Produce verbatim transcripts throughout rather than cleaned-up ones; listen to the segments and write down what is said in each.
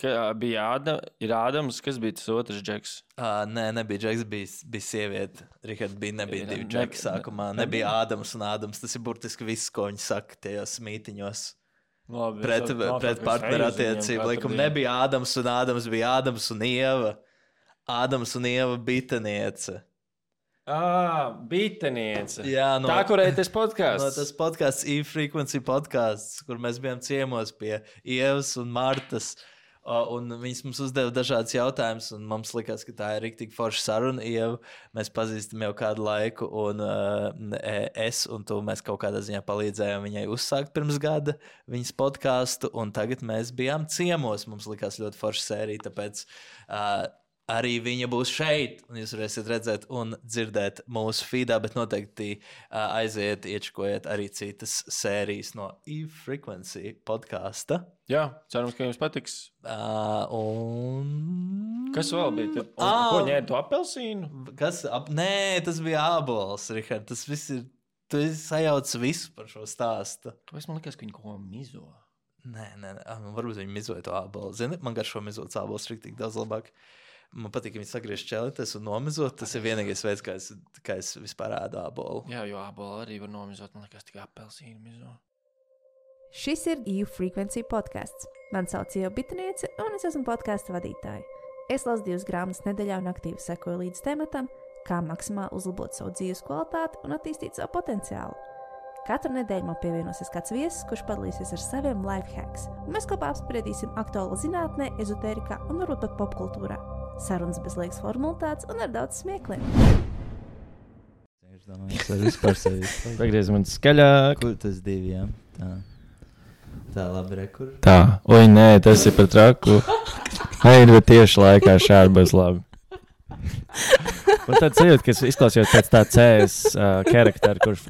Ka, bija Ādam, ir Ādams, kas bija tas otrs Džeks? Uh, nē, nebija Džeks, bija, bija sieviete. Richard bija, nebija divi Džeki sākumā. Nebija Ādams un Ādams. Tas ir burtiski viss, ko viņi saka tajos mītiņos. Labi, pret tas, pret partneru attiecību likumu. Nebija Ādams un Ādams, bija Ādams un Ieva. Ādams un Ieva biteniece. Ā, biteniece. Jā, no, tā, kurai tas podcasts. No tas podcasts E-Frequency podcasts, kur mēs bijām ciemos pie Ievas un Martas. Un viņas mums uzdeva dažādas jautājumus, un mums likās, ka tā ir riktīgi forša saruna. Ieva, mēs pazīstam jau kādu laiku, un uh, es un tu mēs kaut kādā ziņā palīdzējām viņai uzsākt pirms gada viņas podcastu, un tagad mēs bijām ciemos. Mums likās ļoti forša sērija, tāpēc uh, arī viņa būs šeit, un jūs varēsiet redzēt un dzirdēt mūsu feedā, bet noteikti uh, aiziet, iečkojiet arī citas sērijas no E-Frequency podkasta. Jā, cerams, ka jums patiks. Uh, un... Kas vēl bija? Tad, un, Ah. ko ņēma tu apelsīnu? Kas? Ap... Nē, tas bija ābols, Richard. Tas viss ir... Tu esi sajaucis visu par šo stāstu. Kāpēc man likās, ka viņi ko mizo? Nē, nē, nē. Ah, varbūt viņi mizoja to ābolu. Zini, man garšo mizots ābols riktīgi daudz labāk. Man patīk, ka viņi sagriež čelites un nomizot. Tas ir vienīgais veids, kā es, kā es vispār ēdu ābolu. Jā, jo ābolu arī var nomizot. Man likās, tikai apelsīnu mizo. Šis ir E-Frequency podcasts. Man sauc Ieva Biteniece, un es esmu podkasta vadītāja. Es lasu divas grāmatas nedēļā un aktīvi sekoju līdz tematam, kā maksimāli uzlabot savu dzīves kvalitāti un attīstīt savu potenciālu. Katru nedēļu man pievienosies kāds viesis, kurš padalīsies ar saviem life hacks, un mēs kopā apspriedīsim aktuālo zinātnē, ezotērikā un varbūt pat popkultūrā. Sarunas bez liekas formalitātes un ar daudz smiekliem. Es domāju, es varu vispār sevi. Pagriez man skaļāk. Kur tas divi, jā? Tā. Tā, labi, re, kur? Tā, oi, nē, tas ir par traku. Ai, bet tieši laikā šādi būs labi. Un tad sajūt, ka izklausījot pēc tā C S uh, karaktera, kurš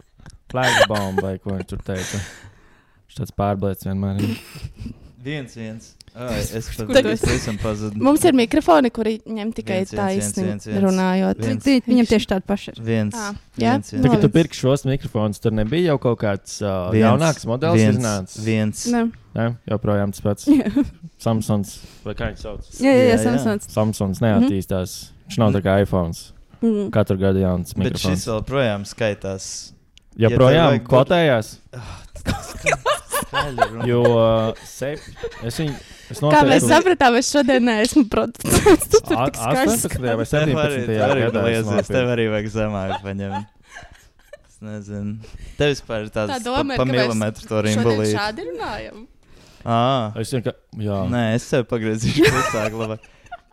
flagbomb vai ko viņš tur teica. Viņš tāds pārblēts vienmēr ir. Viens, viens. Ai, es pat Tagad- esam pazudu. Mums ir mikrofoni, kuri ņem tikai Viens, viens, viens, taisni viens, viens. runājot. Viens. Ti- Viņam tieši tāda paša ir. Viens. Ā, jā? Viens, viens. Tā, kad tu Novic. pirki šos mikrofonus, tur nebija jau kaut kāds uh, Viens, jaunāks modelis viens, iznācis? Viens. Ne. Jā, joprojām tas pats. Jā, Samsungs, vai kā viņš sauc? jā, jā, Jā, jā. Samsungs. Samsungs neattīstās. Viņš nav tā kā iPhones. Mm. Katru gadu jauns Bet šis mikrofons. vēl projām skaitās. Joprojām ja tev vajag kvotējās, Skaļi runā. jo uh, sep... es viņu... Es Kā mēs noteiktu- sapratām, es šodien neesmu producents. Tu tur A- tik skaļs. astoņpadsmitajā vai Tev arī- septiņpadsmitajā tev arī gadā. es liezies, nopirku. Tev arī vajag zemāk paņemt. Es nezinu. Tev vispār ir Tā tāds doma pa, ir, pa ka mēs milimetru to Šodien rimbolīt. šādi runājam. Ā, Es vienkār... Jā. nē, es sev pagriezīšu klusāk labāk.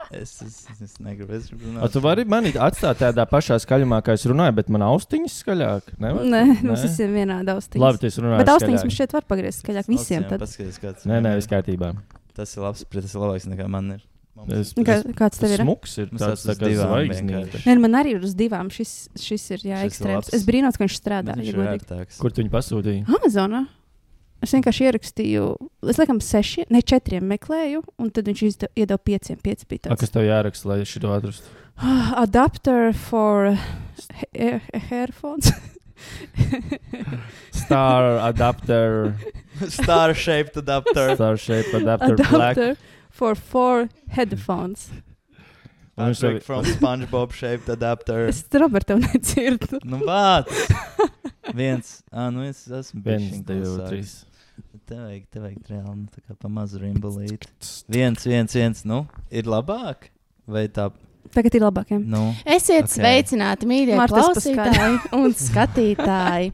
Es, es, es negribu, es gribu runāt. A, tu vari mani atstāt tādā pašā skaļumā, kā es runāju, bet man austiņas skaļāk? Nevar? Nē, mums visiem vienāda austiņas. Labi, tu esi runājis Bet austiņas skaļāk. mums šeit var pagriezt skaļāk visiem. Tad. Paskaties, kāds. Nē, nē, viss kārtībā. Tas ir labs, tas ir labāks nekā man ir. Mums Es, Kā, es, kāds tev ir? smuks ir Mums tāds tas tā uz kā divām zvaigznīte. vienkārši. Nē, man arī ir uz divām. Šis, šis ir jā, Šis ir ekstrēms. labs. Es brīnos, ka viņš strādā. Bet viņš Ja ir godīgi. vērtāks. Kur tu viņu pasūtīji? Amazonā. Es vienkārši ierakstīju, es laikam seši, ne četriem meklēju, un tad viņš izda- iedeva pieciem. Pieci bija A, kas tāds. tev jāraksta, lai es šito atrastu? Adapter for he- headphones. Star adapter, Star shaped adapter. star shape adapter, black. Adapter for four headphones. Un viņš Patrick tev- from SpongeBob shaped adapter. Es Robertu nedzirdu. Nu, vāc! Viens. Ā, nu es esmu Viens, bišķiņ divi, klusāks. trīs. Tev vajag, tev vajag reāli, nu, tā kā pa mazu rimbolīt. Viens, viens, viens, nu, ir labāk? Vai tā, Tagad ir labākiem. nu, Esiet Ok. okay. sveicināti, mīļie Martas klausītāji un skatītāji.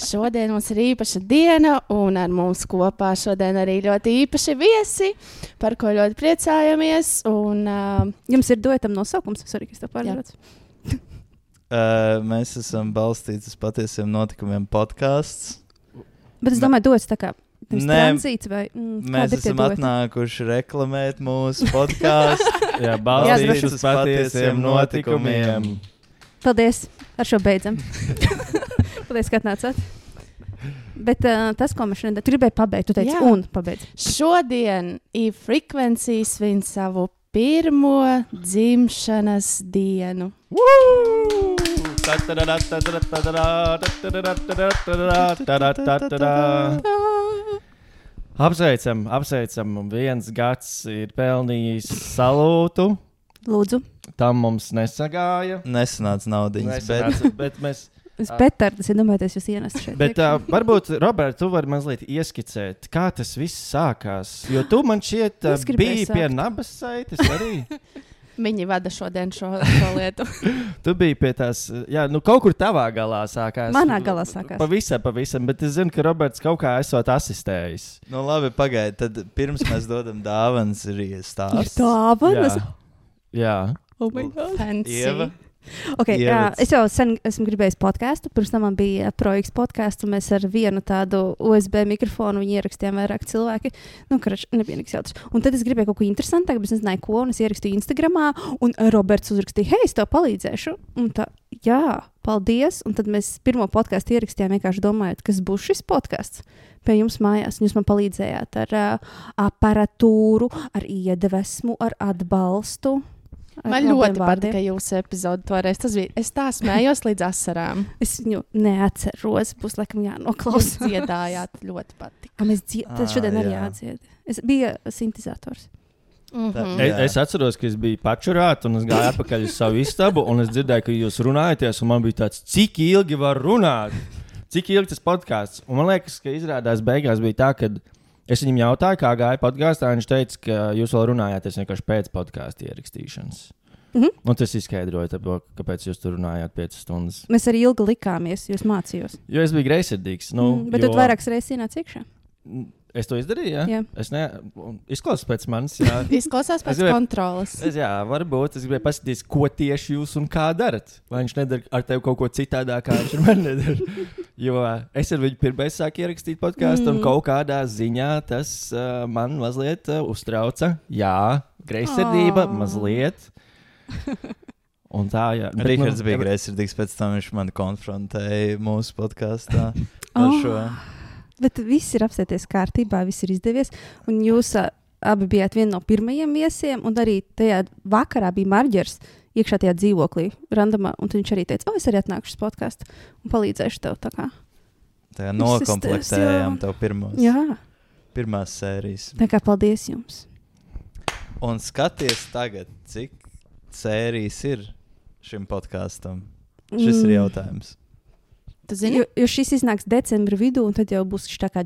Šodien mums ir īpaša diena, un ar mums kopā šodien arī ļoti īpaši viesi, par ko ļoti priecājamies. Un, uh, Jums ir duetam nosaukums, sorry, kas tev pārējots. uh, mēs esam balstīti uz patiesiem notikumiem podcasts. Bet es domāju, duets tā kā pirms Nē, tranzīts vai... Mm, Mēs kādi ir tie esam dueti? atnākuši reklamēt mūsu podkāstu. Jā, Jā, balstīts bet- uz patiesiem notikumiem. Paldies, ar šo beidzam. Paldies, ka atnācāt. Bet uh, tas, ko mēs šodien gribēju pabeigt, tu teici, Jā. un pabeidz. šodien E-Frequency svin savu pirmo dzimšanas dienu. Apsveicam, apsveicam. Viens gads ir pelnījis salūtu. Lūdzu. Tam mums nesagāja. Nesanāca naudiņas, Nesanāca, bet... bet mēs... Es petardas, ja domājaties, jūs ienest šeit. Bet uh, varbūt, Robert, tu vari mazliet ieskicēt, kā tas viss sākās. Jo tu man šķiet uh, Es gribēju biji sākt. pie nabas saites arī. Viņi vada šodien šo, šo lietu. Tu biji pie tās, jā, nu kaut kur tavā galā sākās. Manā galā sākās. Pavisam, pavisam, bet es zinu, ka Roberts kaut kā esot asistējis. Nu labi, pagaidi, tad pirms mēs dodam dāvanas arī stāsts. Dāvanas? Jā. Jā. Oh my God. Fancy. Ieva. Okay, jā, Ievads. es jau sen esmu gribējis podkāstu. Pirms tam man bija projekts podkāsts, un mēs ar vienu tādu U S B mikrofonu viņu ierakstījām vairāk cilvēki. Nu, karač, nebija nekas jautrs. Un tad es gribēju kaut ko interesantāku, bet es nezināju, ko. Un es ierakstīju Instagramā, un Roberts uzrakstīja, hei, es tev palīdzēšu. Un tā, jā, paldies. Un tad mēs pirmo podkāstu ierakstījām vienkārši domājot, kas būs šis podkāsts pie jums mājās. Un jūs man palīdzējāt ar uh, aparatūru, ar iedvesmu, ar atbalstu. Man ļoti patika jūsu epizode toreiz. Tas bija, es tā smējos līdz asarām. Es viņu neatceros, būs laikam jānoklausās. Jūs dziedājāt, ļoti patika. A, mēs dzi... Tas šodien Ā, arī jā. jādzied. Es biju sintēzators. Mhm. Es, Jā. es atceros, ka es biju pačurāts, un es gāju atpakaļ uz savu istabu, un es dzirdēju, ka jūs runājaties, un man bija tāds, cik ilgi var runāt? Cik ilgi tas podkāsts? Un man liekas, ka izrādās beigās bija tā, ka es viņam jautāju, kā gāja podkāstā, un viņš teica, ka jūs vēl runājāties vienkārši pēc podkāstu ierakstīšanas. Mhm. Un tas izskaidroja, tāpēc, kāpēc jūs tur runājāt piecas stundas. Mēs arī ilgi likāmies, jūs mācījos. Jo es biju greizsirdīgs. Nu, Mm, bet jo... tad vairākas reizes ienāca iekšā. Es to izdarīju, jā? Jā. Es ne... Izklausās pēc manis, jā. Izklausās pēc Es gribēju- kontrolas. Es, jā, varbūt. Es gribēju paskatīties, ko tieši jūs un kā darat. Vai viņš nedara ar tevi kaut ko citādāk, kā viņš ar mani nedara. Jo es ar viņu pirmais sāku ierakstīt podkāstu, mm. un kaut kādā ziņā tas uh, man mazliet uh, uztrauca. Jā, greizsirdība, Oh. mazliet. Un tā, jā. Bet, Rihards nu, bija greizsirdīgs, pēc tam viņš mani konfrontēja mūsu podkāstā ar Oh. šo. Bet viss ir apsēties kārtībā, viss ir izdevies. Un jūs uh, abi bijāt viena no pirmajiem viesiem, un arī tajā vakarā bija Marģers iekšā tajā dzīvoklī, randomā. Un tad viņš arī teica, o, es arī atnākšu uz podkāstu un palīdzēšu tev. Tā kā. Tā Viss nokomplektējām tas, jā. tev pirmos, Jā, pirmās sērijas. tā kā paldies jums. Un skaties tagad, cik sērijas ir šim podkāstam. Šis ir Mm. jautājums. Tu zini? Jo, jo šis iznāks decembra vidū, un tad jau būs šis tā kā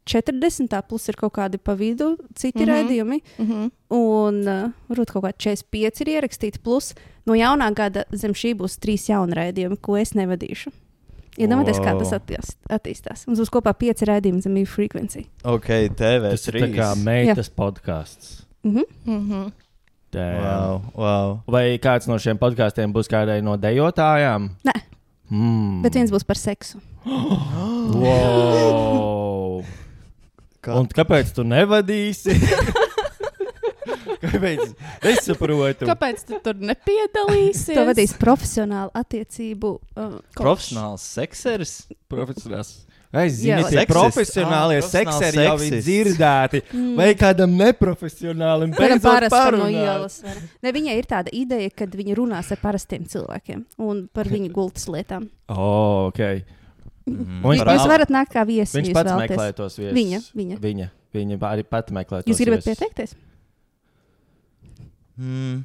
četrdesmit, tā plus ir kaut kādi pa vidu citi Mhm. raidījumi. Mhm. Un uh, varbūt kaut kādi četrdesmit pieci ir ierakstīti. Plus no jaunā gada zem šī būs trīs jauni raidījumi, ko es nevadīšu. Iedomājieties, kā tas Wow. attīst- attīstās. Mums būs kopā pieci raidījumi zem īņa frekvencija. Ok, T V Tas ir tā kā trīs. meitas podkāsts. Mhm. Mhm. Wow, wow. Vai kāds no šiem podkāstiem būs kādai no dejotājām? Nē. Mm. Bet viens būs par seksu. Wow. Kā? Un kāpēc tu nevadīsi? Kāpēc? Es saprotu. Kāpēc tu tur nepiedalīsies? To vadīs profesionāli attiecību. Uh, Profesionāls sekseris? Profesionāls. Es Jā, zinu, tie seksists. profesionālie Ah, sekseri jau ir profesionāls dzirdēti. Mm. Vai kādam neprofesionālim Varam beidzot parasti no parunāt? ielas. var. Ne, viņai ir tāda ideja, ka viņa runās ar parastiem cilvēkiem un par viņu gultas lietām. Oh, ok. Mm. Un viņš Jūs pats- varat nākt kā viesi. Viņš ja jūs pats vēlaties. meklē tos viesus. Viņa, viņa. Viņa, viņa arī pati meklē tos Jūs gribat viesus. pieteikties? Mm.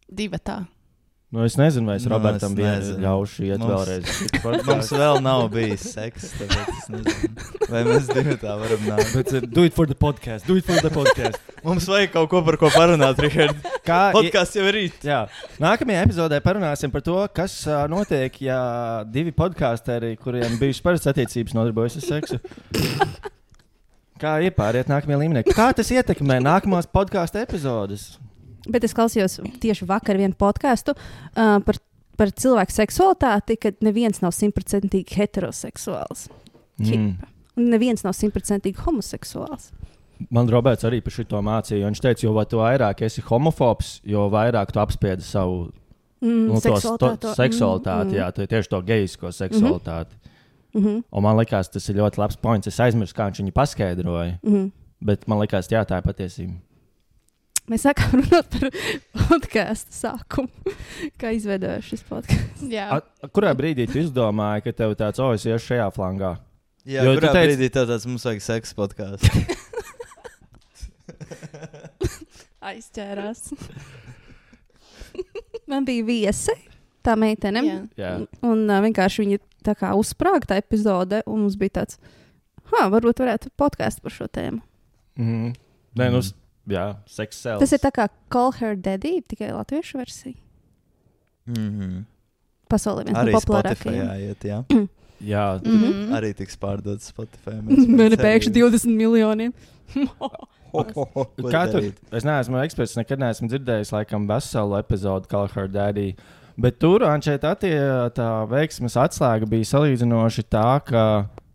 Divatā. Nu, es nezinu, vai es Nu, Robertam es vien nezinu. ļaušu iet Mums- vēlreiz. Mums vēl nav bijis seks, tāpēc es nezinu. Vai mēs divi tā varam nākt? Bet uh, do it for the podcast, do it for the podcast. Mums vajag kaut ko par ko parunāt, Richard. Kā, Podkāsts jau ir rīt. jā, nākamajā epizodē parunāsim par to, kas uh, notiek, ja divi podkāsteri, kuriem bijušas parastas attiecības, nodarbojas ar seksu. Kā iepāriet nākamajā līmenī? Kā tas ietekmē nākamās podkāstu epizodes? Bet es klausījos tieši vakar vienu podkāstu uh, par, par cilvēku seksualitāti, kad neviens nav simtprocentīgi heteroseksuāls. Mm. Un neviens nav simtprocentīgi homoseksuāls. Man Roberts arī par šo mācīja. Viņš teica, jo tu vairāk esi homofobs, jo vairāk tu apspiedi savu Mm, nu, to, to, seksualitāto- seksualitāti. mm, Jā, to- tieši to gejisko seksualitāti. mm, mm, Un man liekas, tas ir ļoti labs points. Es aizmirsu, kā viņš viņu paskaidroja. mm. Bet man liekas, jā, tā ir patiesība. Mēs sākām runāt par podkāstu sākumu. Kā izveidojās šis podkāsts? Jā. A, a, kurā brīdī tu izdomāji, ka tev tāds, o, es iešu šajā flangā? Jā, Jo jo tu kurā teici- brīdī tev tāds mums vajag seks podkāsts? Aizķērās. Man bija viesi, tā meitene. Jā. Jā. Un uh, vienkārši viņa tā kā uzsprāgta epizode, un mums bija tāds, ha, varbūt varētu podkāstu par šo tēmu. Mm. Nē, nu, s- jā, sex sells. Tas ir tā kā Call Her Daddy, tikai latviešu versija. Mhm. Pasaulē viens Arī no Spotify populārākajiem. jāiet, jā. Jā, Mhm. Arī tiks pārdots Spotify. Man ir pēkšņi divdesmit miljoniem. kā tur? Es neesmu eksperts, nekad neesmu dzirdējis, laikam, veselu epizodu Call Her Daddy. Bet tur, Ančēt, attie, tā veiksmes atslēga bija salīdzinoši tā, ka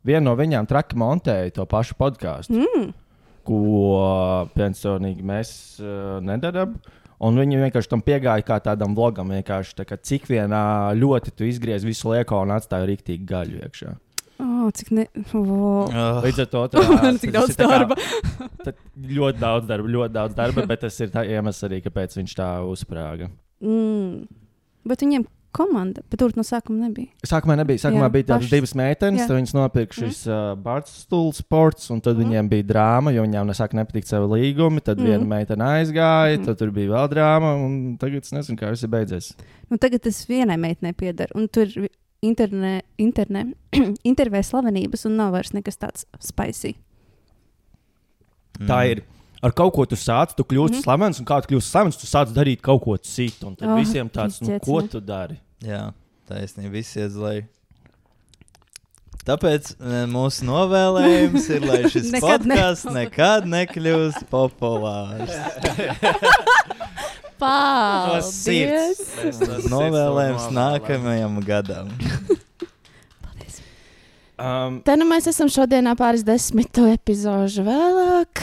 viena no viņām traki montēja to pašu podkāstu, Mm. ko personīgi mēs uh, nedarām. Un viņi vienkārši tam piegāja kā tādam vlogam, vienkārši tā kā cik vienā ļoti tu izgriez visu lieko un atstāja rīktīgi gaļu iekšā. Oh, cik ne... Oh. Oh, Līdz ar to tā, Cik tas daudz ir tā kā- darba. tad ļoti daudz darba, ļoti daudz darba, bet tas ir tā iemesls arī, kāpēc viņš tā uzsprāga. Mm. Bet viņiem komanda, bet tur no sākuma nebija. Sākumā nebija. Sākumā Jā, bija tādas pašas. divas meitenes, Jā. tad viņas nopirka šis uh, Barstool sports, un tad Mhm. viņiem bija drāma, jo viņām nesāk nepatīk savi līgumi. Tad Mhm. viena meitene aizgāja, Mhm. tad tur bija vēl drāma, un tagad es nezinu, kā viss ir beidzies. Nu, tagad tas vienai meitenei pieder, un tur interne, interne, intervē slavenības, un nav vairs nekas tāds spicy. mm. Tā ir. Ar kaut ko tu sāc, tu kļūsi Mhm. slavens, un kā tu kļūsi slavens, tu sāc darīt kaut ko citu. Un tad Oh, visiem tāds, nu, izciets, ko ne? tu dari? Jā, taisnība, viss iet zlai. Tāpēc e, mūsu novēlējums ir, lai šis Nekad ne- podcasts nekad nekļūst populārs. Paldies! Novēlējums nākamajam gadam. Um, Te nu mēs esam šodienā pāris desmitu epizožu vēlāk.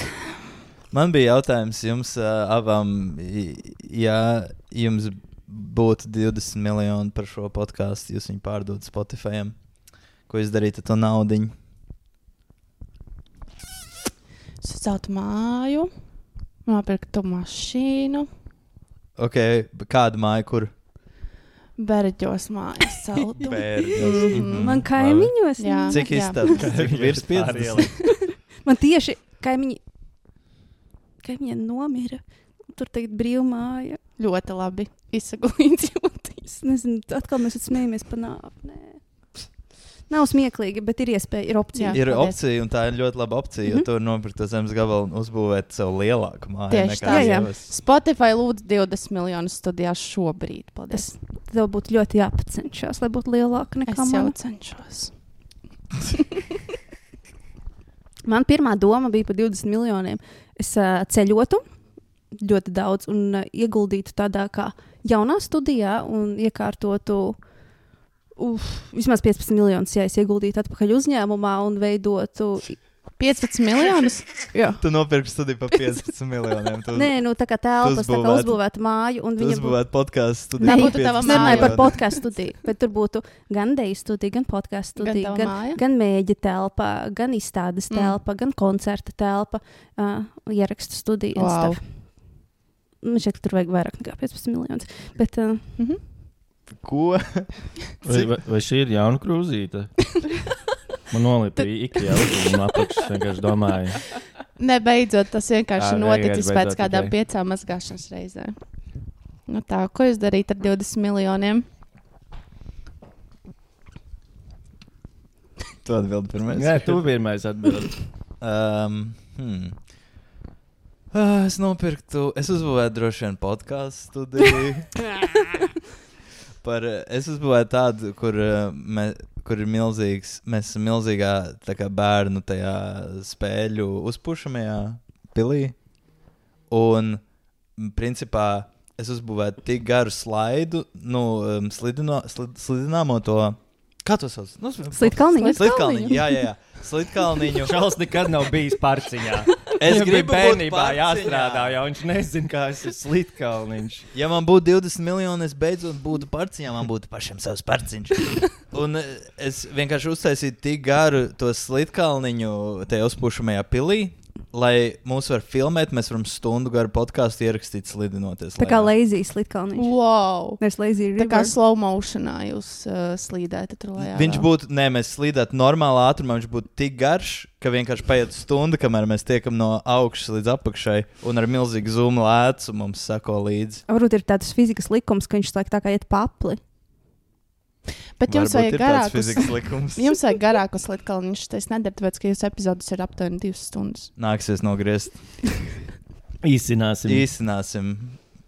Man bija jautājums jums uh, abām, i- ja jums būtu divdesmit miljoni par šo podkāstu, jūs viņu pārdot Spotify. Ko jūs darītu ar to naudiņu? Saceltu māju, nopirktu mašīnu, Ok, bet kādu māju, kur? Berģos mājas celtu. Bērģos. Mm. Man kaimiņos. Jā. Cik istabas? Cik virs piecdesmit? Man tieši kaimiņi, kaimiņi nomira. Tur tagad brīva māja. Ļoti labi izsaglīts jūtīs. Es nezinu, atkal mēs smējamies par nāpnē. Nav smieklīgi, bet ir iespēja, ir opcija. Jā. Ir paldies. opcija, un tā ir ļoti laba opcija, jo Mhm. tur nopirkt to zemes gabalu un uzbūvēt sev lielāku māju. Tieši nekā tā. Jā, jā. sievas. Spotify lūdzu divdesmit miljonus studijās šobrīd. Paldies. Tev būtu ļoti jāpacenšas, lai būtu lielāka nekā Es jau man. cenšos. Man pirmā doma bija par divdesmit miljoniem. Es uh, ceļotu ļoti daudz un uh, ieguldītu tādā kā jaunā studijā un iekārtotu uf, vismaz piecpadsmit miljonus, ja es ieguldītu atpakaļ uzņēmumā un veidotu. piecpadsmit miljonus? Jā. Tu nopirksi studiju par piecpadsmit miljoniem. Tu, Nē, nu tā kā telpas, tā kā uzbūvētu- uzbūvēta māju. Un tu viņa būtu. uzbūvētu podkāstu studiju. Tā par būtu tava Es piecpadsmit nerunāju par miljoniem. podkāstu studiju, bet tur būtu gan deju studija, gan podkāstu Gan studija, tava gan, māja? gan mēģi telpa, gan izstādes Mm. telpa, gan koncerta telpa, uh, ierakstu studija. un Wow. stuff. Man šķiet, ka tur vajag vairāk nekā piecpadsmit miljonus. Bet, uh, Mhm. Ko? vai, vai, vai šī ir jauna krūzīte? Man nolipa ikā un apakšs vienkārši domāju. Nebeidzot, tas vienkārši Ā, noticis vienkārši pēc beidzot, kādām ok. piecām mazgāšanas reizēm. Nu tā, ko jūs darīt ar divdesmit miljoniem? Tu atbildi pirmais. Nē, tu pirmais atbild. Um, hmm. Uh, es nopirktu, es uzbūvēju droši vien podkāstu studiju. Par, es uzbūvēju tādu, kur, uh, me, kur ir milzīgs, mēs esam milzīgā tā kā bērnu tajā spēļu uzpušamajā pilī. Un, m, principā, es uzbūvēju tik garu slaidu, nu, um, slidino, slid, slidināmo to, kā to sauc? Nu, Slidkalniņu? Slidkalniņu, jā, jā, jā. Slidkalniņu. Čāls nekad nav bijis parciņā. Es Viņam bija gribu būt bērnībā parciņā. jāstrādā, jo viņš nezina, kā tas ir slitkalniņš. Ja man būtu divdesmit miljoni, es beidzot būtu parciņā, man būtu pašam savs parciņš. Un eh, es vienkārši uztaisīju tik garu to slitkalniņu tajā uzpušamajā pilī, lai mūs var filmēt, mēs varam stundu garu podkāstu ierakstīt slidinoties. Tā kā lejā. lazy slidkalniņš. Wow! Nevis lazy Tā kā river. slow motionā jūs uh, slīdētu tur lejā. Viņš būtu, nē, mēs slīdētu normālā ātrumā, viņš būtu tik garš, ka vienkārši paiet stunda, kamēr mēs tiekam no augšas līdz apakšai, un ar milzīgu zūmu lēcu mums sako līdzi. Varbūt ir tāds fizikas likums, ka viņš slēg tā kā iet papli. Bet jums Varbūt vajag ir tāds garākus, fizikas likums. jums vajag garākus slidkalniņus. Tas nedara, tāpēc, ka jūsu epizodes ir aptuveni divas stundas. Nāksies nogriezt. Īsināsim. Īsināsim,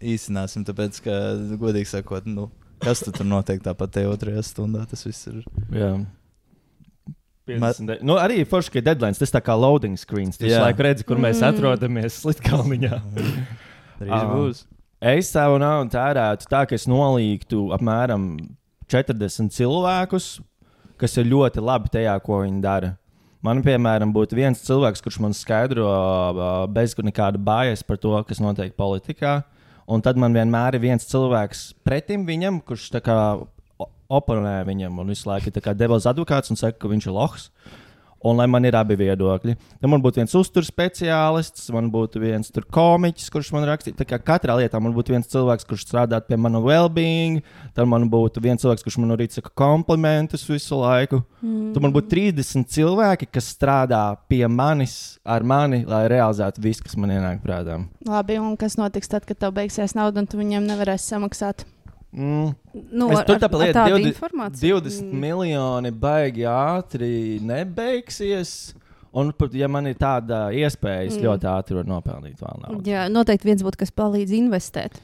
īsināsim, tāpēc, ka, godīgi sakot, nu, kas tu tur notiek tāpat te otrajā stundā, tas viss ir. Jā. piecdesmit Nu, arī forši, ka ir deadlines. Tas tā kā loading screens. Tu visu Jā. laiku redzi, kur mēs Mm. atrodamies slidkalniņā. Drīz Ā. būs. Es savu naudu tērētu tā, ka es nolīgtu apmēram četrdesmit cilvēkus, kas ir ļoti labi tajā, ko viņi dara. Man, piemēram, būtu viens cilvēks, kurš man skaidro uh, bez nekāda bājas par to, kas notiek politikā. Un tad man vienmēr ir viens cilvēks pretim viņam, kurš tā kā o- oponē viņam un visu laiku ir tā kā devils advokāts un saka, ka viņš ir lohs. Un lai man ir abi viedokļi. Tad man būtu viens uzturs speciālists, man būtu viens tur komiķis, kurš man rakstīja. Tā kā katrā lietā man būtu viens cilvēks, kurš strādā pie mana well-being, tad man būtu viens cilvēks, kurš man arī saka komplimentus visu laiku. Mm. Tad man būtu trīsdesmit cilvēki, kas strādā pie manis, ar mani, lai realizētu visu, kas man ienāk prātā. Labi, un kas notiks tad, kad tev beigsies nauda un tu viņiem nevarēsi samaksāt? Mm. Nu, Es ar, tur ar, tāpēc ar lietu, tādu divdesmit informāciju. divdesmit miljoni baigi ātri nebeigsies. Un, pat, ja man ir tāda iespēja, es Mm. ļoti ātri varu nopelnīt vēl naudu. Jā, noteikti viens būtu, kas palīdz investēt.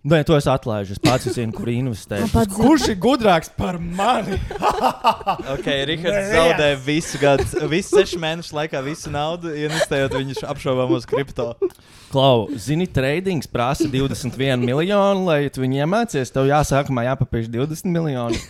Nē, to es atlaižu. Es pats zinu, kur investēt. Man pats zina. Kurš ir gudrāks par mani? Ok, Rihards zaudē visu gadu, visu sešu mēnešu laikā visu naudu, investējot viņu apšaubāmos kripto. Klau, zini, trading prasa divdesmit vienu miljonu, lai tu viņu iemācies. Tev jāsākumā jāpapīš divdesmit miljoni.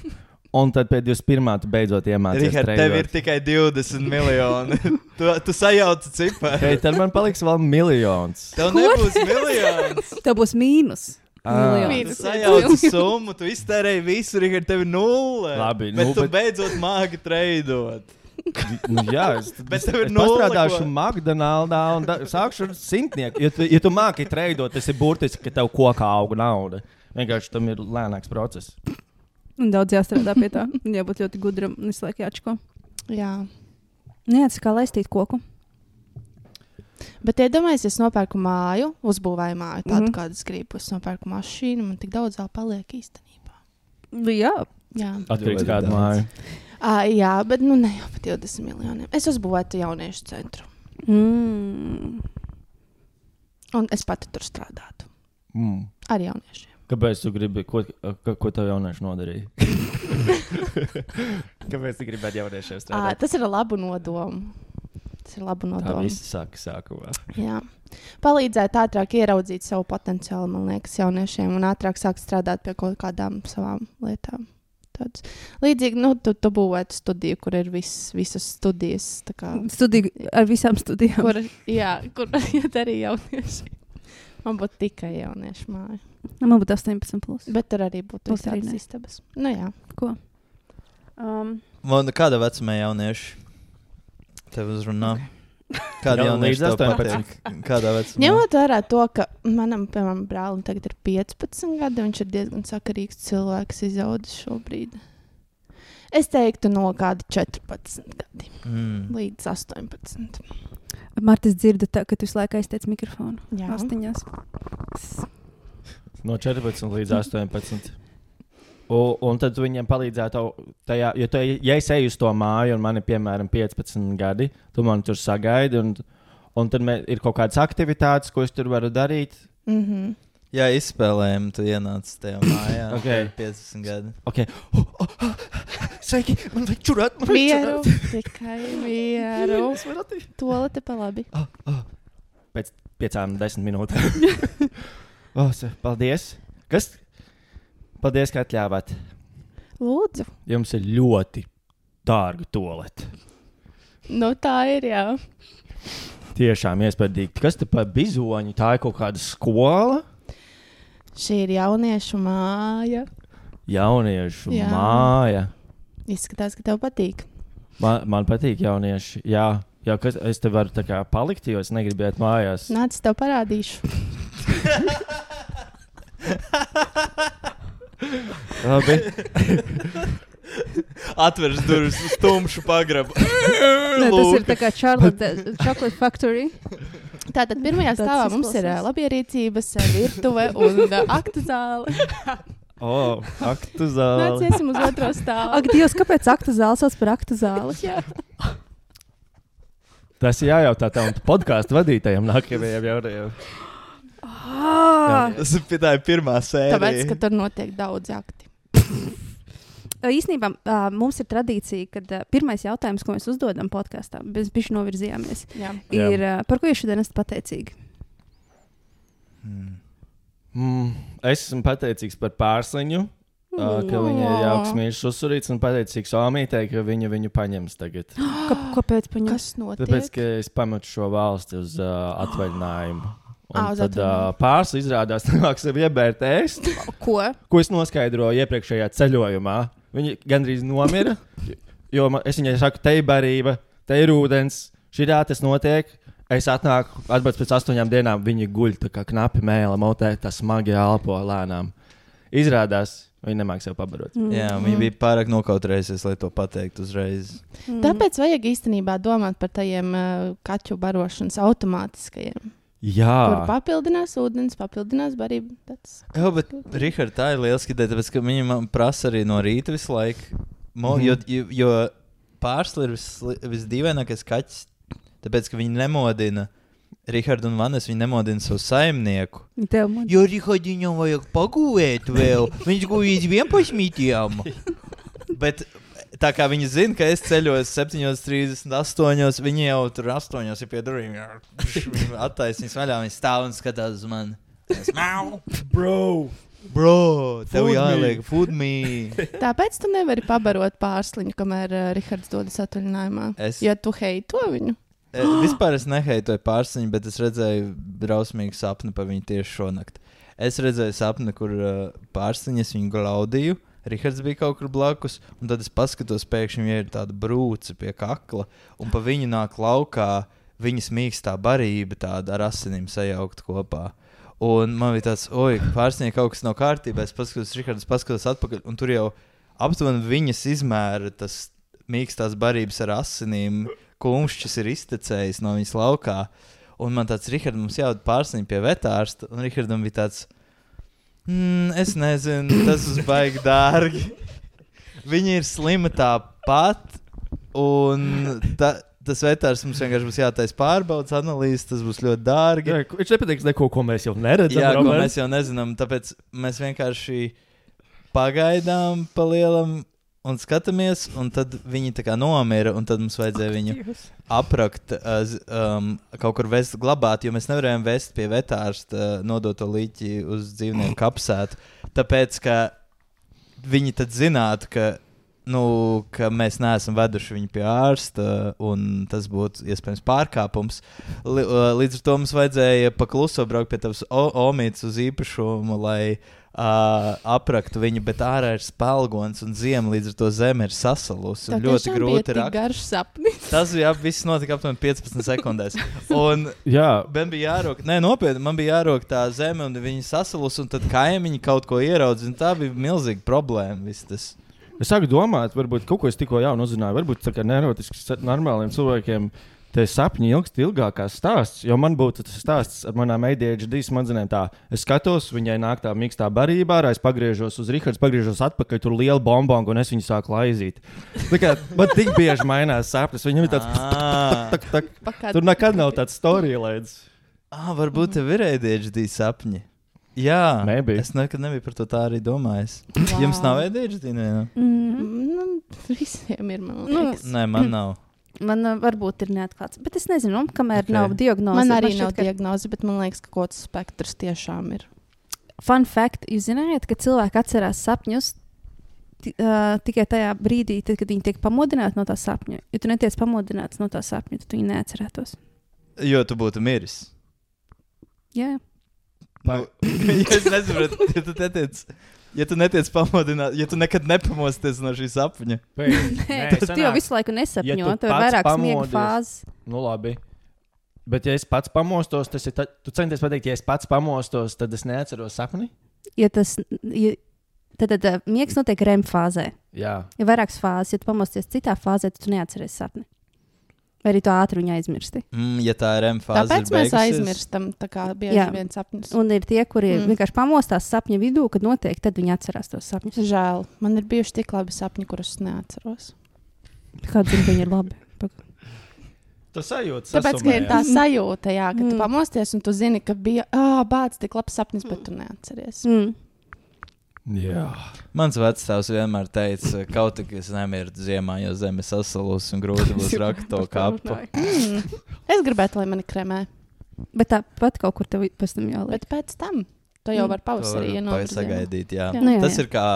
Un tad pēc divdesmit pirmā tu beidzot iemācies. Rihards, tev ir tikai divdesmit miljoni. tu, tu sajauci ciparu. Hei, tad man paliks vēl miljons. Tev nebūs miljons. Tev būs mīnus. Ā. Miljons. Tu sajauci summu, tu iztērēji visu, Rihards, tev ir nulle. Labi, bet nu, tu bet- beidzot māki treidot. Nu, jā, es, Bet tev ir es nulle, pastrādāšu ko- McDonald's un da, sākšu ar simtnieku. Ja tu, ja tu māki treidot, tas ir burtiski, ka tev kokā auga nauda. Vienkārši tam ir lēnāks process. Un daudz jāstrādā pie tā. Un jābūt ļoti gudram un visu laiku jāčko. Jā. Nē, tas kā laistīt koku. Bet iedomājieties, es nopērku māju, uzbūvēju māju tādu, Mhm. mm -hmm. kādu es gribu. Es nopērku mašīnu, man tik daudz vēl paliek īstenībā. Jā, Jā, Atkarīgs Ļoti kādu daudz. māju. à, jā bet nu ne jau par divdesmit miljoniem. Es uzbūvēju jauniešu centru. mm. Un es pati tur strādātu. Mm. Ar jauniešiem. Kāpēc tu gribi, ko, ko, ko tev jaunieši nodarīja? Kāpēc tu gribētu jauniešiem À, strādāt? tas ir ar labu nodomu. Tas ir labu Tā nodomu. viss saka sākumā. Jā. Palīdzēt ātrāk ieraudzīt savu potenciālu, man liekas, jauniešiem un ātrāk sākt strādāt pie kaut kādām savām lietām. Tāds. Līdzīgi, nu, tu, tu būvētu studiju, kur ir vis, visas studijas. tā Kā, Studiju ar visām studijām. kur, jā, kur iet arī jaunieši. Man būtu tikai jauniešu māja. Man būtu astoņpadsmit plus. Bet tur arī būtu Plus arī visādas ne. istabas. Nu jā. Ko? Um, Man kāda vecumā jaunieši tev uzrunā? Kāda Jau jaunieši līdz tev astoņpadsmit. patīk? Kādā vecumā? Ņemot vērā to, ka manam, piemēram, brālim tagad ir piecpadsmit gadi, viņš ir diezgan sakarīgs cilvēks izaudzis šobrīd. Es teiktu no kāda četrpadsmit gadi Mm. līdz astoņpadsmit. Martis dzirda, tā, ka tu visu laiku aiztiec mikrofonu. Jā. Austiņās. No četrpadsmit līdz astoņpadsmit. Un, un tad tu viņiem palīdzētu tajā, jo tu, ja es eju uz to māju un man ir piemēram piecpadsmit gadi, tu man tur sagaidi un, un tad mē, ir kaut kādas aktivitātes, ko es tur varu darīt. Mm -hmm. Jā, izspēlējumi, tu ienāc tajā mājā. Ok. tev ir piecdesmit gadi. Okay. Oh, oh, oh. Sveiki, man vajag čurāt, man vajag Mieru, čurāt. tikai mieru. Es varu attīt. Tolete pa labi. Oh, oh. Pēc piecām, desmit minūtēm. oh, se- paldies. Kas? Paldies, ka atļāvāt. Lūdzu. Jums ir ļoti dārga tolete. Nu tā ir, jā. Tiešām iespaidīgi. Kas te par bizoņu? Tā ir kaut kāda skola? Šī ir jauniešu māja. Jauniešu Jā. māja. Izskatās, ka tev patīk. Man, man patīk jaunieši. Jā, Jā, kas, es te varu tā kā palikt, jo es negribu iet mājās. Nāc, tev parādīšu. Labi. Atveras durvis uz tumšu pagrabu. Nē, tas ir tā kā Charlotte Chocolate Factory. Tātad pirmajā Tāds stāvā mums ir izklausās. ā, labierīcības, ā, virtuve un ā, aktu zāle. O, aktu zāle. Nāc, iesim uz otro stāvu. Ak, Dievs, kāpēc aktu zāle sauc par aktu zāli? Jā. Tas ir jājautā tam podkāstu vadītājiem nākamajiem jaunajiem. Ah! Tas ir, tā ir pirmā sērija. Tāpēc, ka tur notiek daudz akti. Īsnībā ā, mums ir tradīcija, ka ā, pirmais jautājums, ko mēs uzdodam podkāstā, mēs bišķi novirzījāmies, Jā. Jā. ir, ā, par ko jūs šodien esat pateicīgi? Hmm. Mm, es esmu pateicīgs par pārsliņu, ā, ka viņa ir jauks mīļš uzsurīts, un pateicīgs Omītei, ka viņa viņu paņems tagad. Ka, kāpēc paņem? Kas notiek? Tāpēc, ka es pametu šo valsti uz uh, atvaļinājumu. Un Ā, uz tad uh, atvaļinājumu. pārsli izrādās, ka sev iebērt ēst, Ko? ko es noskaidroju iepriekšējā ceļojumā. Viņa gandrīz nomira, jo man, es viņai saku, te ir barība, te ir ūdens, šitā tas notiek. Es atnāku, atbraucu pēc astoņām dienām, viņa guļ tā kā knapi mēla, motē, tā smagi elpo lēnām. Izrādās, viņa nemāk sev pabarot. Mm. Jā, viņa bija pārāk nokautrējusies, lai to pateiktu uzreiz. Mm. Tāpēc vajag īstenībā domāt par tajiem uh, kaķu barošanas automātiskajiem. Jā, Kur papildinās ūdens, papildinās barību. Tāds... Jā, bet Rihard, tā ir lieliski ideja, tāpēc, ka viņa man prasa arī no rīta visu laiku. Mo, Mhm. jo, jo, jo pārsli ir vis, visdīvainākais kaķis, tāpēc, ka viņi nemodina Rihardu un Vanes, viņi nemodina savu saimnieku. Tev man. Jo Rihardiņam vajag pagūvēt vēl, viņš gūjīs vienpašmītījām. Bet tā kā viņi zina, ka es ceļoju septiņos trīsdesmit astoņos, viņi jau tur astoņos ir pie durvīm. Viņi attaisnīs vaļā, viņi stāv un skatās uz mani. Es mau! bro! Bro, tev Food me. jāliek food me. Tāpēc tu nevari pabarot pārsliņu, kamēr uh, Rihards dodas atvaļinājumā. Es, Jo tu heito viņu. e, vispār es neheitoju pārsiņu, bet es redzēju drausmīgu sapni par viņu tieši šonakt. Es redzēju sapni, kur uh, pārsiņas viņu glaudīju. Rihards bija kaut kur blakus, un tad es paskatos, pēkšņi viņai ir tāda brūce pie kakla, un pa viņu nāk laukā viņas mīkstā barība tāda ar asinīm sajaukt kopā. Un man bija tāds, oi, pārsniegt kaut kas nav kārtībā, es paskatos, Rihards paskatos atpakaļ, un tur jau aptuveni viņas izmēra tas mīkstās barības ar asinīm, kumšķis ir iztecējis no viņas laukā. Un man tāds, Rihards, mums jāved pārsniegt pie vetārsta, un Rihardam bija tāds, Mm, es nezinu, tas būs baigi dārgi. Viņa ir slima tāpat, un ta, tas vetārs mums vienkārši būs jātaisa pārbaudas analīzes, tas būs ļoti dārgi. Jā, viņš nepateiks neko, ko mēs jau neredzam. Jā, ko Robert. mēs jau nezinām, tāpēc mēs vienkārši pagaidām pa lielam un skatāmies, un tad viņi tā kā nomira, un tad mums vajadzēja viņu aprakt, uh, z- um, kaut kur vest, glabāt, jo mēs nevarējām vest pie vetārsta uh, nodoto līķi uz dzīvnieku kapsētu, tāpēc, ka viņi tad zinātu, ka, nu, ka mēs neesam veduši viņu pie ārsta, un tas būtu iespējams pārkāpums. Li, uh, līdz ar to mums vajadzēja pakluso braukt pie tavas o- omītes uz īpašumu, lai Uh, apraktu viņu, bet ārā ir spēlgons un ziema, līdz ar to zeme ir sasalusi. Tev Ļoti tiešām grūti bija tik rakt. garš sapnis. Tas jā, viss notika aptuveni piecpadsmit sekundēs. Un Jā, man bija jārok, nē, nopietni, man bija jārok tā zeme, un viņi sasalus, un tad kaimiņi kaut ko ieraudzīja, un tā bija milzīga problēma. Viss tas. es sāku domāt, varbūt kaut ko es tikko jaunu uzzināju. Varbūt tā kā neurotisks normāliem cilvēkiem tie sapņi ilgst ilgākās stāsts, jo man būtu tas stāsts ar manām A D H D smadzenēm tā. Es skatos, viņai nāk tā mīkstā barībā, ārā es pagriežos uz Rihards, pagriežos atpakaļ, tur liela bombonga, un es viņu sāku laizīt. Tā kā man tik bieži mainās sapnis, viņam ir tāds Ah, tak, tak. Pakād... Tur nekad nav tāds storylaids. ah, varbūt tev ir A D H D sapņi. Jā, Maybe. es nekad nebiju par to tā arī domājis. Wow. Jums nav A D H D? Ne? Mm. Nu, visiem ir, man Nu, liekas. Nē, man nav. Man uh, varbūt ir neatklāts, bet es nezinu, nu, kamēr Ok. okay. nav diagnoze. Man arī šķiet, nav ka- diagnoze, bet man liekas, ka kaut kāds spektrs tiešām ir. Fun fact, jūs zināt, ka cilvēki atcerās sapņus ti, uh, tikai tajā brīdī, tad, kad viņi tiek pamodināti no tā sapņa. Ja tu netiec pamodināts no tā sapņa, tad tu viņu neatcerētos. Jo tu būtu miris. Jā, Nu, ja es nesaprotu, ja tu teici, Ja tu netiec pamodināt, ja tu nekad nepamosties no šī sapņa. Nē, tu jau visu laiku nesapņo, ja tev ir vairāk smiega fāzes. Nu labi. Bet ja es pats pamostos, tas ir, ta... tu centies pateikt, ja es pats pamostos, tad es neatceros sapni? Ja tas, ja, tad, tad uh, miegs notiek R E M fāzē. Jā. Ja vairākas fāzes, ja tu pamosties citā fāzē, tad tu neatceries sapni. Vai arī tu ātri viņu aizmirsti? Mm, ja tā R E M fāze Tāpēc ir beigusies. mēs aizmirstam tā kā bieži vien sapņus. Un ir tie, kuri mm. vienkārši pamostās sapņa vidū, kad notiek, tad viņi atcerās tos sapņus. Žēl. Man ir bijuši tik labi sapņi, kurus neatceros. Kāds zina, ka viņi ir labi? Tu sajūti Tāpēc, ka ir tā sajūta, jā, ka mm. tu pamosties un tu zini, ka bija ā, bāc, tik labs sapnis, bet tu neatceries. Mm. Jā. Mans vectēvs vienmēr teica, kaut tik es nemirtu ziemā, jo zeme sasalus un grūti būs rakt to kapu. Mm. Es gribētu, lai mani kremē. Bet tāpat kaut kur tev pēc tam jāliek. Bet pēc tam to jau var pavasarī ienākt. Sagaidīt, jā. jā. Nu, jā, Tas jā. ir kā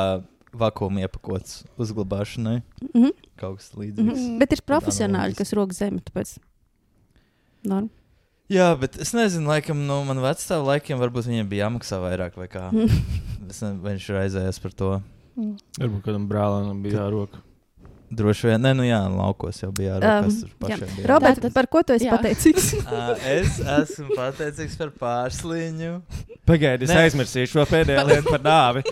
vakuma iepakots uzglabāšanai. Mm-hmm. Kaut kas līdzīgs. Mm-hmm. Bet ir profesionāļi, kas rok zemi, tāpēc norma. Jā, bet es nezinu, laikam, no man vecstāvu laikiem varbūt viņiem bija jāmaksā vairāk vai kā. Es nezinu, vai viņš raizējās par to. Mm. Varbūt kādam brālēnam bija jāroka. Droši vien, ne, nu jā, laukos jau bija jāroka, kas tur pašiem bija. Robert, Tātad- par ko tu esi jā. pateicīgs? Ā, es esmu pateicīgs par pārsliņu. Pagaidi, es Nē. aizmirsīšu šo pēdējo lietu par nāvi.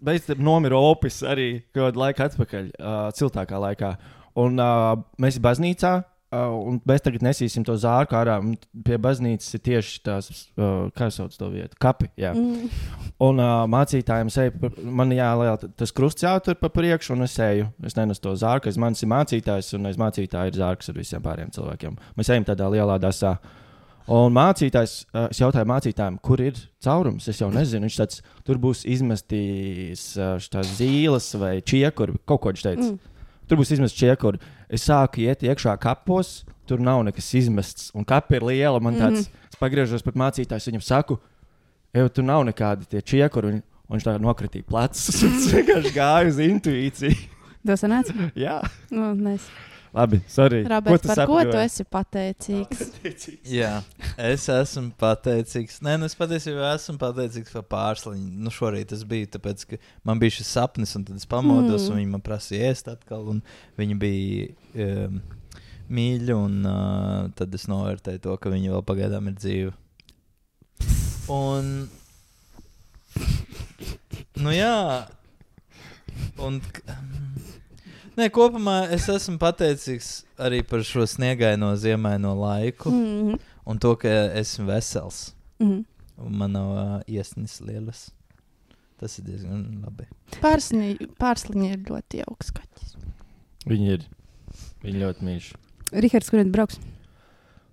Beidz nomira opis arī kādu laiku atpakaļ, uh, ciltākā laikā. Un uh, mēs baznīcā, uh, un mēs tagad nesīsim to zārku ārā. Un pie baznīcas ir tieši tās, uh, kā sauc to vietu, kapi. Jā. Mm. Un uh, mācītājiem es eju, pa- man jāliek tas krusts jātur pa priekšu, un es eju. Es nenesu to zārku, es manis ir mācītājs, un aiz mācītāja ir zārks ar visiem pārējiem cilvēkiem. Mēs ejam tādā lielā dasā. Un mācītājs, uh, es jautāju mācītājiem, kur ir caurums. Es jau nezinu, viņš tāds, tur būs izmestīs uh, tās zīles vai čiekuri, kaut ko viņš teica. Mm. Tur būs izmests čiekuri. Es sāku iet iekšā kapos, tur nav nekas izmests. Un kapa ir liela, man tāds, mm-hmm. es pagriežos pret mācītājs, viņam saku, ej, tur nav nekādi tie čiekuri. Un, un viņš tā nokritīja plecus, un es vienkārši gāju uz intuīciju. Tas sanāca? Jā, Nu, nes. labi, sorry. Robert, par ko sapņoji? tu esi pateicīgs? Jā, es esmu pateicīgs. Nē, nu es patiesībā esmu pateicīgs par pārsliņu. Nu šorīt tas bija, tāpēc, ka man bija šis sapnis, un tad es pamodos, Mm. un viņi man prasīja ēst atkal, un viņi bija um, mīļi, un uh, tad es novērtēju to, ka viņi vēl pagaidām ir dzīvi. Un, nu jā, un, k- nē, kopumā es esmu pateicīgs arī par šo sniegaino ziemaino laiku. Mm-hmm. Un to, ka esmu vesels. Mm-hmm. Un man nav uh, iesnis lielas. Tas ir diezgan labi. Pārsliņi, pārsliņi ir ļoti jauks kaķis. Viņi ir. Viņi ļoti mīļš. Rihards, kurien brauks?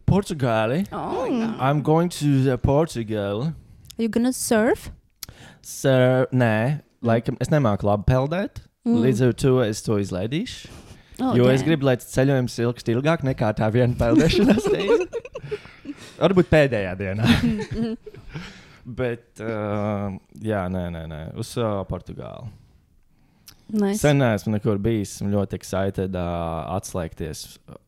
Portugāli. Oh, Mm. I'm going to the Portugal. Are you gonna surf? Sir, nē, laikam es nemāku labi peldēt. Mm. Līdz ar to es to izlaidīšu. Oh, Jo damn. es gribu, lai tas ceļojums ilgst ilgāk nekā tā viena peldēšanās reize. Varbūt pēdējā dienā. Mhm. Bet, uh, jā, nē, nē, nē. Uz uh, Portugāli. Nice. Sen neesmu nekur bijis. Esmu ļoti excited uh, atslēgties,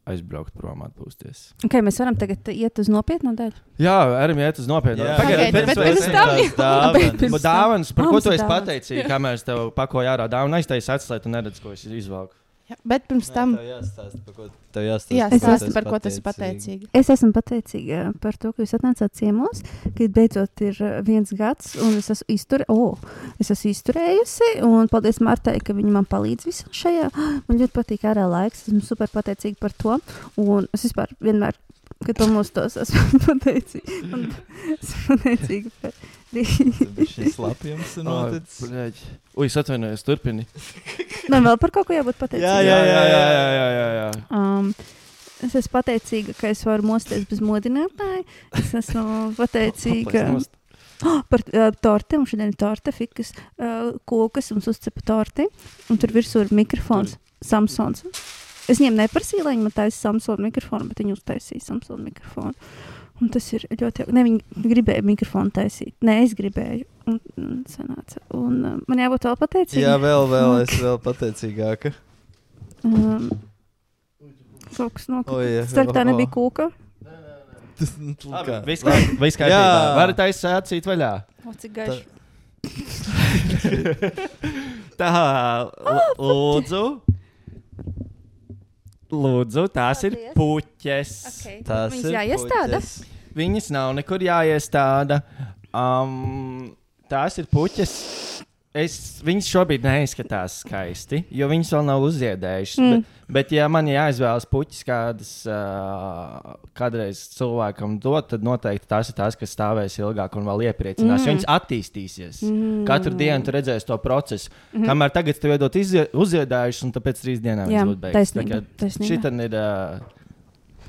aizbraukt prom, atpūsties. Okay, mēs varam tagad iet uz nopietnu daļu. Jā, arī iet uz nopietnu. Jā. Pagaid, Pagaid, pirms bet mēs- pirms tam jau- dāvanas. Bet- Bet dāvanas, par ko Mums tu ir esi dāvanas. pateicīgs, kamēr es tev pakoju ārā dāvanu, aiztaisi atslēt un neredz, ko es izvelku. Jā, bet pirms tam, Tev jāstāsta, par ko tev jāstāsta. jā, par ko stāsti tu par esi ko tas ir pateicīga. pateicīgi. Es esmu pateicīga par to, ka jūs atnācāt ciemos, ka beidzot ir uh, viens gads, un es esmu, izture... oh, es esmu izturējusi. Un paldies Martai, ka viņa man palīdz visā šajā. Man ļoti patīk ārā laiks. Esmu super pateicīga par to. Un es vispār vienmēr, kad pamostos, esmu pateicīga. Un esmu pateicīga par Šis lapjums ir noticis. Bļaģ. Ui, es atvainojos, turpini. Man vēl par kaut ko jābūt pateicīga. Jā, jā, jā, jā, jā, jā, jā. Um, es esmu pateicīga, ka es varu mosties bez modinātāja. Es esmu pateicīga oh, par uh, torti. Mums šodien ir torte, fikas, uh, kokas, mums uzcepa torti. Un tur virsū ir mikrofons, Samsons. Es viņiem neprasīju, lai viņi man taisa Samsung mikrofonu, bet viņi uztaisīja Samsung mikrofonu. Un tas ir ļoti jauki. Ne, viņi gribēja mikrofonu taisīt. Nē, es gribēju. Un, un, sanāca. Un uh, man jābūt vēl pateicīgai. Jā, vēl, vēl, es vēl pateicīgāka. Um, kaut kas O, jā, nokrita. Starp tā o, o. nebija kūka. Tas, nu, kā? Viss kā- viss kārtībā. Jā. Varat aizsācīt vaļā. O, cik gaiši. Tā, l- lūdzu. Lūdzu, tās ir Paldies. puķes. Okay. Tās Viņas ir jāiestāda? puķes. Viņas nav nekur jāiestāda. Um, tās ir puķes. Es, viņas šobrīd neizskatās skaisti, jo viņas vēl nav uzziedējušas. Mm. Bet, bet, ja man jāizvēlas puķis, kādas uh, kādreiz cilvēkam dot, tad noteikti tās ir tās, kas stāvēs ilgāk un vēl iepriecinās. Mm. Viņas attīstīsies. Mm. Katru dienu tu redzēsi to procesu. Mhm. Mm. Kamēr tagad tev iedot izzie- uzziedējušas, un pēc trīs dienām Jā, viņas būs beigtas. taisnība, taisnība. Šī ir. Uh,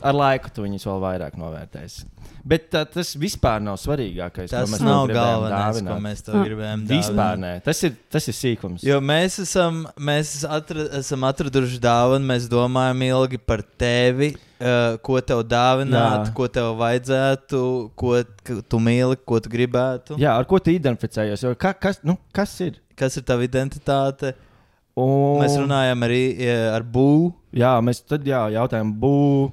ar laiku tu viņus vēl vairāk novērtēsi. Bet uh, tas vispār nav svarīgākais. Tas ko mēs tev nav gribējām galvenais, dāvināt. ko mēs tev Ah. gribējām Vispār dāvināt. nē. Tas ir, tas ir sīkums. Jo mēs esam, mēs atra, esam atraduši dāvanu, mēs domājam ilgi par tevi, uh, ko tev dāvināt, Jā. ko tev vajadzētu, ko k- tu mīli, ko tu gribētu. Jā, ar ko tu identificējies? Jo Ka, kas, nu, kas ir? Kas ir tava identitāte? Un, Mēs runājam arī eh, ar būvu. Jā, mēs tad jā, jautājām, bū.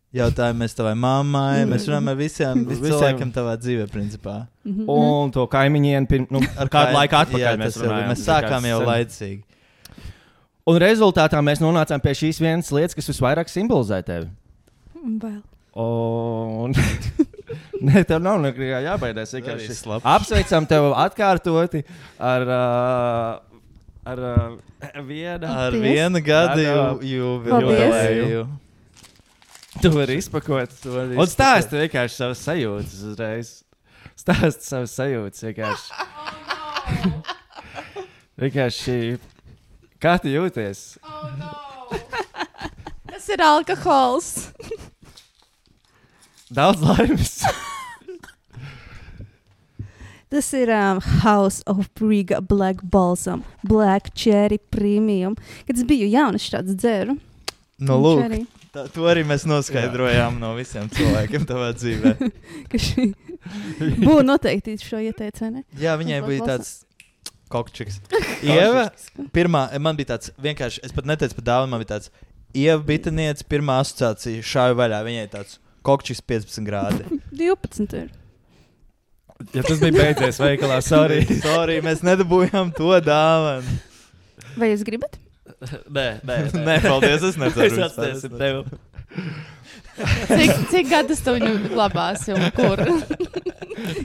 Jautājumies tavai mammai. Mēs runājam ar visiem, visiem Visiem. cilvēkiem tavā dzīvē, principā. Mhm. Un to kaimiņiem pirm, nu, ar kādu Kā- laiku atpakaļ jā, mēs tas jau- runājām. Mēs sākām jau Sen. laicīgi. Un rezultātā mēs nonācām pie šīs vienas lietas, kas visvairāk simbolizē tevi. Bail. Un... Nē, tev nav nekā jābaidās. Arī Vienkārši slapjš. apsveicam tevi atkārtoti ar, uh, ar uh, vienu. Ar Paldies. vienu gadu Ar, ju- Paldies. jubileju. Tu vari izpakot. Tu vari Un izpakot. stāsti vienkārši savas sajūtas uzreiz. Stāsti savas sajūtas vienkārši. Vienkārši. Kā tu jūties? Tas ir alkohols. Daudz laimes. Tas ir um, House of Briga Black Balsam, Black Cherry Premium. Kad es biju jauns, šāds dzēru. Nu, Un lūk, cherry, tā, to arī mēs noskaidrojām no visiem cilvēkiem tavā dzīvē. ka šī būtu noteikti šo ieteicu, vai ne? Jā, viņai Tas bija Black tāds kokčiks. Ieva, pirmā, man bija tāds vienkārši, es pat neteicu par dāvanu, man bija tāds, Ieva Bitaniec, pirmā asociācija šāja vaļā, viņai tāds kokčiks piecpadsmit grādi. divpadsmit ir. Ja tas bija beidzies veikalā, sorry. Sorry, mēs nedabūjām to dāvanu. Vai jūs gribat? Nē, nē, Nē, paldies, es Mēs nedaru. atstēsim tevi. Cik, cik gadus tu viņu glabāsi un kur?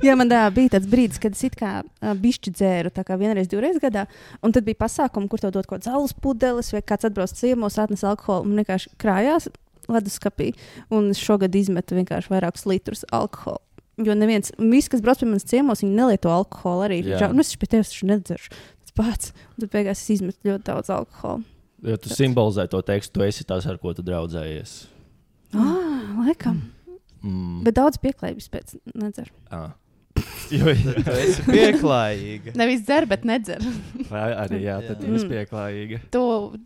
Jā, man tā, bija tāds brīdis, kad es it kā uh, bišķi dzēru, tā kā vienreiz, divreiz gadā. Un tad bija pasākumi, kur tev dod kaut kāds alus pudeles, vai kāds atbrauc ciemos, atnes alkoholu un vienkārši krājās leduskapī. Un es šogad izmetu vienkārši vairākus litrus alkoholu. Jo neviens, viss, kas brauc pie manas ciemos, viņi nelieto alkoholu arī. Jā. Žā, nu, es pie tevis taču nedzeršu. Tas pats. Un tad beigās es izmetu ļoti daudz alkoholu. Jo tu simbolizē to tekstu, tu esi tās, ar ko tu draudzējies. Ah, laikam. Mm. Bet daudz pieklājības pēc nedzeru. Ah. Jo, Tu esi pieklājīga. Nevis dzer, bet nedzer. vai arī, jā, tad Jā. tu esi pieklājīga. Tu,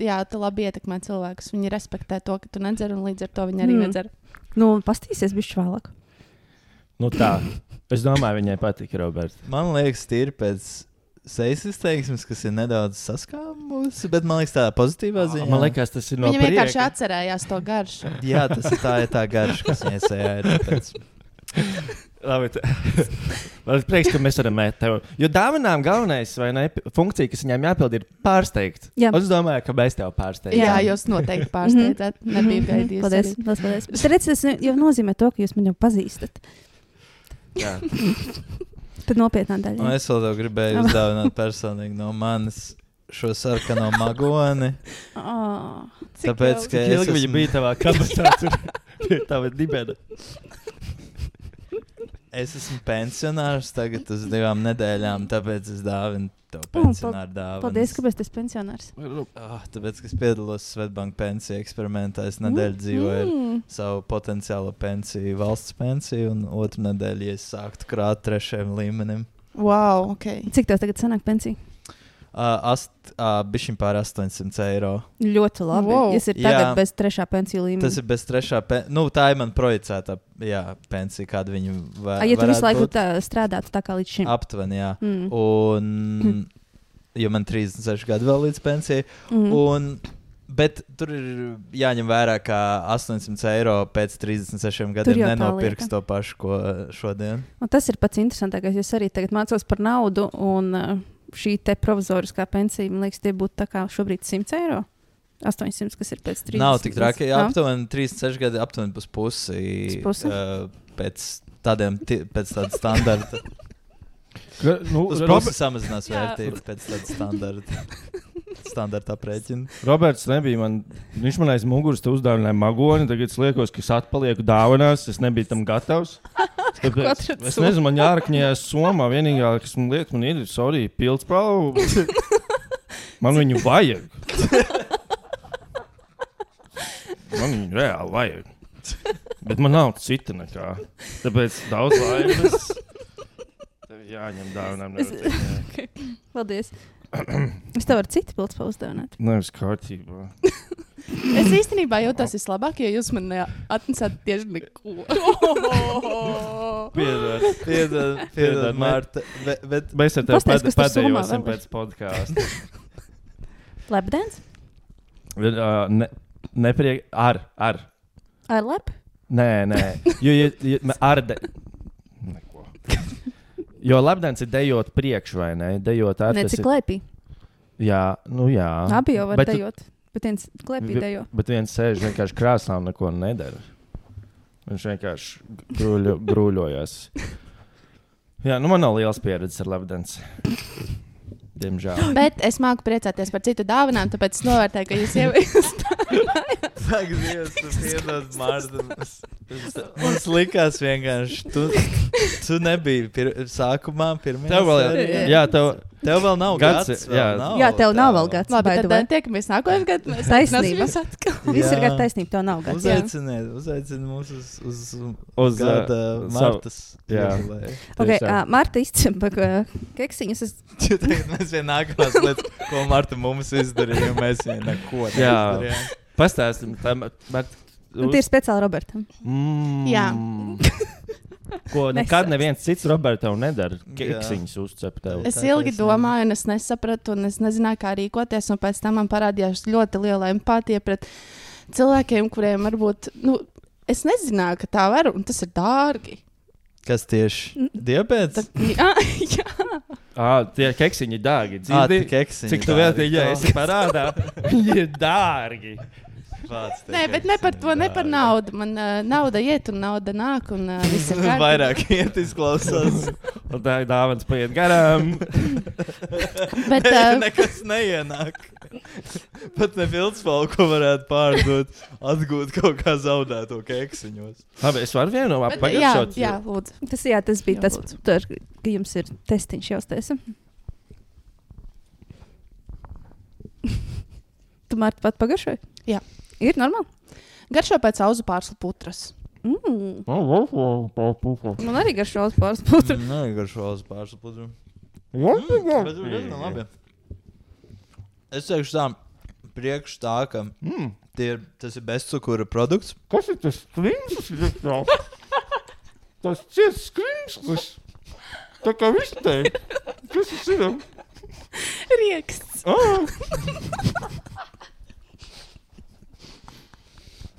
jā, tu labi ietekmē cilvēkus. Viņi respektē to, ka tu nedzer, un līdz ar to viņi arī Mm. mm. nedzer. Nu, pastīsies bišķi vēlāk. Nu tā, es domāju, viņai patīk, Robert. Man liekas, tīri pēc sejas izteiksmes, kas ir nedaudz saskāmusi, bet man liekas tādā pozitīvā ziņā. Man liekas, tas ir no Viņa vienkārši prieka. atcerējās to garšu. Jā, tas ir tā, ir tā garša, kas viņai sejā ir. Tāpēc. Labi, t- man ir prieks, ka mēs varam mēt tev. Jo dāvinām galvenais, vai ne, funkcija, kas viņām jāpild, ir pārsteigt. Jā. Un es domāju, ka mēs tev pārsteigsim. Jā, jūs noteikti pārsteidzat. Nebija gaidījis. Paldies. arī. Paldies, paldies. Bet redz, tas jau nozīmē to, ka jūs mani jau pazīstat. Jā. Tad nopietnā Un daļa. es vēl tev gribēju uzdāvināt personīgi no manis šo sarkano magoni. Oh. Cik Tāpēc, jauki. ka Cik es ilgi viņa esmu, bija tavā kabatā, tur pie tava dibena. es esmu pensionārs tagad uz divām nedēļām, tāpēc es dāvinu tev pensionāru dāvanu. Paldies, kāpēc tu esi pensionārs. Oh, tāpēc, ka es piedalos Svetbank pensiju eksperimentā, es nedēļu dzīvoju ar Mm. savu potenciālo pensiju, valsts pensiju, un otru nedēļu, ja es sāktu krāt trešajam līmenim. Wow, ok. Cik tev tagad sanāk pensija? Uh, ast, uh, bišķiņ pār astoņsimt eiro. Ļoti labi. Wow. Jūs esat tagad Jā. bez trešā pensiju līmeņa. Tas ir bez trešā pensija. Nu, tā ir man projicētā jā, pensija, kāda viņa va A, ja tu visu varētu laiku būt. tā, strādātu tā kā līdz šim. Aptuveni, jā. Mm. Un, jo man trīsdesmit seši gadi vēl līdz pensijai. Mm. Un, bet tur ir jāņem vērā, ka astoņsimt eiro pēc trīsdesmit sešiem Tur gadiem jau tā nenopirks lieta. to pašu, ko šodien. Un tas ir pats interesantākais. Es arī tagad mācos par naudu. Un, uh, šī te provizoriskā pensija, man liekas, tie būtu tā kā šobrīd simts eiro. astoņsimt, kas ir pēc trīsdesmit. Nav tik traki, jā, aptuveni trīsdesmit seši gadi, aptuveni pus pusi, pusi? Uh, pēc tādiem, t- pēc tāda standarta. Ka, nu, Uz Rob- pusi samazinās vērtību pēc tāda standarta. Standarta aprēķina. Roberts nebija man, viņš man aiz muguras te uzdāvināja magoni, tagad es liekos, ka es atpalieku dāvanās, es nebiju tam gatavs. Tāpēc, es nezinu, man jārakņējās Somā, vienīgā, kas man liek, man ir, sorry, pildspalvu. Man viņu vajag. Man viņu reāli vajag. Bet man nav cita nekā. Tāpēc daudz laimes. Tev jāņem dāvinām. Okay. Paldies. Es tev varu citu pildspalvu uzdāvināt. Nevis kārtībā. Es īstenībā jūtos vislabāk, jo jūs man atnesāt tieši neko. Piedod, piedod, piedod, Marta. Bet, bet Mēs ar tevi Pastāsti, kas tur pēdējosim Somā vēl ir. pēc podkāsta. Lepdens? uh, ne, nepriek... Ar, ar. Ar lep? Nē, nē. Jo, ja, ja, ar de... Neko. Jo labdens ir dejot priekš, vai ne? Dejot ar... Ne, tas cik ir- lepī. Jā, nu jā. Abi jau var Bet tu- dejot. Bet viens klepī Vi- dejo. Bet viens sēž vienkārši krāsām, neko nedara. Viņš vienkārši grūļo, grūļojas. Jā, nu man nav liels pieredzes ar labdens. Diemžēl. Bet es māku priecāties par citu dāvinām, tāpēc es novērtēju, ka jūs ieviesat. Saka, Dievs, tu piedod, Marta. Mums, mums likās vienkārši, tu, tu nebija pir, sākumā pirmajā Tev vēl, sērijā. jā, tev, Tev vēl nav Gads, gads. jā. Vēl nav, Jā, tev nav vēl gads. Labi, by the tad way. uh, tiekamies nākamajā gadā. Mēs Taisnība. atnāsim atkal. Viss ir Jā. gatavi taisnība, tev nav gads. jā. Uzaiciniet, uzaiciniet mūs uz, uz, Uz, gada uh, Martas. jā. jubileju. Okay, tiešām. uh, Marta izcempa keksiņus. Es... Jo tagad mēs vien nākamās lietas, ko Marta mums izdarīja, jo mēs vien neko Jā. neizdarījām. pastāstim. Tā, bet, Tie ir speciāli Robertam. mm, Jā. Ko nekad neviens cits Robertam nedara. Jā. Keksiņus uzcep tev. Es Tā ilgi taisnība. domāju, un es nesapratu, un es nezināju, kā rīkoties. Un pēc tam man parādījās ļoti liela empātija pret cilvēkiem, kuriem varbūt, nu, es nezināju, ka tā var, un tas ir dārgi. Kas tieši? Diabēts? Jā, jā. Ah, tie keksiņi ir dārgi. Ā, Dzirdi? tie keksiņi Cik tu dārgi. vērtīgi, ja esi parādā? Viņi ir dārgi. Vāc tie Nē, bet ne par keksiņi to, ne par dārgi. naudu. Man uh, nauda iet un nauda nāk, un uh, viss ir kārtībā. Vairāk iet izklausās. Un tā ir dāvans paiet garām. Bet, Ne, uh, nekas neienāk. Pat ne pildspalvu, ko varētu pārdot, atgūt kaut kā zaudēto keksiņos. Labi, es varu vienu no bet, jā, pagaidot. jā, lūdzu. Tas, jā, tas bija Jā, tas, lūdzu. tur, ka jums ir testiņš jāuztaisa. Tu Marta pat pagaršoji? Jā. Ir normāli? Garšo pēc auzu pārslu putras. Mm. Man arī garšo uz pāris Mm, putu. Nē, garšo uz pārsu pudru. Bet tur diezgan labi. Es teikšu tā, priekš tā, ka Mm. tie ir, tas ir bezcukura produkts. Kas ir tas skrimslis? Tas ciets skrimslis. Tā kā viss te. Kas tas ir? Rieksts. Ah.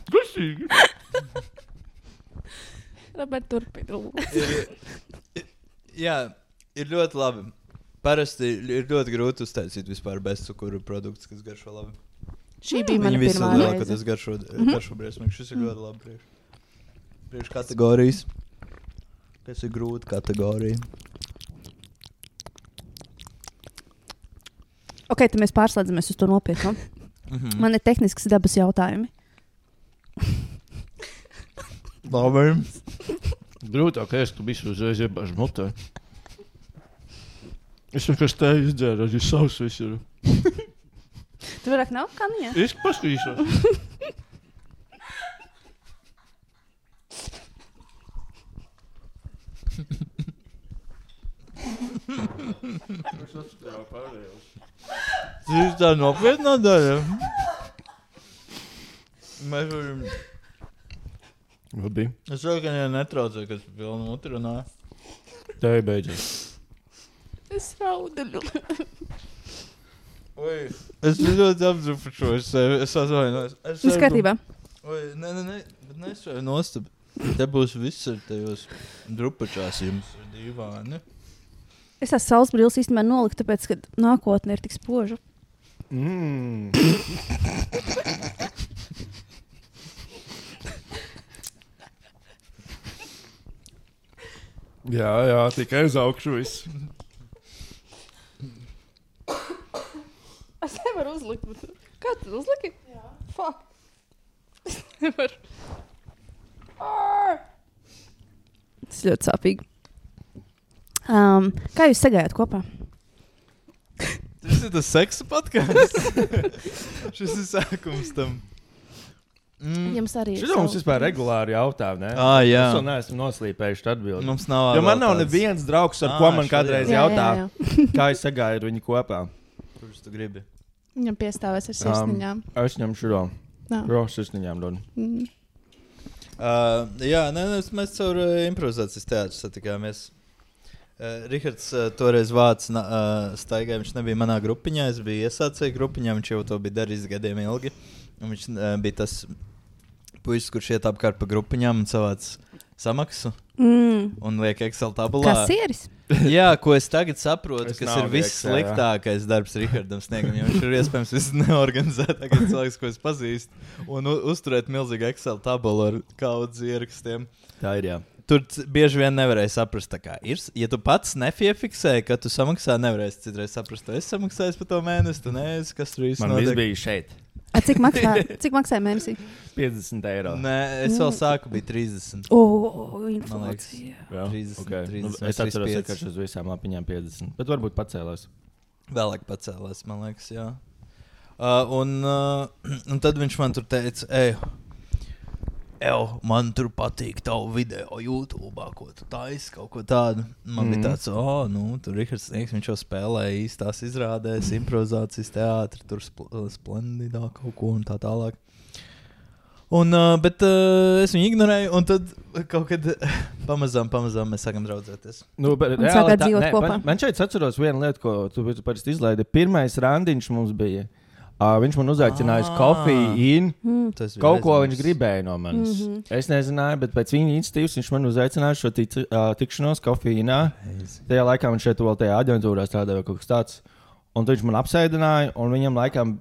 Gasīgi. Robert, turpina. Ir, jā, ir ļoti labi. Parasti ir ļoti grūti uztaisīt vispār bezcukura produkts, kas garšo labi. Šī bija mana Viņi visi pirmā lielākoties reize. tas garšo, garšo briesmīgi. Šis ir ļoti labi priekš. Priekš kategorijas. Kas ir grūta kategorija. Ok, tad mēs pārslēdzamies uz to nopietnu. Mhm. Man ir tehnisks dabas jautājumi. Labi. Grūtāk ēst, tu visu uzreiz iebāž mutē. Es vienkārši te izdzēru, arī savs viss ir. Tu vairāk nav kaniņa? Es paskatīšos. Es atstājau pārējos. Tas ir tā nopietnā daļa. Mēs varam... Labi. Es saku, ka viņai netraucē, kas pilnu muti runā. Tā ir beidzas. Es raudu. Oi, es ļoti apdrupušos sevi. Es atvainojos. Es Viss kārtībā. Oi, nē, nē, nē, bet nesvēju nostab. Te būs viss ar tajos drupačās jums dīvāni. Es esmu saules brilles īstenībā nolikt, tāpēc, ka nākotne ir tik spoža. Mm. jā, jā, tikai uz augšu viss. Es nevaru uzlikt. Bet... Kā tu uzliki? Jā. Fuck. Es nevaru. Tas ļoti sāpīgi. Um, kā jūs sagājāt kopā? Tas ir tas seksa podcasts. Šis ir sākums tam. Mm. Jums arī ir. Šis mums vispār regulāri jautā, ne? Ah, jā. Es vēl neesmu noslīpējuši atbildi. Mums nav. Jo man nav tāds... neviens draugs, ar ah, ko man kādreiz jā, jautā, jā, jā. Kā es sagāju ar viņu kopā. Kurš tu gribi? Viņam piestāvēs ar sirsniņām. Um, es ņemšu šo. Ro, sirsniņām dod. Mm. Uh, jā, nē, mēs caur uh, improvizācijas teātru satikāmies. Uh, Rihards uh, toreiz vāc uh, staigā, viņš nebija manā grupiņā, es biju iesācēju grupiņā, viņš jau to bija darījis gadiem ilgi. Un viņš uh, bija tas puisis, kurš iet apkārt pa grupiņām un savāc samaksu mm. un liek Excel tabulā. Kasieris? Jā, ko es tagad saprotu, es kas ir viss Excel, sliktākais darbs Rihardam Sniegam, jo viņš ir iespējams viss neorganizētākais cilvēks, ko es pazīstu, un uzturēt milzīgu Excel tabulu ar kaudz ierakstiem. Tā ir, jā. Tur bieži vien nevarēja saprast, tā kā ir. Ja tu pats nepiefiksēji, ka tu samaksā, nevarēsi citreiz saprast, tu esi samaksājis par to mēnesi, tu neesi, kas tur īsti notiek. Man viss bija šeit. A, cik, maksā, cik maksāja mēnesī? piecdesmit eiro. Nē, es vēl sāku, bija trīsdesmit. O, oh, inflācija. trīsdesmit, okay. trīsdesmit, nu, es atceros, ka uz visām lapiņām piecdesmit, bet varbūt pacēlās. Vēlāk pacēlās, man liekas, jā. Uh, un, uh, un tad viņš man tur teica, ej, Ew, man tur patīk tavu video YouTube, ko tu taisi, kaut ko tādu. Man mm. bija tāds, oh, nu, tur Rihards Sniegs, viņš jau spēlēja īstās izrādēs, improvizācijas teātri, tur spl splendidā kaut ko un tā tālāk. Un, uh, bet uh, es viņu ignorēju, un tad kaut kad pamazām, pamazām mēs sākam draudzēties. Nu, bet, un sākāt dzīvot ne, kopā. Man, man šeit atceros vienu lietu, ko tu parasti izlaidi. Pirmais randiņš mums bija. Uh, viņš man uzaicināja uz kofiju, mm. kaut ko viņš gribēja no manis. Mm -hmm. Es nezināju, bet pēc viņa iniciatīvas viņš man uzaicināja šo tic, uh, tikšanos kofijā. Tajā laikā viņš šeit vēl tajā aģentūrā strādāja kaut kas tāds. Un viņš man apsēdināja, un viņam laikam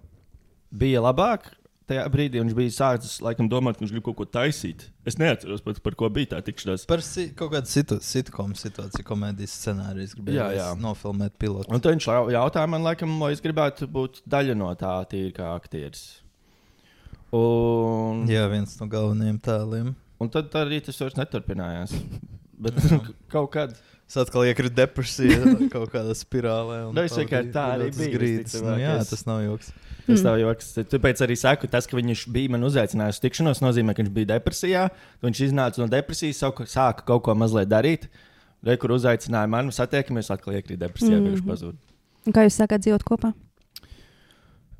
bija labāk. Tajā brīdī viņš bija sācis laikam domāt, ka viņš grib kaut ko taisīt. Es neatceros, par, par ko bija tā tikšanās. Par si kaut kādu situ sitkomu situāciju, komēdijas scenārijas gribēju nofilmēt pilotu. Un tad viņš jautāja man, laikam, vai es gribētu būt daļa no tā tīri kā aktieris. Un... Jā, viens no galvenajiem tēliem. Un tad arī tas vairs neturpinājās. Bet kaut kad... Es atkal iekritu depresijā, kaut kādā spirālē. Nu, es vienkārši tā arī bija. Nu, jā, tas nav joks. Tas nav joks. Tāpēc arī saku, tas, ka viņš bija man uzaicinājis tikšanos, nozīmē, ka viņš bija depresijā. Viņš iznāca no depresijas, sāka kaut ko mazliet darīt. Re, kur uzaicināja mani, satiekamies, atkal iekrīt depresijā, mm -hmm. viņš pazūd. Un kā jūs sākāt dzīvot kopā?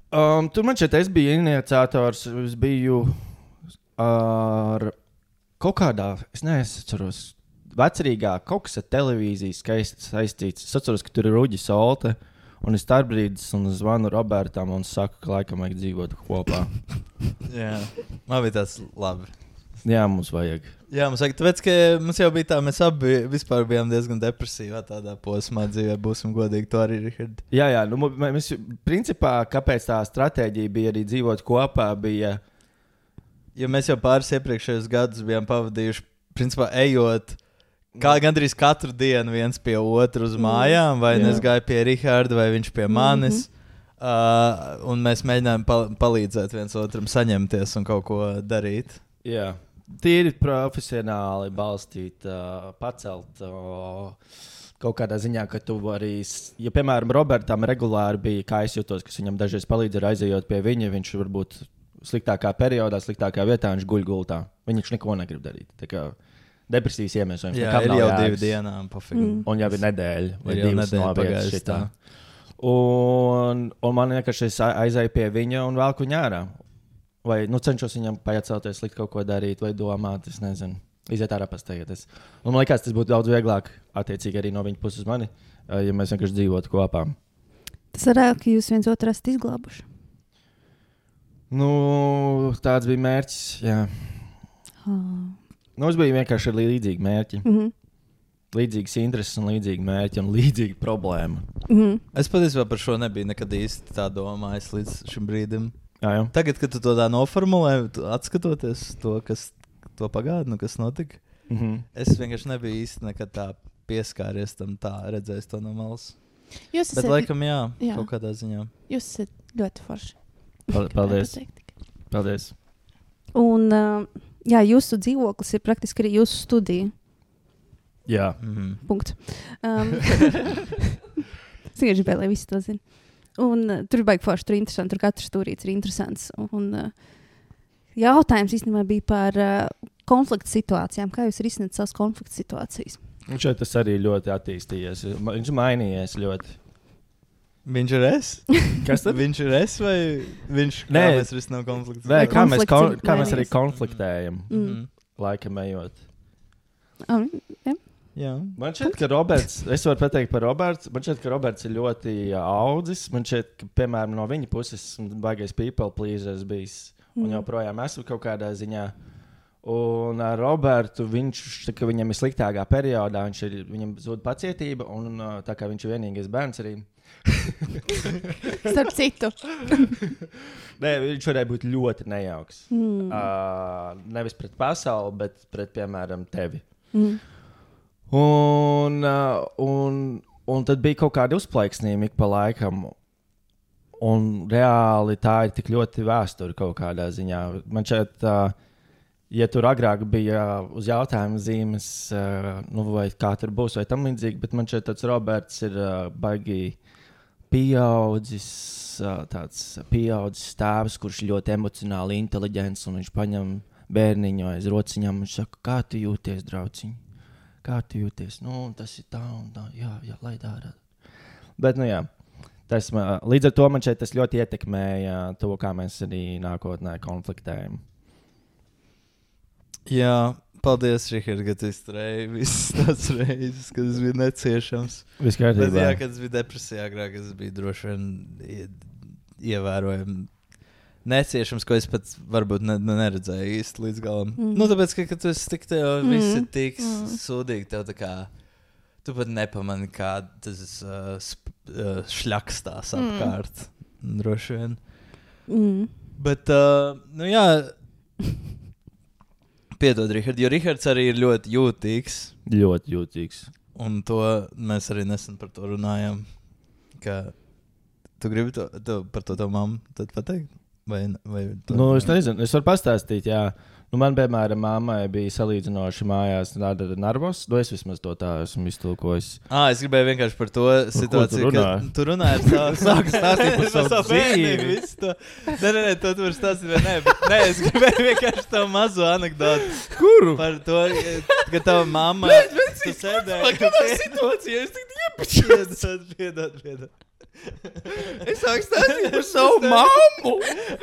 Um, tur man šeit es biju iniciators, es biju ar kaut kādā, es neatceros, vecrīgā kaut kas ar televīziju skaisti saistīts. Es atceros, ka tur ir Ruģis Solte. Un es tā brīdis un zvanu Robertam un saku, ka laikam vajag dzīvot kopā. Jā, man bija tāds labi. Jā, mums vajag. Jā, mums vajag, tāpēc, ka mums jau bija tā, mēs abi vispār bijām diezgan depresīvā tādā posmā dzīvē, būsim godīgi, to arī Richard. Jā, jā, nu mēs, principā, kāpēc tā stratēģija bija arī dzīvot kopā, bija... Jo mēs jau pāris iepriekšējos gadus bijām pavadījuši, principā, ejot... Kā gandrīz katru dienu viens pie otru uz mājām, vai es gāju pie Riharda, vai viņš pie manis. Mm -hmm. uh, un mēs mēģinājām pal palīdzēt viens otram saņemties un kaut ko darīt. Jā, tīri profesionāli balstīt, uh, pacelt uh, kaut kādā ziņā, ka tu vari, ja piemēram Robertam regulāri bija, kā es jūtos, kas viņam dažreiz palīdz aizejot pie viņa, viņš varbūt sliktākā periodā, sliktākā vietā, viņš guļ gultā. Viņš neko negrib darīt. Tā kā depresijas iemesls. Jā, ir jau divi dienām. Mm. Un jau ir nedēļa. Vai ir divas nedēļas šitā. Un, un man vienkārši es aizēju pie viņa un velku viņu ārā. Vai nu, cenšos viņam pajacelties, likt kaut ko darīt, vai domāt, es nezinu. Iziet ārā pastaigāties. Un man liekas, tas būtu daudz vieglāk, attiecīgi arī no viņa puses mani, ja mēs vienkārši dzīvotu kopā. Tas varētu, ka jūs viens otru esat izglābuši. Nu, tāds bija mērķis, jā. Oh. Nu, es biju vienkārši ar līdzīgu mērķi. Mm -hmm. līdzīgas intereses un līdzīgi mērķi un līdzīga problēma. Mm. Es patiesībā par šo nebiju nekad īsti tā domājis līdz šim brīdim. Jā, jā. Tagad, kad tu to tā noformulē, atskatoties to, kas to pagātni, kas notika, Mhm. es vienkārši nebiju īsti nekad tā pieskāries tam tā, redzējis to no malas. Jūs Bet esat, laikam jā, jā. kaut kādā ziņā. jūs esat ļoti forši. Pal- Paldies. Gribēju pateikt. Paldies. Un, uh, jā, jūsu dzīvoklis ir praktiski arī jūsu studija. Jā. Mhm. Punkts. Um, es vienkārši gribēju, lai visi to zina. Un uh, tur ir baigi forši, tur ir interesanti, tur katrs stūrīts ir interesants. Un uh, jautājums īstenībā bija par uh, konfliktu situācijām. Kā jūs risināt savas konfliktu situācijas? Un šeit tas arī ļoti attīstījies. Ma- Viņš mainījies ļoti. Viņš ir es? Kas tad? Viņš ir es vai viņš Nē. kā mēs risinām konfliktus? Nē, kā mēs, konflikts kon ir kā mēs arī mainījies. konfliktējam, Mm. laikam ejot. Um, ja. Jā. Man šķiet, ka Roberts, es varu pateikt par Robertu, man šķiet, ka Roberts ir ļoti ā, audzis. Man šķiet, ka, piemēram, no viņa puses baigais people pleasers bijis. Un Mm. joprojām esmu kaut kādā ziņā. Un ar Robertu, viņš, tā, ka viņam ir sliktākā periodā, viņš ir, viņam zūd pacietība, un ā, tā kā viņš ir vienīgais bērns arī. Starp citu. Nē, viņš varēja būt ļoti nejauks. Mm. Uh, nevis pret pasauli, bet pret, piemēram, tevi. Mm. Un, uh, un, un tad bija kaut kāda uzplaiksnījuma ik pa laikam. Un reāli tā ir tik ļoti vēsture kaut kādā ziņā. Man šeit, uh, ja tur agrāk bija uh, uz jautājumu zīmes, uh, nu, vai kā tur būs, vai tam līdzīgi, bet man šeit tāds Roberts ir uh, baigi pieaudzis, uh, tāds pieaudzis tēvs, kurš ļoti emocionāli inteliģents, un viņš paņem bērniņu aiz rociņām un saka, kā tu jūties, drauciņ? Kā tu jūties? Nu, tas ir tā un tā, jā, jā, lai dara. Bet, nu jā, tas, man- līdz ar to man šeit tas ļoti ietekmēja to, kā mēs arī nākotnē konfliktējam. Jā, paldies, Rihard, ka tu izturēji visas tās reizes, kad es biju neciešams. Viss Bet kārtībā. jā, kad es biju depresijā agrāk, es biju droši vien ie- ievērojami neciešams, ko es pat varbūt ne, ne neredzēju īsti līdz galam. Mm. Nu, tāpēc, ka, kad tu esi tik tev, Mm. viss ir tik Mm. mm. sūdīgi, tev tā kā, tu pat nepamani, kā tas uh, sp, uh, šļakstās Mm. apkārt, droši vien. Mm. Bet, uh, nu jā, piedod, Rihard, jo Rihards arī ir ļoti jūtīgs. Ļoti jūtīgs. Un to mēs arī nesen par to runājām. Ka tu gribi to, to, par to tavu mammu tad pateikt? Vai, vai to, Nu, es nezinu, es varu pastāstīt, jā. Nu, man, piemēram, mammai bija salīdzinoši mājās tāda nervos. Nu, es vismaz to tā esmu iztulkojis. Ah, es gribēju vienkārši par to situāciju, tu ka runā? tu runāji ar savu, sāku stāstīt par savu savu dzīvi. bērnību. visu to. Nē, nē, nē, to tu vari stāstīt, vai nē, bet nē, es gribēju vienkārši tavu mazo anekdotu. Kuru? Par to, ka tava mamma tu sēdēji. Kādā situācijā es tik Piedod, piedod, piedod. Es sāku stāstīt par savu mammu.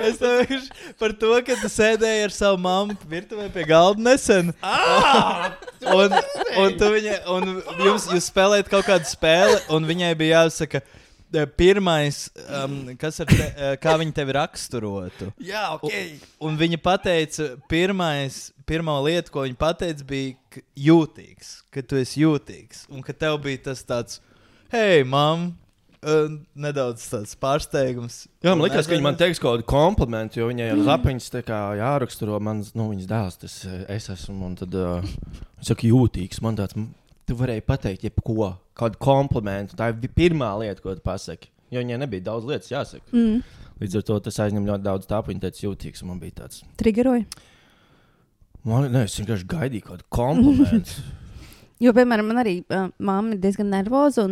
Es tev vienkārši par to, ka tu sēdēji ar savu mammu virtuvē pie galda nesen. un, un, tu viņa, un jums, jūs spēlējat kaut kādu spēli, un viņai bija jāsaka, eh, pirmais, um, kas ar te, eh, kā viņa tevi raksturotu. Jā, Un, un viņa pateica, pirmais, pirmā lieta, ko viņa pateica, bija ka jūtīgs, ka tu esi jūtīgs. Un ka tev bija tas tāds, hei, mam, uh, nedaudz tāds pārsteigums. Jā, man Un liekas, es ka viņi man nezinu- teiks kaut kādu komplimentu, jo viņai ar lapiņas tā kā jāraksturo mans, nu, viņas dēls, tas eh, es esmu, un tad, uh, viņš saka, jūtīgs, man tāds, m- tu varēji pateikt jebko, kādu komplimentu, tā ir vi- pirmā lieta, ko tu pasaki, jo viņai nebija daudz lietas jāsaka. Mm. Līdz ar to tas aizņem ļoti daudz tāpu, viņa teica jūtīgs, un man bija tāds, Triggeroja. man, ne, es vienkārši gaidīju kādu komplimentu. Jo, piemēram, man arī uh, mamma ir diezgan nervoza.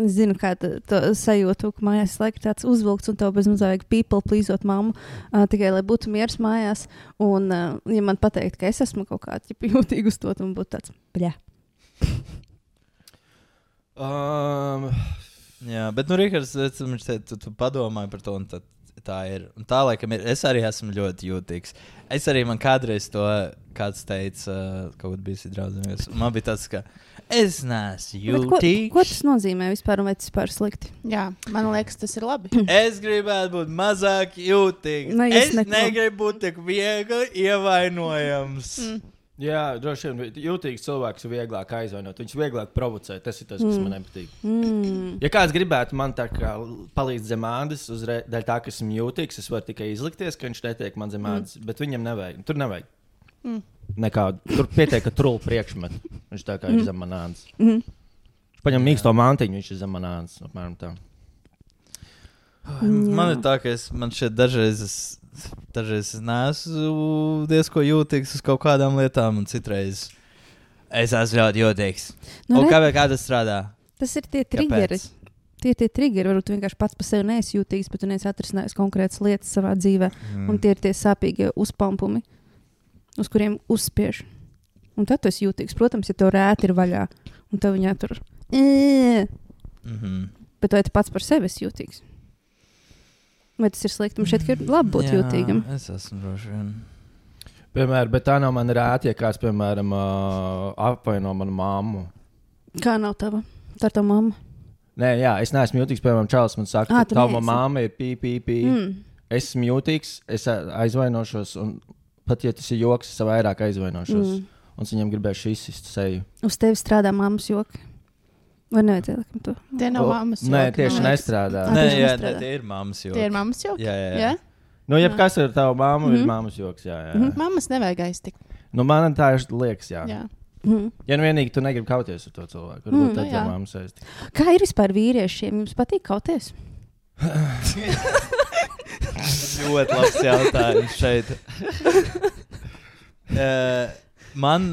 Es zinu, kā tu to sajūtu, ka mājās ir tāds uzvilkts, un tev bez mazā vajag people plīzot mammu, uh, tikai lai būtu miers mājās. Un, uh, ja man pateikt, ka es esmu kaut kāda jūtīga uz to, tad man būtu tāds bļā. um, Jā, bet, nu, Rihards, viņš teica, tu, tu padomāji par to, un tad tā ir. Un tā, laikam, ir. Es arī esmu ļoti jūtīgs. Es arī man kādreiz to, kāds teica, uh, kaut kādā bija draudzības. Man bija tāds, ka es neesmu Bet Ko, jūtīgs. ko tas nozīmē vispār, un vai tas vispār ir slikti? Jā, man liekas, tas ir labi. Es gribētu būt mazāk jūtīgs. Nu, es es neko. negribu būt tik viegli ievainojams. Mm. Jā, droši vien jūtīgs cilvēks ir vieglāk aizvainot. Viņš vieglāk provocē. Tas ir tas, kas mm. man nepatīk. Mm. Ja kāds gribētu man tā kā palīdz zem ādas, uzreiz dēļ tā, ka esmu jūtīgs, es varu tikai izlikties, ka viņš netiek man zem ādas, mm. bet viņam nevajag. Tur nevajag. Mm. Nekādu. Tur pietiek, ka trulli priekšmet. Viņš tā kā mm. ir zem man ādas. Mm. Viņš paņem mīksto mantiņu, viņš ir zem man ādas. Apmēram tā. Mm. Man ir tā, ka es, man šeit dažreiz es, dažreiz es neesmu diezko jūtīgs uz kaut kādām lietām, un citreiz es esmu ļoti jūtīgs. Nu, un kā, kā tas strādā? Tas ir tie triggeri. Tie ir tie triggeri. Varbūt tu vienkārši pats par sevi neesi jūtīgs, bet tu neesi atrisinājis konkrētas lietas savā dzīvē. Mm. Un tie ir tie sāpīgie uzpampumi, uz kuriem uzspiež. Un tad tu esi jūtīgs. Protams, ja tev rēti ir vaļā, un tev viņā tur... Mm-hmm. Bet vai tu pats par sevi esi jūtīgs? Vai tas ir slikti? Man šeit ir labi būt Jā, jūtīgam. Es esmu droši vien. Piemēram, bet tā nav man rēti, ja kāds, piemēram, uh, apvaino manu mammu. Kā nav tava? Tā ir tava mamma. Nē, jā, es neesmu jūtīgs. Piemēram, Čārlis man saka, à, ka tava mamma ir pī, pī, pī. Mm. Es esmu jūtīgs, es aizvainošos, un pat ja tas ir joks, es vairāk aizvainošos. Mm. Un es viņam gribēšu izsist seju. Uz tevi strādā mammas joki. Vai nevajadzēja laikam to? Tie nav mammas joki. Nē, tieši nestrādā. Nē, jā, ne, tie ir mammas joki. Tie ir mammas joki? Jā, jā, jā. jā? Nu, jebkas ar tavu mammu mm-hmm. ir mammas joks, jā, jā. Mm-hmm. Mammas nevajag aiztikt. Nu, man tā ir liekas, jā. jā. Mm-hmm. Ja nu vienīgi tu negribi kauties ar to cilvēku, varbūt mm, tad ir mammas aiztikt. Kā ir vispār vīriešiem? Jums patīk kauties? Ļoti labs jautājums šeit. uh, man...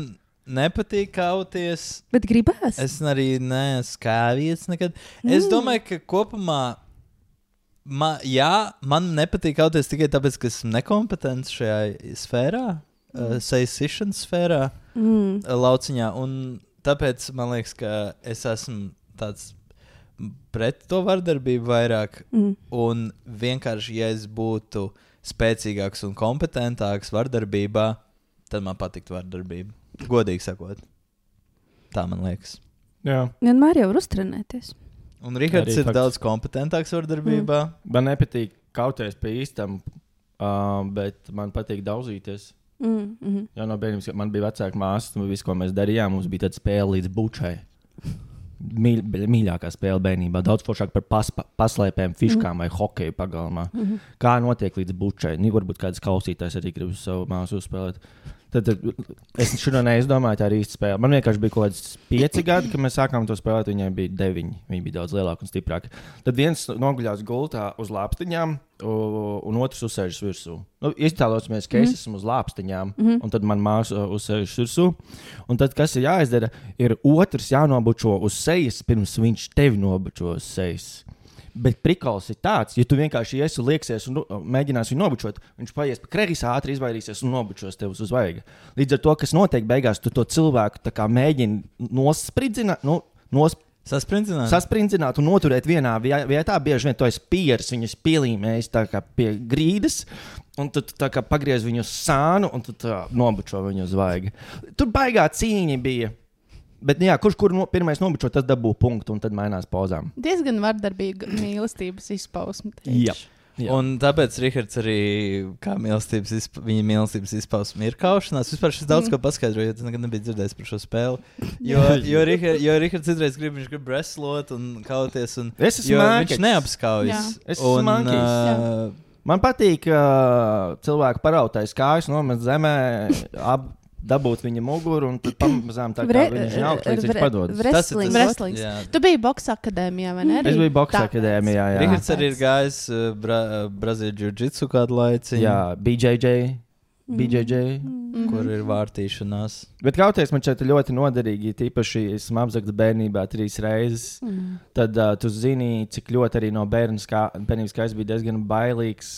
nepatīk kauties. Bet gribēs? Es arī neesmu kāvies nekad. Mm. Es domāju, ka kopumā, ma, jā, man nepatīk kauties tikai tāpēc, ka esmu nekompetents šajā sfērā, mm. uh, sejas sfērā, mm. lauciņā. Un tāpēc man liekas, ka es esmu tāds pret to vardarbību vairāk. Mm. Un vienkārši, ja es būtu spēcīgāks un kompetentāks vardarbībā, tad man patiktu vardarbība. Godīgi sakot. Tā man liekas. Jā. Vienmēr jau var uztrenēties. Un Rihards ir fakts. Daudz kompetentāks vardarbībā. Mm. Man nepatīk kauties pie īstam, uh, bet man patīk daudzīties. Mm, mm-hmm. Jā, no bērnības, man bija vecāka māsa, un viss, ko mēs darījām, mums bija tāda spēle līdz bučai. Mīļ, mīļākā spēle bērnībā. Daudz foršāk par paspa, paslēpēm, fiškām mm. vai hokeju pagalmā. Mm-hmm. Kā notiek līdz bučai? Nu, varbūt kāds klausītājs arī grib savu māsu uzspēlēt. Tad, tad es šodien neizdomāju, tā ir īsta spēle. Man vienkārši bija kaut kāds pieci gadi, kad mēs sākām to spēlēt. Viņai bija deviņi. Viņa bija daudz lielāka un stiprāka. Tad viens noguļās gultā uz lāpstiņām, un otrs uzsēžas virsū. Nu, iztēlosimies, ka es mm. esmu uz lāpstiņām, mm. un tad man māsa uzsēžas virsū. Un tad, kas ir jāizdara, ir otrs jānobučo uz sejas, pirms viņš tevi nobučo uz sejas. Bet prikals ir tāds, ja tu vienkārši iesi un lieksies un nu, mēģināsi viņu nobučot, viņš paies pa kreisi, ātri izvairīsies un nobučos tev uz vaiga. Līdz ar to, kas notiek beigās, tu to cilvēku tā kā mēģini nosprindzināt, nu, nosp... Saspringzināt. Saspringzināt un noturēt vienā vietā. Bieži vien to es pieris, viņas pielīmējis tā kā pie grīdas, un tu tā kā pagriez viņu uz sānu un tu tā nobučo viņu uz vaiga. Tur baigā cīņa bija. Bet, jā, kurš kur no, pirmais nobučo, tas dabū punktu un tad mainās pozām. Diezgan vardarbīga mīlestības izpausme. Jā. Jā. Un tāpēc Rihards arī, kā mīlestības, izpa, viņa mīlestības izpausme ir kaušanās. Vispār šis daudz mm. ko paskaidroju, jo tas nekad nebija dzirdējis par šo spēli. Jo, jo, Richard, jo Rihards citreiz grib, viņš grib wrestlot un kauties. Un, es esmu jo mākis. Viņš neapskaujas. Es esmu mākis. Uh, Man patīk uh, cilvēku parautais kājas, nomest zemē, ap. Dabūt viņa muguru un tad pamazām tā kā Vre, viņš ir augsts, līdz viņš padodas. Tas ir tas wrestlings. Tu biji boksa akadēmijā, vai ne? Es biju boksa akadēmijā, jā. Rihards arī ir gājis uh, bra, Brazīļu jiu-jitsu kādu laiciņu. Jā, B J J, B J J. Mm. Kur ir vārtīšanās. Bet kauties man šeit ļoti noderīgi, tīpaši esmu apzakts bērnībā trīs reizes. Mm. Tad uh, tu zini, cik ļoti arī no bērnas kā, bērnības kā es biju diezgan bailīgs.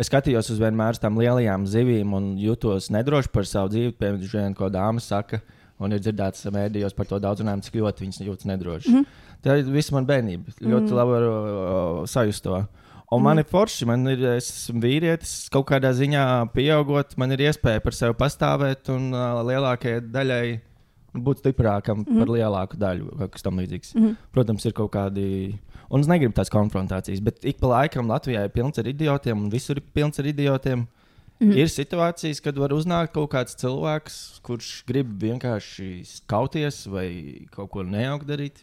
Es skatījos uz vienmēr tām lielajām zivīm un jutos nedroši par savu dzīvi. Piemēram, ko dāmas saka, un ir dzirdēts mēdījos par to daudz runājumu, cik ļoti viņas jūtas nedroši. Mm. Tā ir visa man bērnība. Ļoti mm. labi varu uh, sajust to. Un mm. man ir forši, man ir, es esmu vīrietis, kaut kādā ziņā pieaugot, man ir iespēja par sevi pastāvēt un uh, lielākajai daļai būt stiprākam mm. par lielāku daļu, kas tam līdzīgs. Mm. Protams, ir kaut kādi... Un es negribu tās konfrontācijas, bet ik pa laikam Latvijā ir pilns ar idiotiem, un visur ir pilns ar idiotiem. Mm. Ir situācijas, kad var uznākt kaut kāds cilvēks, kurš grib vienkārši kauties vai kaut ko nejaukt darīt.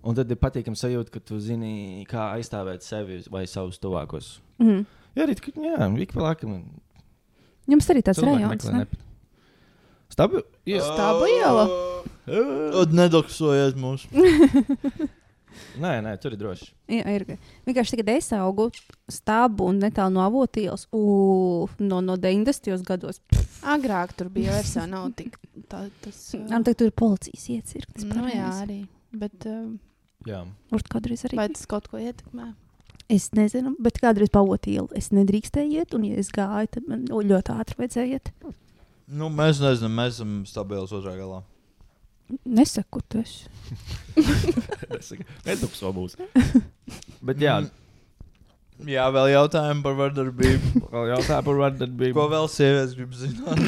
Un tad ir patīkami sajūta, ka tu zini, kā aizstāvēt sevi vai savus tuvākos. Mm. Jā, arī jā, ik pa laikam. Jums arī tāds rajons, ne? Stabu? Jā. Stabu iela? Tad nedoksojies mūs. Nē, nē, tur ir droši. Jā, ir. Vienkārši tagad es augu Stabu un netālu no Avotielas. U, no, no deviņdesmitajos gados. Agrāk tur bija vairs jau nav tik tā, tas... Uh... Tagad tur ir policijas iecirknis. Nu jā, arī. Bet... Uh, jā. Urt kādreiz arī. Vai tas kaut ko ietekmē? Es nezinu, bet kādreiz pa Avotielu es nedrīkstēju iet, un ja es gāju, tad man ļoti ātri vajadzēja iet. Nu, mēs nezinām, mēs esam stabils otrā galā. Nesaku, tu esi. Nedukso būs. Bet jā. Jā, vēl jautājumi par vardarbību. Vēl jautājumi par vardarbību. Ko vēl sievietes grib zināt?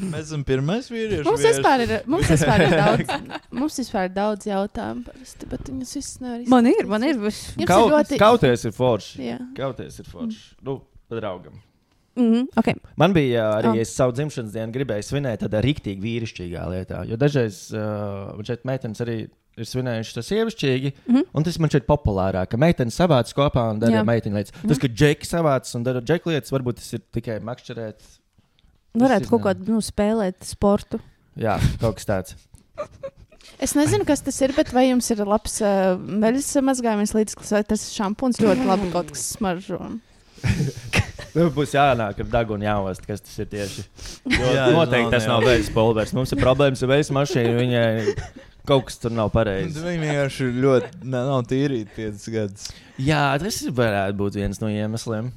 Mēs esam pirmais vīrieši. Mums vispār ir, mums vispār ir daudz, mums vispār ir daudz jautājumu parasti, bet viņas viss nevar izsākt. Man ir, man ir. Jums Kaut, ir ļoti... Kauties ir forši. Jā. Kauties ir forši. Mm. Nu, pa draugam. Mm-hmm, okay. Man bija arī, oh. es savu dzimšanas dienu gribēju svinēt tādā riktīgi vīrišķīgā lietā, jo dažreiz uh, man šeit meitenes arī ir svinējuši tas sievišķīgi, mm-hmm. un tas man šeit populārāk, ka meitenes savāc kopā un dara meiteņu lietas. Mm-hmm. Tas, ka džeki savāc un dara džeku lietas, varbūt tas ir tikai makšķerēt. Varētu kaut kādu, nu, spēlēt sportu. Jā, kaut kas tāds. Es nezinu, kas tas ir, bet vai jums ir labs uh, veļas mazgājums līdzeklis, vai tas šampuns ļoti labi kaut kas smaržo? Būs jānāk ar dagunu jāost, kas tas ir tieši. Jo Jā, noteikti nav, tas jā. nav veļas pulvers. Mums ir problēmas ar veļas mašīnu, viņai kaut kas tur nav pareizi. Viņi vienkārši ļoti nav tīrīti piecas gadus. Jā, tas varētu būt viens no iemesliem.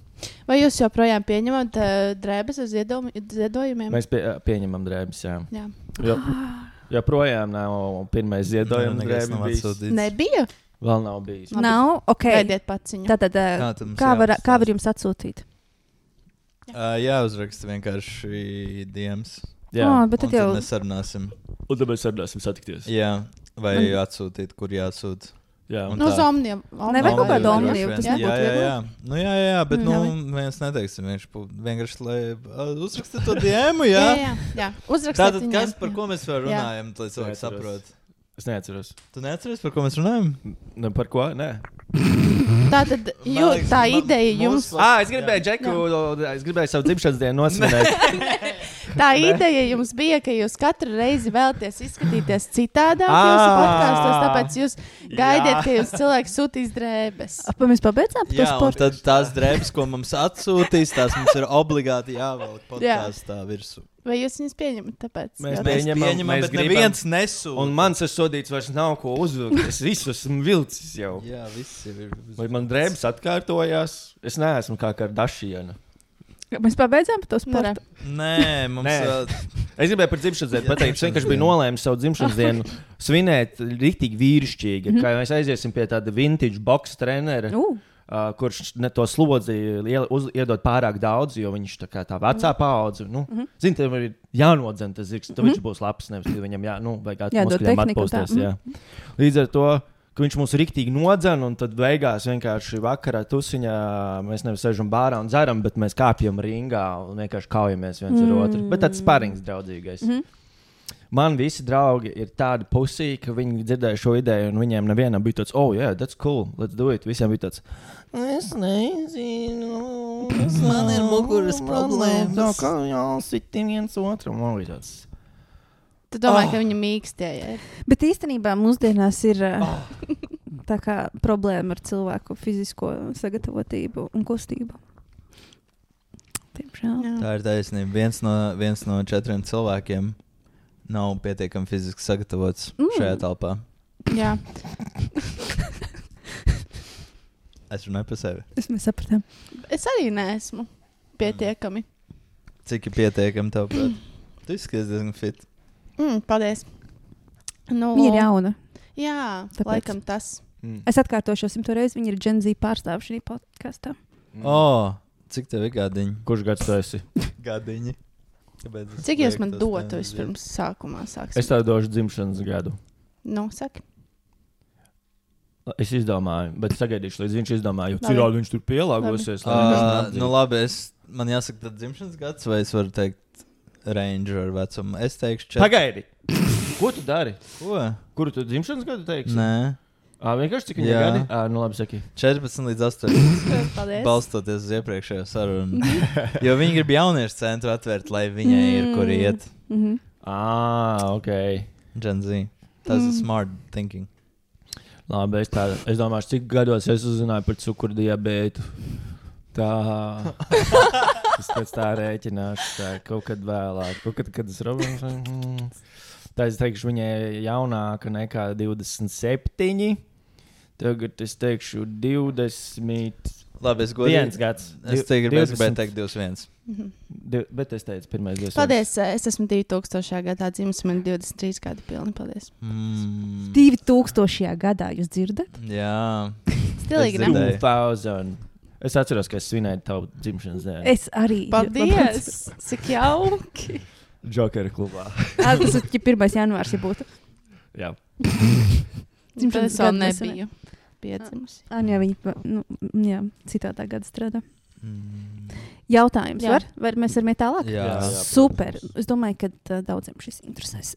Vai jūs joprojām pieņemat uh, drēbes uz ziedojum, ziedojumiem? Mēs pie, pieņemam drēbes, jā. Jā. Jo, joprojām nav pirmais ziedojums drēbes bijis. Nebija? Vēl nav bijis. Nav, ok. Gaidiet paciņu. Tātad, uh, kā, kā, var, kā var jums atsūtīt? Uh, jā, uzraksta vienkārši diems. Jā, oh, bet tad un jau... tad mēs sarunāsim. Un tad mēs sarunāsim satikties. Jā, vai Man... atsūtīt, kur jāsūt. Jā, un no tā. Omniem. Nevajag kaut kādu Omniju, tas jā, nebūtu jā, jā, jā. viegli. Nu, jā, jā, jā, bet Mm. nu, mēs neteiksim, viņš pu- vienkārši, lai uh, uzraksta to diemu, jā. Jā, jā, jā. Uzrakstiet Tātad, viņiem. kas, par ko mēs vēl Jā. runājam, lai cilvēki Neatceros. saprot? Es neatceros. Tu neatceries, par ko mēs runājam? Nu, par ko? Nē. Tātad jū, Man liekas, tā man- ideja jums, mūsu- Ah, es gribēju Džeku, es gribēju savu dzimšanas dienu nosvinēt. tā ideja jums bija, ka jūs katru reizi vēlaties izskatīties citādāk Ah. jūsu podkāstos, tāpēc jūs gaidiet, Jā. ka jūs cilvēks sūtīs drēbes. Ap, mēs pabeidzām par to Jā, un sportu? tad tās drēbes, ko mums atsūtīs, tās mums ir obligāti jāvelk podkāstā virsū. Vai jūs viņus pieņemat? Tāpēc Mēs jautājums. Pieņemam, pieņemam, mēs bet gribam. neviens nesūta. Un mans ir sodīts, vairs nav ko uzvilkt. Es visu esmu vilcis jau. Jā, viss jau ir. Vai man drēbes atkārtojās? Es neesmu kā Kardashiana. Mēs pabeidzām par to Nē. sportu? Nē, mums Nē. vēl. Es gribēju par dzimšanas dienu Jā, pateikt. Es dzimšanas vienkārši biju dienu. nolēmis savu dzimšanas dienu svinēt rīktīgi vīrišķīgi. Kā mēs aiziesim pie tāda vintage box trenera. Uh, Uh, kurš ne to slodzi iel- uz- iedod pārāk daudz, jo viņš tā kā tā vecā paudze. Nu, mm -hmm. Zini, tev ir jānodzen tas zirgs, tad mm -hmm. viņš būs labs. Nevis, ka viņam jā, nu, vajag Jādod muskuļiem tehniku un tā, atpūsties. Jā. Līdz ar to, ka viņš mūs riktīgi nodzen, un tad beigās vienkārši vakarā tusiņā mēs nevis sēžam bārā un dzeram, bet mēs kāpjam ringā un vienkārši kaujamies viens ar otru. Bet tāds sparings draudzīgais. Mm -hmm. Man visi draugi ir tādi pusī, ka viņi dzirdēja šo ideju, un viņiem nevienam bija tāds, oh, yeah, that's cool, let's do it. Visiem bija tāds, es nezinu, es Man ir muguras problēmas. Tā kā jāsiti viens otram. Man bija tāds, Tu domā, Oh. ka viņi mīkstie ir. bet īstenībā mūsdienās ir uh, tā kā problēma ar cilvēku fizisko sagatavotību un kustību. Tiemžēl. Jā. Tā ir taisnība. Viens no, viens no četriem cilvēkiem nav pietiekami fiziski sagatavots Mm. šajā telpā. Jā. Es runāju par sevi. Es mēs sapratām. Es arī neesmu pietiekami. Cik ir pietiekami tev? prāt? Tu izskaties diezgan fit. Mm, paldies. Nu, Viņa ir jauna. Jā, Tāpēc. laikam tas. mm. Es atkārtošu jau simto reizi. Viņa ir Gen Z pārstāvja šajā podkāstā. O, oh, cik tev ir gadiņi? Kurš gads tu esi? Gadiņi. Kāpēc es Cik jūs lieku man tos dotu nevis vispirms sākumā? Sāksim. Es tev došu dzimšanas gadu. Nu, saki. Es izdomāju, bet sagaidīšu, līdz viņš izdomā, jo Labi. citādi viņš tur pielāgosies. lai Uh, nekas nu neatzīst. labi, es man jāsaka tad dzimšanas gads, vai es varu teikt Ranger vecumu? Es teikšu četri. Pagaidi! Ko tu dari? Ko? Kuru tu dzimšanas gadu teiksi? Nē. Ā, vienkārši cik viņai Jā. gadi? Ā, nu labi, saki. četrpadsmit līdz astoņpadsmit. Paldies. Balstoties uz iepriekšējo sarunu. Jo viņi grib jauniešu centru atvērt, lai viņai ir kur iet. Mhm. Ā, ok. Gen Z. Tas ir smart thinking. Labi, es, tā, es domāju, cik gados es uzzināju par cukurdiabētu. Tā. Es pēc tā rēķināšu. Tā, kaut kad vēlāk. Kaut kad, kad es robinu. Tā es teikšu, viņai jaunāka nekā divdesmit septiņi. Tagad es teikšu divdesmit Labi, es godīgi. viens gads. Es te gribēju gribēju teikt divdesmit viens. Div, bet es teicu, pirmais divdesmit viens. Paldies, es esmu divi tūkstošajā gadā dzimis, man ir divdesmit trīs gadi pilni. Paldies. Mm, divi tūkstošajā gadā jūs dzirdat? jā. Stilīgi, Es ne? dzirdēju. divtūkstoši. Es atceros, ka es svinēju tavu dzimšanas dienu. Es arī. Paldies! Cik jauki! Jokera klubā. Ā, tas ir ja pirmais janvārs, ja būtu. Jā. Tad es vēl gadu nesenē. nebiju piedzimusi. Ā, jā, viņi nu, jā, citādā gada strādā. Mm, Jautājums Jā. var? Vai mēs varam iet tālāk? jā. Jā. Super. Es domāju, ka uh, daudziem šis interesēs.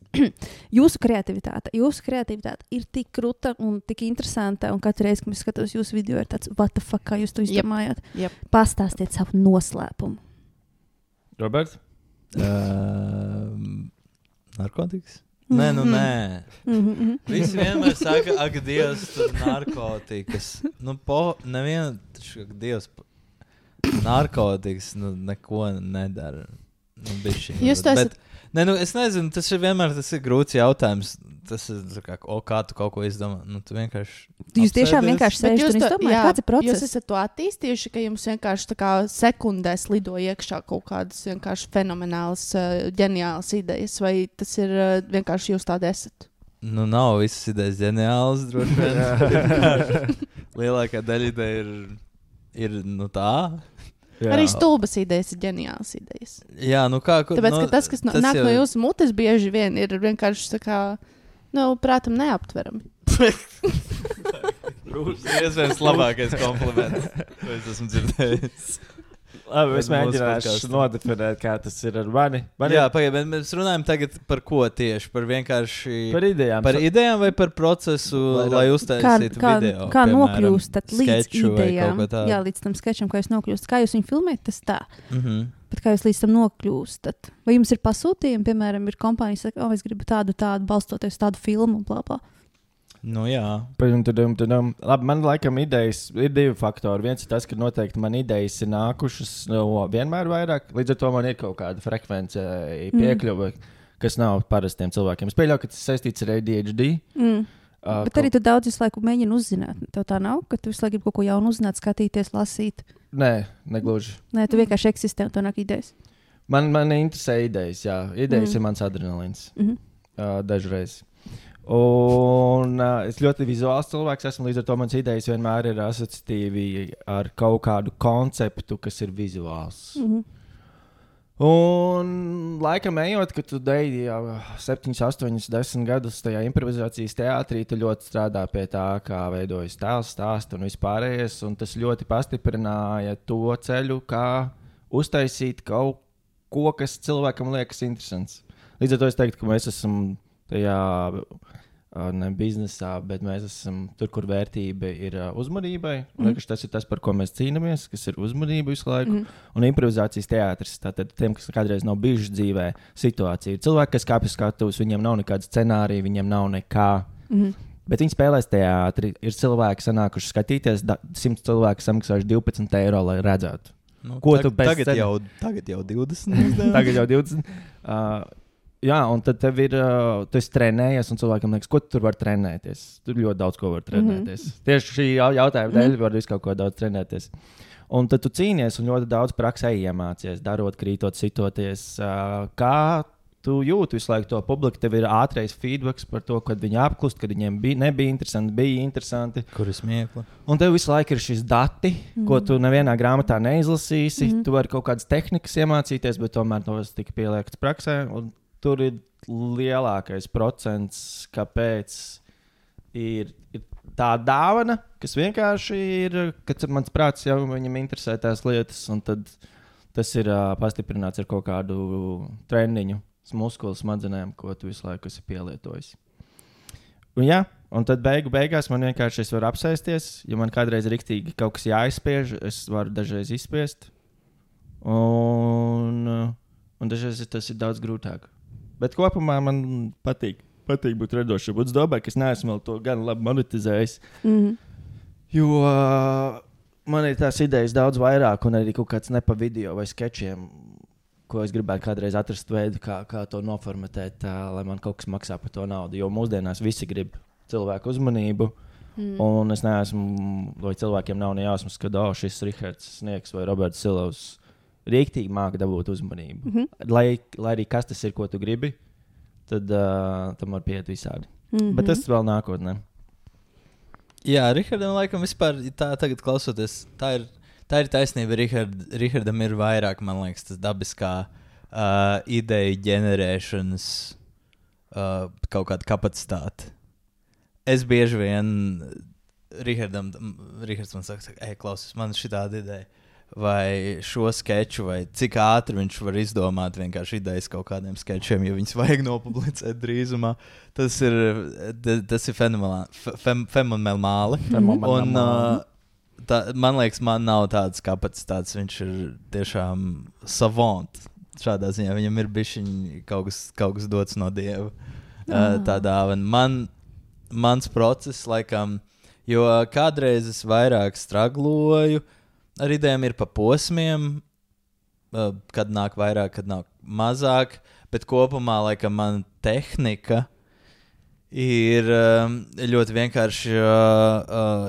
Jūsu kreativitāte. Jūsu kreativitāte ir tik kruta un tik interesanta. Un katru reizi, kad es skatos jūsu video, ir tāds, what the fuck, kā jūs to izdomājāt? Jep. Pastāstiet savu noslēpumu. Roberts? Um, narkotikas? Nē, nu nē. Mm -hmm. Visi vienmēr saka, ak, Dievs, tur narkotikas. Nu, po, neviena, taču, ak, Dievs, narkotikas, nu, neko nedara. Nu, bišķiņ. Jūs to esat- Bet, nē, nu, es nezinu, tas ir vienmēr, tas ir grūts jautājums. Tas ir, tā kā, o, kā tu kaut ko izdomā? Nu, tu vienkārši... Jūs tiešām apsēdies. vienkārši Bet sēžat jūs un to- izdomājat, jā, kāds ir Jūs process? esat to attīstījuši, ka jums vienkārši tā kā sekundēs lido iekšā kaut kādas vienkārši fenomenālas, uh, ģeniālas idejas, vai tas ir uh, vienkārši jūs tādi esat? Nu, nav visas idejas ģeniālas, droši vien. Lielākā daļa ideja ir, ir, nu, tā. Jā. Arī stulbas idejas ir ģeniālas idejas. Jā, nu, kā... kur- Tāpēc, nu, ka tas, kas no, tas nāk jau- no jūsu mutes, bieži vien ir vienkārši tā kā, nu, prātam neaptverami. Tas ir iespējams labākais kompliments, ko es esmu dzirdējis. Labi, es Mūsu mēģināšu podkastam. nodefinēt, kā tas ir ar mani. Man Jā, ir pagaid, bet mēs runājam tagad par ko tieši? Par vienkārši... par idejām. Par idejām vai par procesu, Lai- lai Kā, uztaisītu kā, video? kā piemēram, nokļūstat līdz skeču vai idejām? kaut ko tādu? Jā, līdz tam skečam, kā jūs nokļūstat. Kā jūs viņu filmējat, tas tā. Mhm. Bet kā jūs līdz tam nokļūstat? Vai jums ir pasūtījumi, piemēram, ir kompānijas, kas saka, oh, es gribu tādu, tādu, balstoties uz tādu filmu, bla, bla. Nu jā. Padum, tadum, tadum. Labi, man laikam idejas ir divi faktori. Viens ir tas, ka noteikti man idejas ir nākušas no vienmēr vairāk. Līdz ar to man ir kaut kāda frekvence piekļuve, mm. kas nav parastiem cilvēkiem. Es pieļauju, ka tas saistīts ar A D H D. Mm. Uh, Bet arī tu daudz visu laiku mēģini uzzināt. Tev tā nav, ka tu visu laiku gribi kaut ko jaunu uzzināt, skatīties, lasīt. Nē, negluži. Nē, tu vienkārši eksistē un tev nāk idejas. Man, man interesē idejas, jā. Idejas Mm. ir mans adrenalīns. Mhm. Uh, dažreiz. Un uh, es ļoti vizuāls cilvēks esmu, līdz ar to manas idejas vienmēr ir asociatīvi ar kaut kādu konceptu, kas ir vizuāls. Mhm. Un laikam ejot, kad tu deji jau septiņus, astoņus, desmit gadus tajā improvizācijas teātrī, tu ļoti strādā pie tā, kā veidojas tēls, stāsts un vispārējais. Un tas ļoti pastiprināja to ceļu, kā uztaisīt kaut ko, kas cilvēkam liekas interesants. Līdz ar to es teiktu, ka mēs esam tajā ne biznesā, bet mēs esam tur, kur vērtība ir uh, uzmanībai. Mm. Liekas, tas ir tas, par ko mēs cīnāmies, kas ir uzmanība visu laiku. Mm. Un improvizācijas teātris, tātad tiem, kas kādreiz nav bijuši dzīvē, situācija. Ir cilvēki, kas kāpj uz skatuves, viņiem nav nekāda scenārija, viņiem nav nekā. Mm. Bet viņi spēlēs teātri. Ir cilvēki, sanākuši skatīties, da, simts cilvēki samaksājuši divpadsmit eiro, lai redzētu. Nu, Ko tag, tu bez tagad, scen- jau, tagad jau divdesmit. Tagad jau divdesmit. Uh, jā, un tad tev ir, uh, tu esi trenējies, un cilvēkam liekas, ko tu tur var trenēties. Tur ļoti daudz ko var trenēties. Mm -hmm. Tieši šī jau- jautājuma dēļ var visu kaut ko daudz trenēties. Un tad tu cīnies un ļoti daudz praksē iemācies, darot, krītot, sitoties. Uh, kā tu jūti visu laiku to publiku? Tev ir ātrais feedback par to, kad viņi apklust, kad viņiem bija, nebija interesanti, bija interesanti. Kur ir smiekla? Un tev visu laiku ir šis dati, mm. ko tu nevienā grāmatā neizlasīsi. Mm. Tu vari kaut kādas tehnikas iemācīties, bet tomēr tos tika pieliekts praksē. Un tur ir lielākais procents, kāpēc ir, ir tā dāvana, kas vienkārši ir, kad mans prāts jau viņam interesē tās lietas. Un tad tas ir uh, pastiprināts ar kaut kādu treniņu, muskulu smadzenēm, ko tu visu laiku esi pielietojis. Un, jā, un tad beigu beigās man vienkārši es varu apsēsties. Ja man kādreiz riktīgi kaut kas jāizspiež, es varu dažreiz izspiest. Un, un dažreiz tas ir daudz grūtāk. Bet kopumā man patīk. Patīk būt radošam. Es domāju, ka es neesmu vēl to gan labi monetizējis. Mm. Jo uh, man ir tās idejas daudz vairāk, un arī kaut kāds nepa video vai skečiem, ko es gribētu kādreiz atrast veidu, kā, kā to noformatēt, tā, lai man kaut kas maksā par to naudu. Jo mūsdienās visi grib cilvēku uzmanību, mm. un es neesmu, vai cilvēkiem nav ne jāsmas, ka oh, šis Rihards Sniegs vai Roberts Silovs rīktīgi māka dabūt uzmanību. Mm-hmm. Lai, lai arī kas tas ir, ko tu gribi, tad uh, tam var pieiet visādi. Mm-hmm. Bet tas vēl nākotnē. Jā, Rihardam laikam vispār tā tagad klausoties, tā ir, tā ir taisnība. Richard, Richardam ir vairāk, man liekas, tas dabiskā uh, ideja ģenerēšanas uh, kaut kāda kapacitāte. Es bieži vien Richardam, Rihards man saka, ej, klausies, man ir šitāda ideja. Vai šo skeču, vai cik ātri viņš var izdomāt vienkārši idejas kaut kādiem skečiem, ja viņus vajag nopublicēt drīzumā. Tas ir, tas ir fenomenāli. Fem, fenomenāli. Un, uh, tā, man liekas, man nav tādas kapacitātes. Viņš ir tiešām savant šādā ziņā. Viņam ir bišķiņ kaut kas, kaut kas dots no Dieva. Uh, tādā, un man, mans process, laikam, jo kādreiz es vairāk stragloju, ar idejām ir pa posmiem, kad nāk vairāk, kad nāk mazāk, bet kopumā, laikam, man tehnika ir ļoti vienkārši,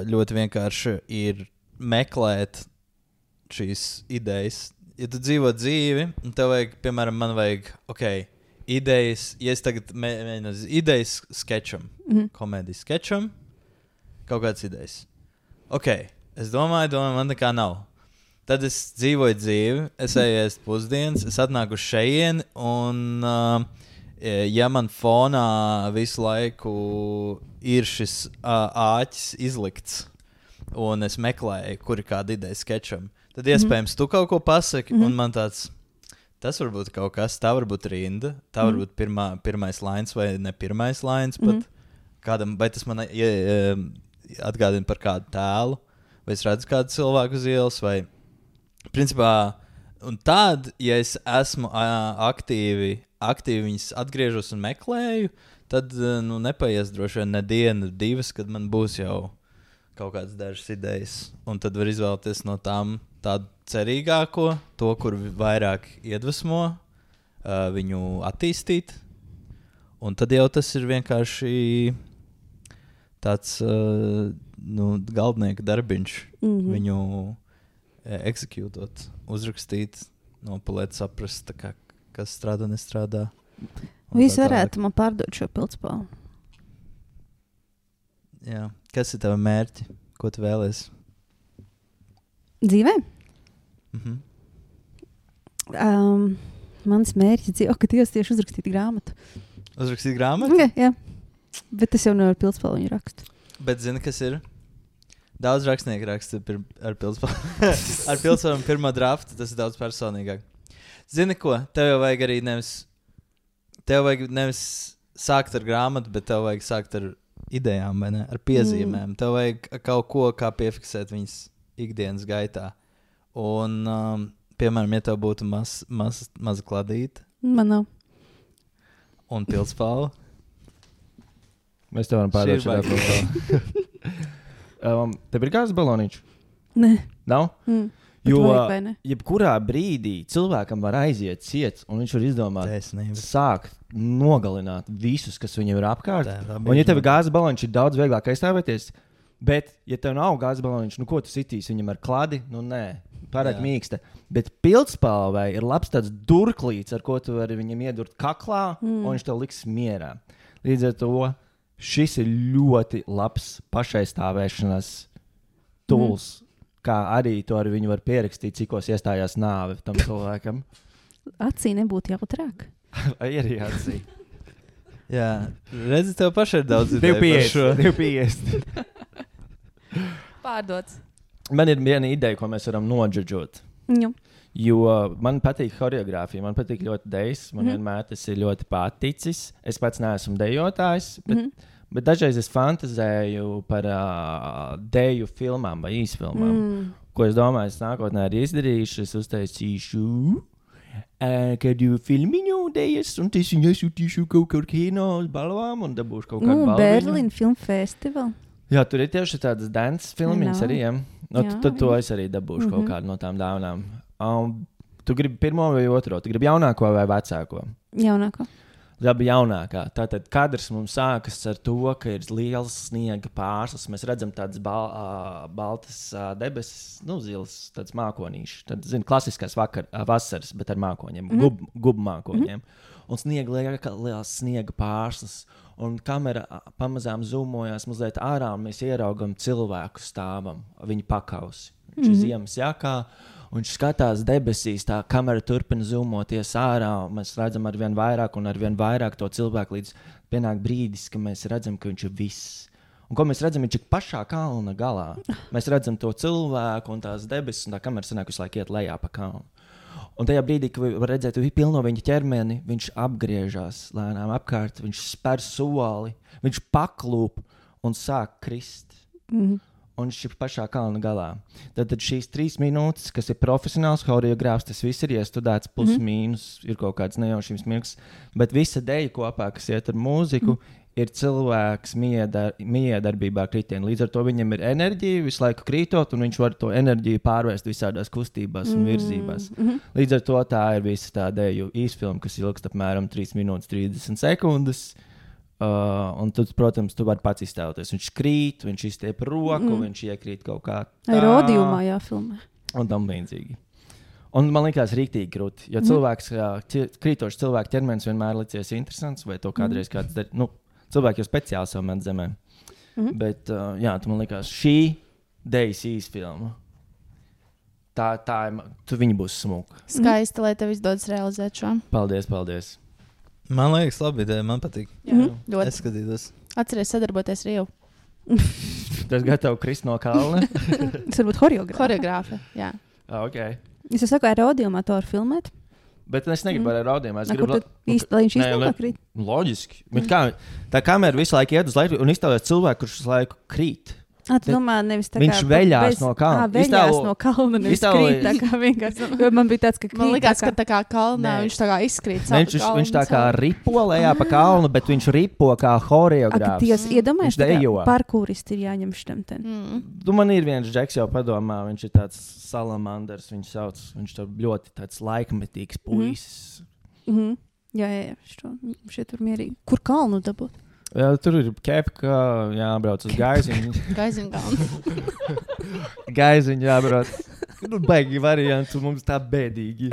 ļoti vienkārši ir meklēt šīs idejas. Ja tu dzīvo dzīvi, un tev vajag, piemēram, man vajag, ok, idejas, ja es tagad mēģinu idejas skečam, mm-hmm. komēdijas skečam, kaut kādas idejas. Ok. Es domāju, domāju, man nekā nav. Tad es dzīvoju dzīvi, es eju ēst pusdienas, es atnāku uz šejieni, un uh, ja man fonā visu laiku ir šis uh, āķis izlikts, un es meklēju, kur ir kāda ideja skečam, tad iespējams tu kaut ko pasaki, mm-hmm. un man tāds, tas var būt kaut kas, tā var būt rinda, tā var būt pirmā, pirmais lines vai ne pirmais lines, pat mm-hmm. kādam, vai tas man ja, atgādina par kādu tēlu, vai es redzu kādu cilvēku uz ielas, vai principā, un tad, ja es esmu uh, aktīvi, aktīvi viņas atgriežos un meklēju, tad, uh, nu, nepaies droši vien ne diena, divas, kad man būs jau kaut kādas dažas idejas, un tad var izvēlēties no tām tādu cerīgāko, to, kur vairāk iedvesmo, uh, viņu attīstīt, un tad jau tas ir vienkārši tāds, uh, nu, galdnieka darbiņš, mm-hmm. viņu e, eksekūtot, uzrakstīt, nopulēt, saprast, tā kā, kas strādā, nestrādā. Visi varētu man pārdot šo pildspalvu. Jā. Kas ir tava mērķi? Ko tu vēlies? Dzīvē? Mhm. Um, mans mērķis dzīvē, ka Dievs tieši uzrakstīt grāmatu. Uzrakstīt grāmatu? Jā, jā. Bet tas jau nevar pildspalvu viņu rakstu. Bet zini, kas ir? Daudz rakstnieku raksta pir, ar pildspalvu. Ar pildspalvu pirmo draftu, tas ir daudz personīgāk. Zini ko? Tev jau vajag arī nevis, tev vajag nevis sākt ar grāmatu, bet tev vajag sākt ar idejām, vai ne? Ar piezīmēm. Mm. Tev vajag kaut ko, kā piefiksēt viņas ikdienas gaitā. Un, um, piemēram, ja tev būtu maz, maz, maza kladīta. Man nav. Un pildspalva. Mēs tev varam pārdot šādā pildspalva. um, tev ir gāzes baloniņš? Nē. Nav? Mm. Jo vajag, jebkurā brīdī cilvēkam var aiziet ciets, un viņš var izdomāt, Taisnība. sākt nogalināt visus, kas viņam ir apkārt. Tā, tā un ja tev ir gāzes baloniņš, ir daudz vieglāk aizstāvēties. Bet, ja tev nav gāzes baloniņš, nu ko tu sitīsi viņam ar kladi? Nu nē, pārāk Jā. mīksta. Bet pildspalvai ir labs tāds durklīts, ar ko tu vari viņam iedurt kaklā, mm. un viņš tev liks mierā. Līdz ar to šis ir ļoti labs pašaizstāvēšanas tools. Mm. Kā arī to ar viņu var pierakstīt, cikos iestājās nāve tam cilvēkam. Acī nebūtu jautrāk. Vai arī acī. Jā, redzi, tev paši ir daudz ideju par šo. divi piecdesmit. Pārdots. Man ir viena ideja, ko mēs varam nodžudžot. Nu. Jo man patīk choreogrāfija, man patīk ļoti dejas, man Mhm. vienmēr tas ir ļoti paticis. Es pats neesmu dejotājs, bet, Mhm. bet dažreiz es fantazēju par uh, deju filmām vai īsfilmām. Mm. Ko es domāju, es nākotnē arī izdarīšu, es uztaisīšu uh, kādu filmiņu dejas, un es viņu iesūtīšu kaut kur kino uz balvām un dabūšu kaut kādu Mm, balviņu. Berlīna Film Festival. Jā, tur ir tieši tādas dance filmiņas know. arī. Ja? No, Jā, tad to jā. es arī dabūšu mm -hmm. kaut Mhm. kādu no tām dāvanām. Um, tu gribi pirmo vai otro? Tu gribi jaunāko vai vecāko? Jaunāko. Labi, jaunākā. Tātad kadrs mums sākas ar to, ka ir liels sniega pārslas. Mēs redzam tādas bal, uh, baltas uh, debesis, nu, zilas, tādas mākonīšas. Tad, zini, klasiskās vakar, uh, vasaras, bet ar mākoņiem, Mhm. gub, gub mākoņiem. Un sniega lieka, liels sniega pārslas. Un kamera ā, pamazām zumojās mazliet ārā, un mēs ieraugam cilvēku stāvam, viņa pakausi. Viņš ir Mhm. ziemas jakā, un viņš skatās debesīs, tā kamera turpina zumoties ārā, un mēs redzam ar vien vairāk un ar vien vairāk to cilvēku, līdz pienāk brīdis, ka mēs redzam, ka viņš ir viss. Un ko mēs redzam, viņš ir pašā kalna galā. Mēs redzam to cilvēku un tās debesis, un tā kamera sanāk visu laiku iet lejā pa kalnu. Un tajā brīdī, kad var redzēt pilno viņa ķermeni, viņš apgriežas lēnām apkārt, viņš spēr soli, viņš paklūp un sāk krist. Mm. Un viņš ir pašā kalna galā. Tad, tad šīs trīs minūtes, kas ir profesionāls choreogrāfs, tas viss ir iestudēts, plus mm. mīnus, ir kaut kāds nejaušības mirklis. Bet visa deja kopā, kas iet ar mūziku, mm. ir cilvēks miedar, miedarbībā kritienā. Līdz ar to viņam ir enerģija visu laiku krītot, un viņš var to enerģiju pārvērst visādās kustībās un virzībās. Mhm. Līdz ar to tā ir visa tā deju īsfilma, kas ilgst apmēram trīs minūtes trīsdesmit sekundes. Uh, un tad, protams, tu vari pats iztēloties. Viņš krīt, viņš izstiep roku, mm. viņš iekrīt kaut kā Ai, Rodiumā jāfilmē. un tam līdzīgi. Un man liekas, rīktīgi grūti. Jo cilvēks, mm. ķi- krītošs cilvēka ķermenis vienmēr licies interesants, vai to kādreiz kāds dar. Nu, cilvēki jau speciāli savu met zemē. Mhm. Bet, uh, jā, tu man liekas, šī dejas īsfilma, tā, tā ir, ma- tu viņa būs smuka. Skaisti, lai tev izdodas realizēt šo. Paldies, paldies. Man liekas, labi ideja, man patīk. Mhm. Ļoti. Es skatītos. Atceries sadarboties ar jau Tas gatavs krist no kalna. Tas varbūt choreogrāfija. choreogrāfu. Jā. Ah, okay. Es jau saku, ar Rodiumā to var filmēt. Bet es negribu Mm. ar raudiem. Es Na, gribu, kur tad īsti, lai viņš Nē, īstenībā lai- krīt. Loģiski. Mm. Kā, tā kamera visu laiku iet uz leju un iztēlojas cilvēku, kurš visu laiku krīt. Ah, tu Bet domā, nevis tā viņš kā veļās bez- no kalna. Ā, veļās Iztēlo- no kalna, nevis iztēlojies- krīt. Tā kā vienkārši. Jo man bija tāds, ka krīt. Man liekas, tā ka kā- tā kā kalnā Nē. viņš tā kā izkrīt. Ne, viņš, viņš tā kā ripo lejā pa kalnu, bet viņš ripo kā Ak, choreogrāfs. Dievs, iedomājies, Viņš dejo. parkūristi ir jāņem šitam ten. Mm. Tu man ir viens džeks jau padomā, viņš ir tāds salamanders, viņš sauc, viņš ir ļoti tāds laikmetīgs puisis. Mhm. Jā, jā, jā, šo, šeit tur mierīgi. Kur kalnu dabūt? Jā, tur ir kepka, jābrauc uz gaiziņu. Gaizina kalnu. Gaiziņu jābrauc. Nu, baigi varianti, mums tā bēdīgi.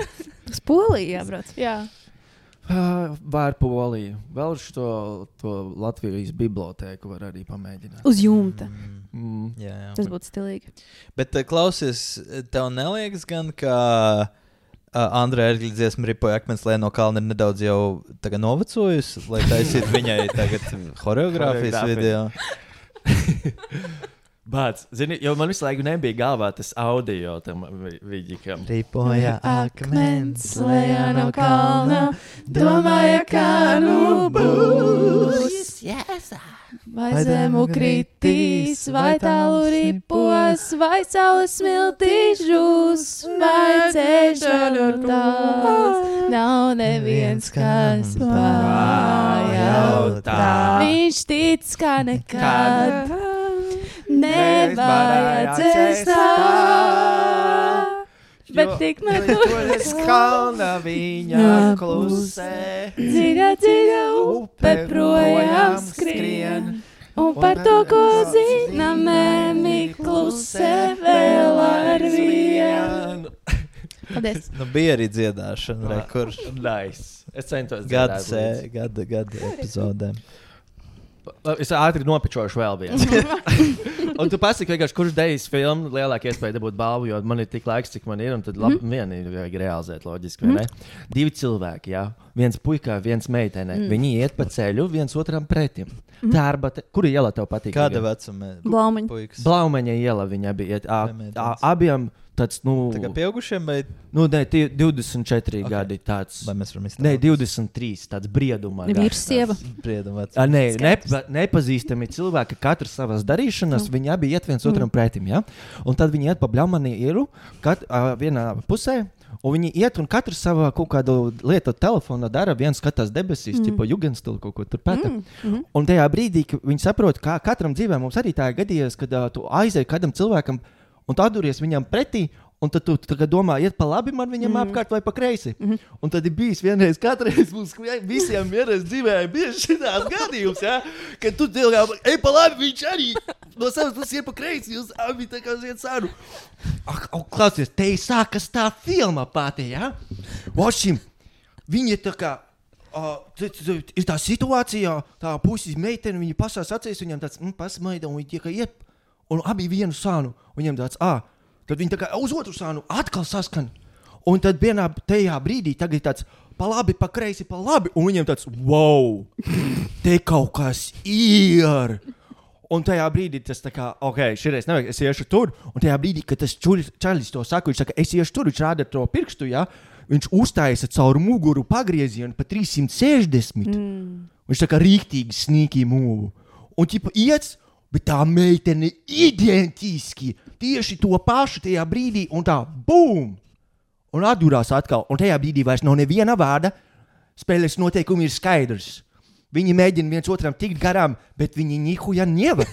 Uz Poliju jābrauc. Jā. Uh, Var Poliju. Vēl šo to Latvijas bibliotēku var arī pamēģināt. Uz jumta. Mm. Jā, jā. Tas būtu stilīgi. Bet uh, klausies, tev neliekas gan, ka uh, Andrei Erģļa dziesma Ripoja akmens lejā no kalna ir nedaudz jau tagad novecojusi, lai taisītu viņai tagad choreogrāfijas Choreogrāfiju. video. Bāc, zini, jo man visu laiku nebija galvā tas audio tam vi- vidikam. Ripoja Akmens lejā no kalna, domāja, kā nu būs. Vai zemu kritīs, vai tālu ripos, vai saules smiltīs žūs, vai ceļš no tās. Nav neviens, kas pajautā. Viņš tic, kā nekad nevajadzēs tā. Bet tikmēr tur es kalna viņa klusē. dziļa, dziļa upe projām skrien. Un par to, ko zinām, mēmī klusē vēl ar vienu. Paldies. Nu, bija arī dziedāšana, re, kur Nice. Es centos gada, dziedāt sē, līdzi. gada, gada epizodēm. Es ātri nopečošu vēl vienu. Un tu pasaki, vienkārši, kurš dejas filmu lielāka iespēja dabūt balvu, jo man ir tik laiks, cik man ir, un tad labi, mm. viena ir vajag realizēt loģiski, vai ne? Divi cilvēki, jā. Viens puikā, viens meitenē. Mm. Viņi iet pa ceļu, viens otram pretim. Mm. Tārbate, kura iela tev patīk? Kāda Tagad? vecuma? Blaumaņa. Puikas. Blaumaņa iela viņa bija. iet. A, Vai a, meitenes? abiem tāds, nu, Tā kā pieaugušiem vai, nu, ne, tie divdesmit četri Ok. gadi tāds. vai mēs varam izteikt? Nē, divdesmit trīs, tāds briedumā. Vīrs, sieva. Priedam, A, nē, Skaidrs. nepa, nepazīstami cilvēki, katrs savas darīšanas, mm. viņi abi iet viens mm. otram pretim, ja? Un tad viņi iet pa bļaumani ielu, kat, uh, vienā pusē, un viņi iet un katrs savā kaut kādu lietu telefonu dara, viens skatās debesīs, mm. tipo jugendstilu kaut ko tur pēta. Mm, mhm. Un tajā brīdī, kad viņi saprot, kā katram dzīvē mums arī tā ir gadījies, kad uh, tu aizēji kādam cilvēkam un tu atduries viņam pretī, un tad tu tagad domā, iet pa labi man viņam mm. apkārt vai pa kreisi. Mm. Un tad ir bijis vienreiz, katreiz mums visiem vienreiz dzīvē bieži šitās gadījums, ja? Kad tu cilvēkam, ej pa labi, viņš arī no savas puses iet pa kreisi, jūs abi tā kā ziet sāru. Ak, au, klausies, te ir sākas tā filma pati, ja? Vošim, viņi ir tā kā, uh, t, t, t, ir tā situācijā, tā puses meitene, viņi pasās acīs, viņam tāds, mm, pasmaida, un viņi tiek iet, un abi vienu sānu, un viņam tāds, ā, tad viņi tā kā uz otru sānu atkal saskan. Un tad vienā tajā brīdī tagad tāds pa labi, pa kreisi, pa labi. Un viņiem tāds, wow, te kaut kas ir. Un tajā brīdī tas tā kā, ok, šreiz nevajag, es iešu tur. Un tajā brīdī, kad tas čulis, čalis to saka, viņš saka, es iešu tur, viņš rāda to pirkstu, ja? Viņš uztājas caur muguru pagriezienu pa trīssimt sešdesmit. Mm. Viņš tā kā rīktīgi sneaky move. Un ķipa iets, bet tā meitene identiski tieši to pašu tajā brīdī, un tā bum! Un atdurās atkal. Un tajā brīdī vairs nav neviena vārda. Spēles noteikumi ir skaidrs. Viņi mēģina viens otram tikt garām, bet viņi nihuja nevar.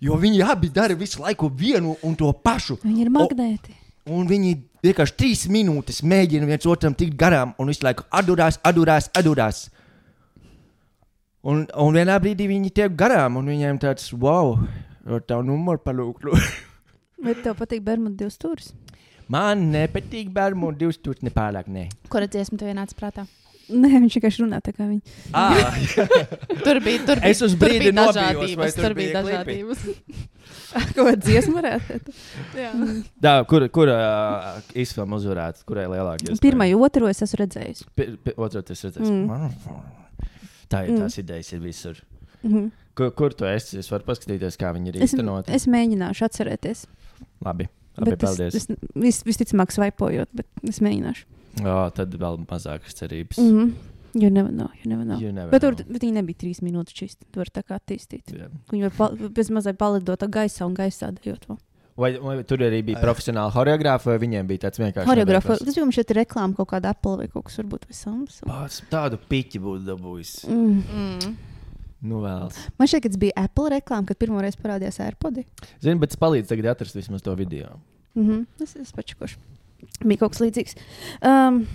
Jo viņi abi dara visu laiku vienu un to pašu. Viņi ir magnēti. O, un viņi vienkārši trīs minūtes mēģina viens otram tikt garām, un visu laiku atdurās, atdurās, atdurās. Un, un vienā brīdī viņi tiek garām, un viņiem tāds, wow, ar tavu numuru palūklu. Vai tev patīk Bermuda divas stūris? Man nepatīk Bermuda divas stūris, nepārāk, nē. Kura dziesma tev ienāca prātā? Nē, viņš vienkārši runā tā kā viņi. Ah, Tur bija, tur bija, Es uz tur brīdi bija nobijos, dažādības. vai tur Tur bija bija klipi? dažādības. Ko dziesmu varētu? Jā. tā, kur, kur uh, izfilma uzvarētu, kurai lielākie? Pirmā, otru es esmu redzējis. Otru tas redzēs. Mm. Tā ir tās mm. idejas ir visur. Mm -hmm. Kur, kur tu esi? Es varu paskatīties, kā viņi ir es, īstenoti. es mēģināšu atcerēties. Labi, labi Bet paldies. Es, es vis, visticamāk svaipojot, bet es mēģināšu. O, tad vēl mazākas cerības. Mm -hmm. You never know, you never know. You never Bet, tur, know. bet viņi nebija trīs minūtes čist. Tu vari tā kā attīstīt. Jā. Viņi var pal, bez mazliet palidot gaisā un gaisā dejot vēl. Vai, vai tur arī bija profesionāli horeogrāfi, vai viņiem bija tāds vienkārši Horeogrāfa. nebeigās? Tas bija šeit reklāma kaut kāda Apple vai kaut kas varbūt vai Samsung. Pats tādu piķi būtu dabūjis. Mm. Mm. Nu vēl. Man šķiet, ka tas bija Apple reklāma, kad pirmo reizi parādījās AirPodi. Zini, bet es palīdzu tagad atrast vismaz to video. Mm -hmm. Es esmu pačakoši. Bija kaut kas līdzīgs. Um,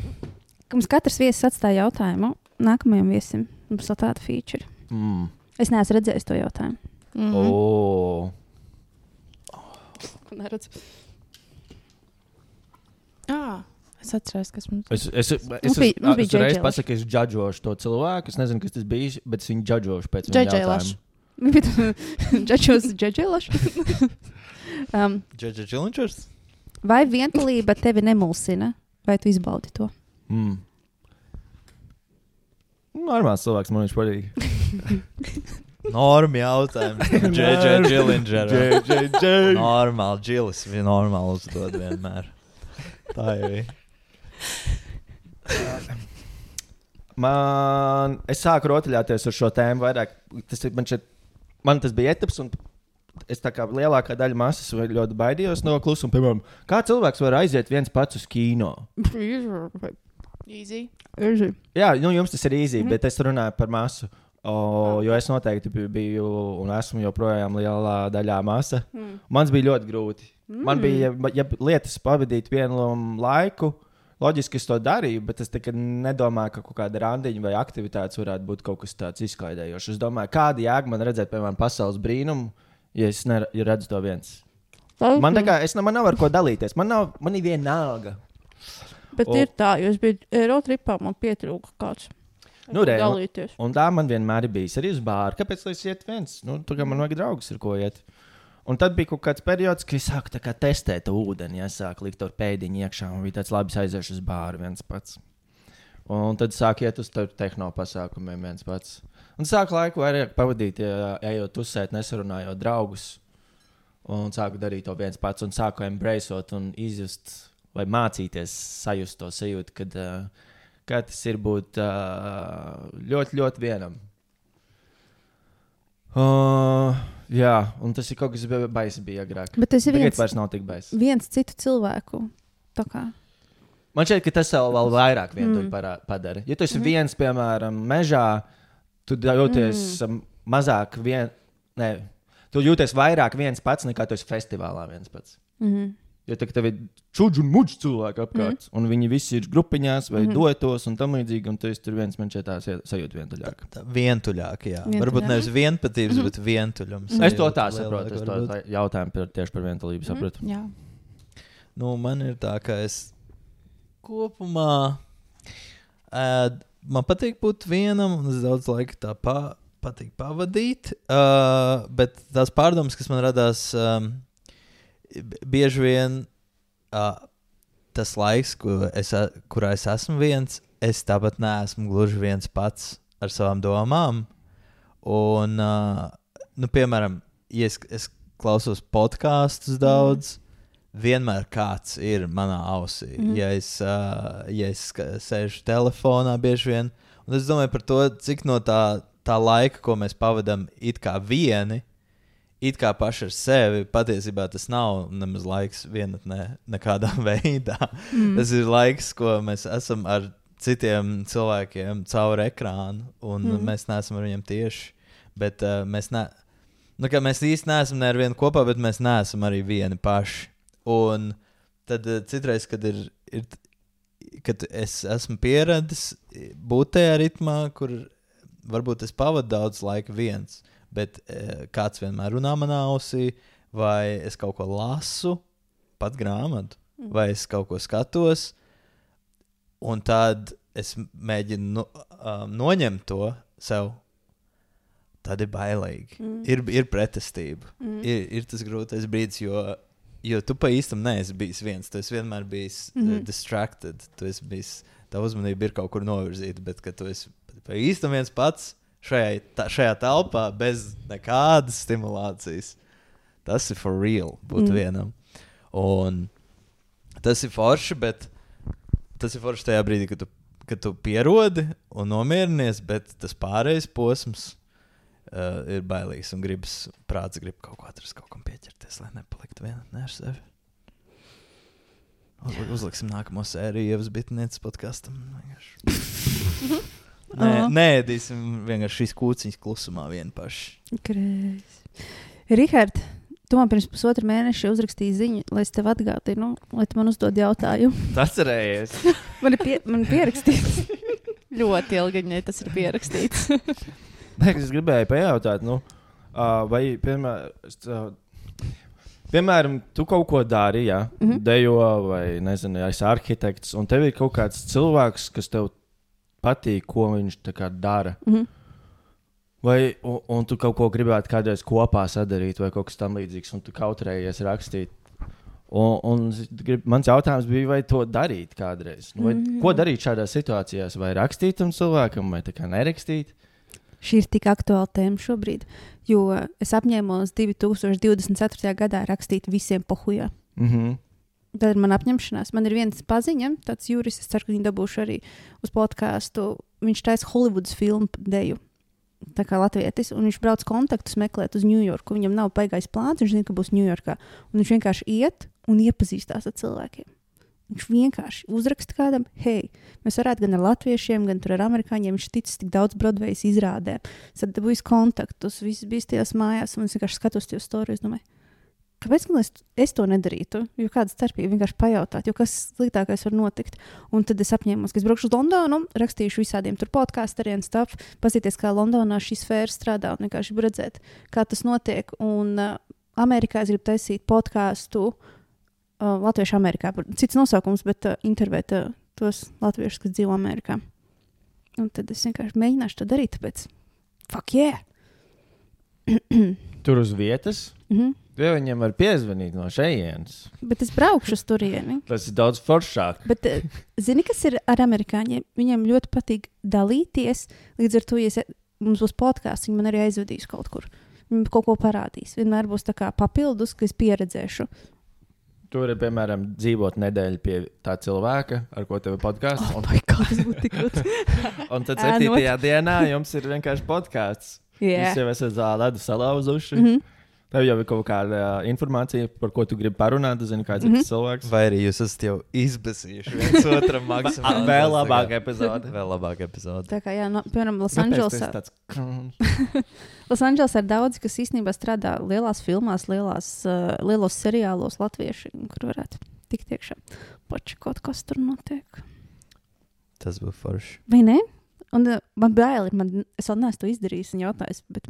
mums katrs viesis atstāja jautājumu. Nākamajam viesim mums vēl tāda feature. Mm. Es neesmu redzējis to jautājumu. Mm. Oh. Ko neredzu? Ah, es atceros, kas mums Es, es, es, Mums bija- mums bija es reiz J J pasaku, ka es džadžošu to cilvēku. Es nezinu, kas tas bija, bet es viņu džadžošu pēc J J viņa Lash. jautājuma. Džačos džačelašu. um, Džedža Chillingers? vai vientulība tevi nemulsina? Vai tu izbaudi to? Mm. Normāls cilvēks, man viņš patīk. Norma jautājums. Džedža Chillingers. J J J. Normāli, Džilis bija normāli uzdod vienmēr. Tā jau ir. Man, es sāku rotaļāties ar šo tēmu vairāk. Tas, ir- man, šeit, man tas bija etaps, un es tā kā lielākā daļa masas ļoti baidījos no klusuma. Piemēram, kā cilvēks var aiziet viens pats uz kino? Easy. Jā, Jā, nu, jums tas ir easy, mm -hmm. bet es runāju par masu. O, jo es noteikti bi- biju un esmu joprojām lielā daļā masa. Mm. Mans bija ļoti grūti. Mm. Man bija, ja, ja lietas pavadīt vienu laiku, loģiski es to darīju, bet es tikai nedomāju, ka kaut kāda randiņa vai aktivitātes varētu būt kaut kas tāds izklaidējošs. Es domāju, kāda jēga man redzēt, piemēram, pasaules brīnumu, ja es ne, ja redzu to viens. Man tā kā, es ne, man nav ar ko dalīties. Man, nav, man ir vienalga. Bet O- ir tā, jo es biju Eirotripā, man pietrūka kāds. Nu, re, un, dalīties. un tā man vienmēr ir bijis arī uz bāru. Kāpēc lai es iet viens? Nu, tur kā man vajag draugus, ar ko iet. Un tad bija kaut kāds periods, kad es sāku tā kā testēt to ūdeni. Ja, es sāku likt to pēdiņu iekšā un bija tāds labi aiziešu uz bāru viens pats. Un tad sāku iet uz tehno pasākumiem viens pats. Un sāku laiku vairāk pavadīt, ja, ejot uzsēt, nesarunājot draugus. Un sāku darīt to viens pats, un sāku embraceot un izjust, vai mācīties sajust to sajūtu, kad, uh, kā tas ir būt uh, ļoti, ļoti vienam. Uh, jā, un tas ir kaut kas baisi bija agrāk. Bet tas ir Tagad viens, vairs nav tik baisi. viens citu cilvēku. Tā kā. Man šķiet, ka tas vēl, vēl vairāk vientuļi Mm. mm. padara. Ja tu esi mm. viens, piemēram, mežā, tu jūties mm. mazāk vien... Ne, tu jūties vairāk viens pats, nekā tu esi festivālā viens pats. Mm-hmm. Jo tā, tev ir čudži un muģi cilvēki apkārt, mm. un viņi visi ir grupiņās vai mm. duetos un tam līdzīgi, un tu esi tur viens, man šķiet tā sajūta vientuļāk. Tā, vientuļāk, jā. Vientuļāk. Varbūt nevis vienpatības, mm. bet vientuļums. Es to tā saprotu, es to tā jautājumu par, tieši par vientulību saprotu. Jā. Nu, man ir tā, ka es kopumā uh, man patīk būt vienam, un es daudz laika tā pa, patīk pavadīt, uh, bet tās pārdomas, kas man radās, um, bieži vien uh, tas laiks, kur es, kurā es esmu viens, es tāpat neesmu gluži viens pats ar savām domām. Un, uh, nu, piemēram, ja es, es klausos podkastus daudz, mm. vienmēr kāds ir manā ausī. Mm. Ja es, uh, ja es sēžu telefonā bieži vien, un es domāju par to, cik no tā, tā laika, ko mēs pavadām it kā vieni, it kā paši ar sevi, patiesībā tas nav nemaz laiks vienatnē nekādā veidā. Mm. Tas ir laiks, ko mēs esam ar citiem cilvēkiem caur ekrānu, un mm. mēs neesam ar viņiem tieši, bet uh, mēs, ne, nu, mēs īsti neesam ne ar vienu kopā, bet mēs neesam arī vieni paši. Un tad uh, citreiz, kad, ir, ir, kad es esmu pieradis būt tajā ritmā, kur varbūt es pavadu daudz laika viens, bet e, kāds vienmēr runā manā ausī, vai es kaut ko lasu, pat grāmatu, mm. vai es kaut ko skatos, un tad es mēģinu no, um, noņemt to sev. Tad ir bailīgi. Mm. Ir, ir pretestība. Mm. Ir, ir tas grūtais brīdis, jo, jo tu pa īstam neesi bijis viens. Tu esi vienmēr bijis mm. uh, distracted. Tu esi bijis, tā uzmanība ir kaut kur novirzīta, bet kad tu esi pa īstam viens pats, Šajā, tā, šajā telpā bez nekādas stimulācijas. Tas ir for real būt mm. vienam. Un tas ir forši, bet tas ir forši tajā brīdī, kad tu, kad tu pierodi un nomierinies, bet tas pārējais posms uh, ir bailīgs un gribas, prāts grib kaut ko atrast, kaut kam pieķerties, lai nepaliktu vienatnē ar sevi. Uz, uzliksim nākamo sēriju Ievas Bitnieces podkastam. Nē, uh-huh. Neēdīsim vienkārši šīs kūciņas klusumā vien paši. Kreis. Rihard, tu man pirms pusotra mēneša uzrakstīji ziņu, lai es tev atgādinu, lai tu man uzdod jautājumu. Tas cerējies. Man ir pie, man pierakstīts. Ļoti ilgi viņai tas ir pierakstīts. Nē, es gribēju pajautāt, nu, uh, vai, piemēram, uh, piemēram, tu kaut ko dari, jā, mm-hmm. dejo vai, nezinu, esi arhitekts, un tev ir kaut kāds cilvēks, kas tev patīk, ko viņš tā kā dara. Mm-hmm. Vai, un, un tu kaut ko gribētu kādreiz kopā sadarīt, vai kaut kas tam līdzīgs, un tu kautrējies rakstīt. Un, un grib, mans jautājums bija, vai to darīt kādreiz? Vai, mm-hmm. Ko darīt šādās situācijās? Vai rakstīt tam cilvēkam, vai tā kā nerakstīt? Šī ir tik aktuāla tēma šobrīd, jo es apņēmos divi tūkstoši divdesmit ceturtajā gadā rakstīt visiem pohujā. Mhm. Tad ir man apņemšanās. Man ir viens paziņa, tāds jurists, es ceru, ka viņi dabūšu arī uz podkāstu. Viņš taisa Hollywoods filmu deju, tā kā latvietis, un viņš brauc kontaktus meklēt uz Ņujorku. Viņam nav baigais plāns, viņš zina, ka būs Ņujorkā. Un viņš vienkārši iet un iepazīstās ar cilvēkiem. Viņš vienkārši uzraksta kādam, hei, mēs varētu gan ar latviešiem, gan ar amerikāņiem, viņš ticis tik daudz Broadways izrādēm. Tad dabūjis kontaktus, viss bija tajās mājās, un es vienkārši skatos tajos storijas, domāju, kāpēc man es, es to nedarītu? Jo kāda starpība vienkārši pajautāt, jo kas sliktākais var notikt. Un tad es apņēmos, ka es braukšu uz Londonu, rakstīšu visādiem tur podkāstariem, stuff, paskatīties, kā Londonā šī sfēra strādā un vienkārši redzēt, kā tas notiek. Un uh, Amerikā es gribu taisīt podkāstu uh, Latviešu Amerikā. Cits nosaukums, bet uh, intervēt uh, tos latviešus, kas dzīvo Amerikā. Un tad es vienkārši mēģināšu to darīt, tāpēc fuck yeah! Tur uz vietas? Mhm. Jo viņam var piezvanīt no šejienes. Bet es braukšu uz turieni. Tas ir daudz foršāk. Bet, zini, kas ir ar amerikāņiem? Viņiem ļoti patīk dalīties. Līdz ar to, ja es, mums būs podkāsts, viņi man arī aizvedīs kaut kur. Viņi kaut ko parādīs. Vienmēr būs tā kā papildus, ka es pieredzēšu. Tur ir, piemēram, dzīvot nedēļu pie tā cilvēka, ar ko tev ir podkāsts. Oh, my God, tas būtu tik grūti. Un tad septītajā dienā jums ir vienkārši podkāsts. Yeah. Jūs jau esat ledu salauzuši. Mm-hmm. Tev jau ir kaut kāda uh, informācija, par ko tu gribi parunāt. Tu zini, kāds Mhm. ir tas cilvēks. Vai arī jūs esat jau izbēsījuši viens otram maksimāli? Vēl labāka epizode. Vēl labāka epizode. Tā kā, jā, no, piemēram, Kāpēc tas ir Losandželosā. tāds... Losandželosā ir daudzi, kas īstenībā strādā lielās filmās, lielās, uh, lielos seriālos latvieši, kur varētu tikt iekšā. Pači kaut kas tur notiek. Tas būs forši. Vai ne? Un uh, man bail ir, man, es vēl neesmu to izdarījis un jautājis, bet,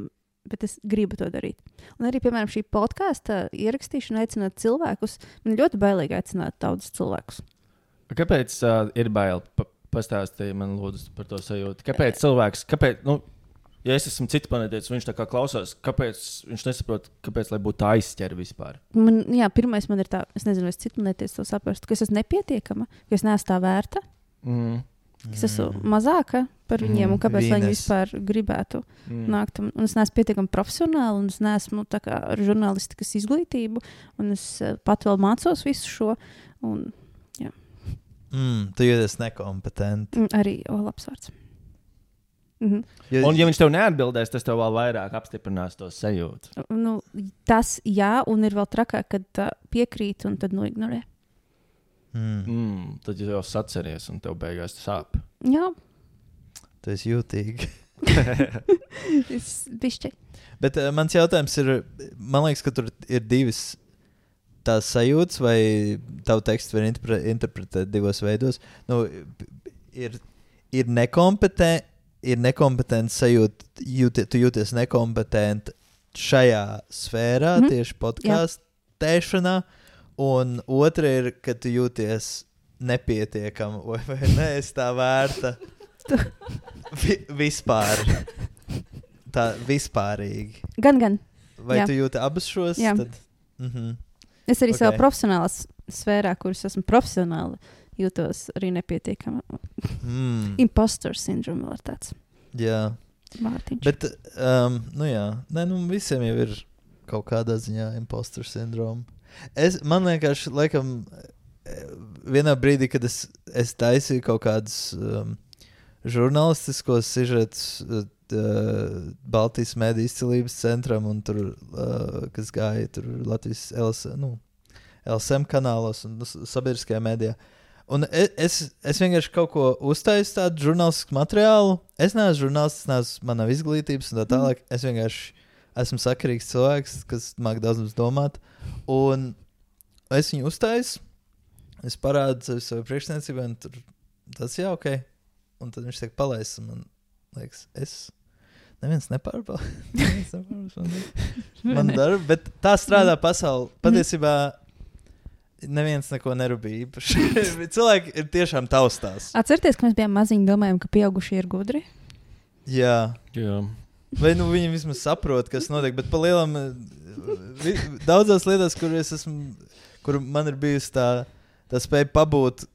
bet es gribu to darīt. Un arī, piemēram, šī podkāsta ierakstīšana aicināt cilvēkus. Man ļoti bailīgi aicināt daudzus cilvēkus. Kāpēc uh, ir bail? Pa, pastāstīja man lūdzu par to sajūtu. Kāpēc cilvēks, kāpēc, nu, ja es esmu cits planētietis, viņš tā kā klausās, kāpēc viņš nesaprot, kāpēc, lai būtu aizķer vispār? Man, jā, pirmais man ir tā, es nezinu, es citu netiesu to saprastu, ka es esmu nepietiekama, ka es neesmu tā vērta, Mm. ka es esmu mazāka par viņiem, un kāpēc lai viņi vispār gribētu Mm. nākt. Un, un es neesmu pietiekami profesionāli, un es neesmu tā kā ar žurnālistikas izglītību, un es uh, pat vēl mācos visu šo, un Mm, tu jūties nekompetenti. mm, arī, o, labs vārds. Mhm. Jo, Un, ja viņš tev neatbildēs, tas tev vēl vairāk apstiprinās to sajūtu. Nu, tas jā, un ir vēl trakāk, kad tā piekrīt un tad noignorē. mm, Mm, tad jūs jau saceries, un tev beigās sāp. Jā, tu esi jūtīgi. es bišķi. Bet uh, mans jautājums ir, man liekas, ka tur ir divas tās sajūtas, vai tavu tekstu var interpre, interpretēt divos veidos. Nu, ir, ir nekompetenti, ir nekompetenti sajūta, jūti, tu jūties nekompetent šajā sfērā, Mhm. mm-hmm. tieši podkāstēšanā, un otra ir, ka tu jūties nepietiekam, vai, vai neesi tā vērta Vi, vispār. Tā vispārīgi. Gan, gan. Vai Jā. tu jūti abus šos? Jā. Tad, mhm. Es arī okay. savā Ok. profesionālā s- sfērā, kuras esmu profesionāli, jūtos arī nepietiekama. mm, Impostor syndrome vēl ir tāds jā. vārtiņš. Bet, um, nu jā, Nē, nu, visiem jau ir kaut kādā ziņā impostor sindroma. Es, man vienkārši, laikam, vienā brīdī, kad es, es taisīju kaut kādus um, žurnālistiskos sižetus uh, Baltijas mediju izcilības centram, un tur, uh, kas gāja tur Latvijas L S, nu, L S M kanālos un nu, sabiedriskajā medijā. Un es, es, es vienkārši kaut ko uztaisu tādu žurnālistisku materiālu. Es neesmu žurnālists, neesmu manā izglītības un tā tālāk. Es vienkārši esmu sakarīgs cilvēks, kas māk daudz mums domāt. Un es viņu uztaisu, es parādu sevi savai priekšniecībai, un tur tas jā, ok. Un tad viņš tiek palaists, un man liekas, es neviens nepārbauda. Neviens nepārbauda man darbu, bet tā strādā pasaule. Patiesībā neviens neko nerūpīja īpaši. Cilvēki ir tiešām taustās. Atcerieties, ka mēs bijām maziņi, domājam, ka pieaugušie ir gudri. Jā. Jā. Vai nu viņi vismaz saprot, kas notiek, bet pa lielam vi, daudzās lietās, kur es esmu, kur man ir bijusi tā, tā spēja pabūt,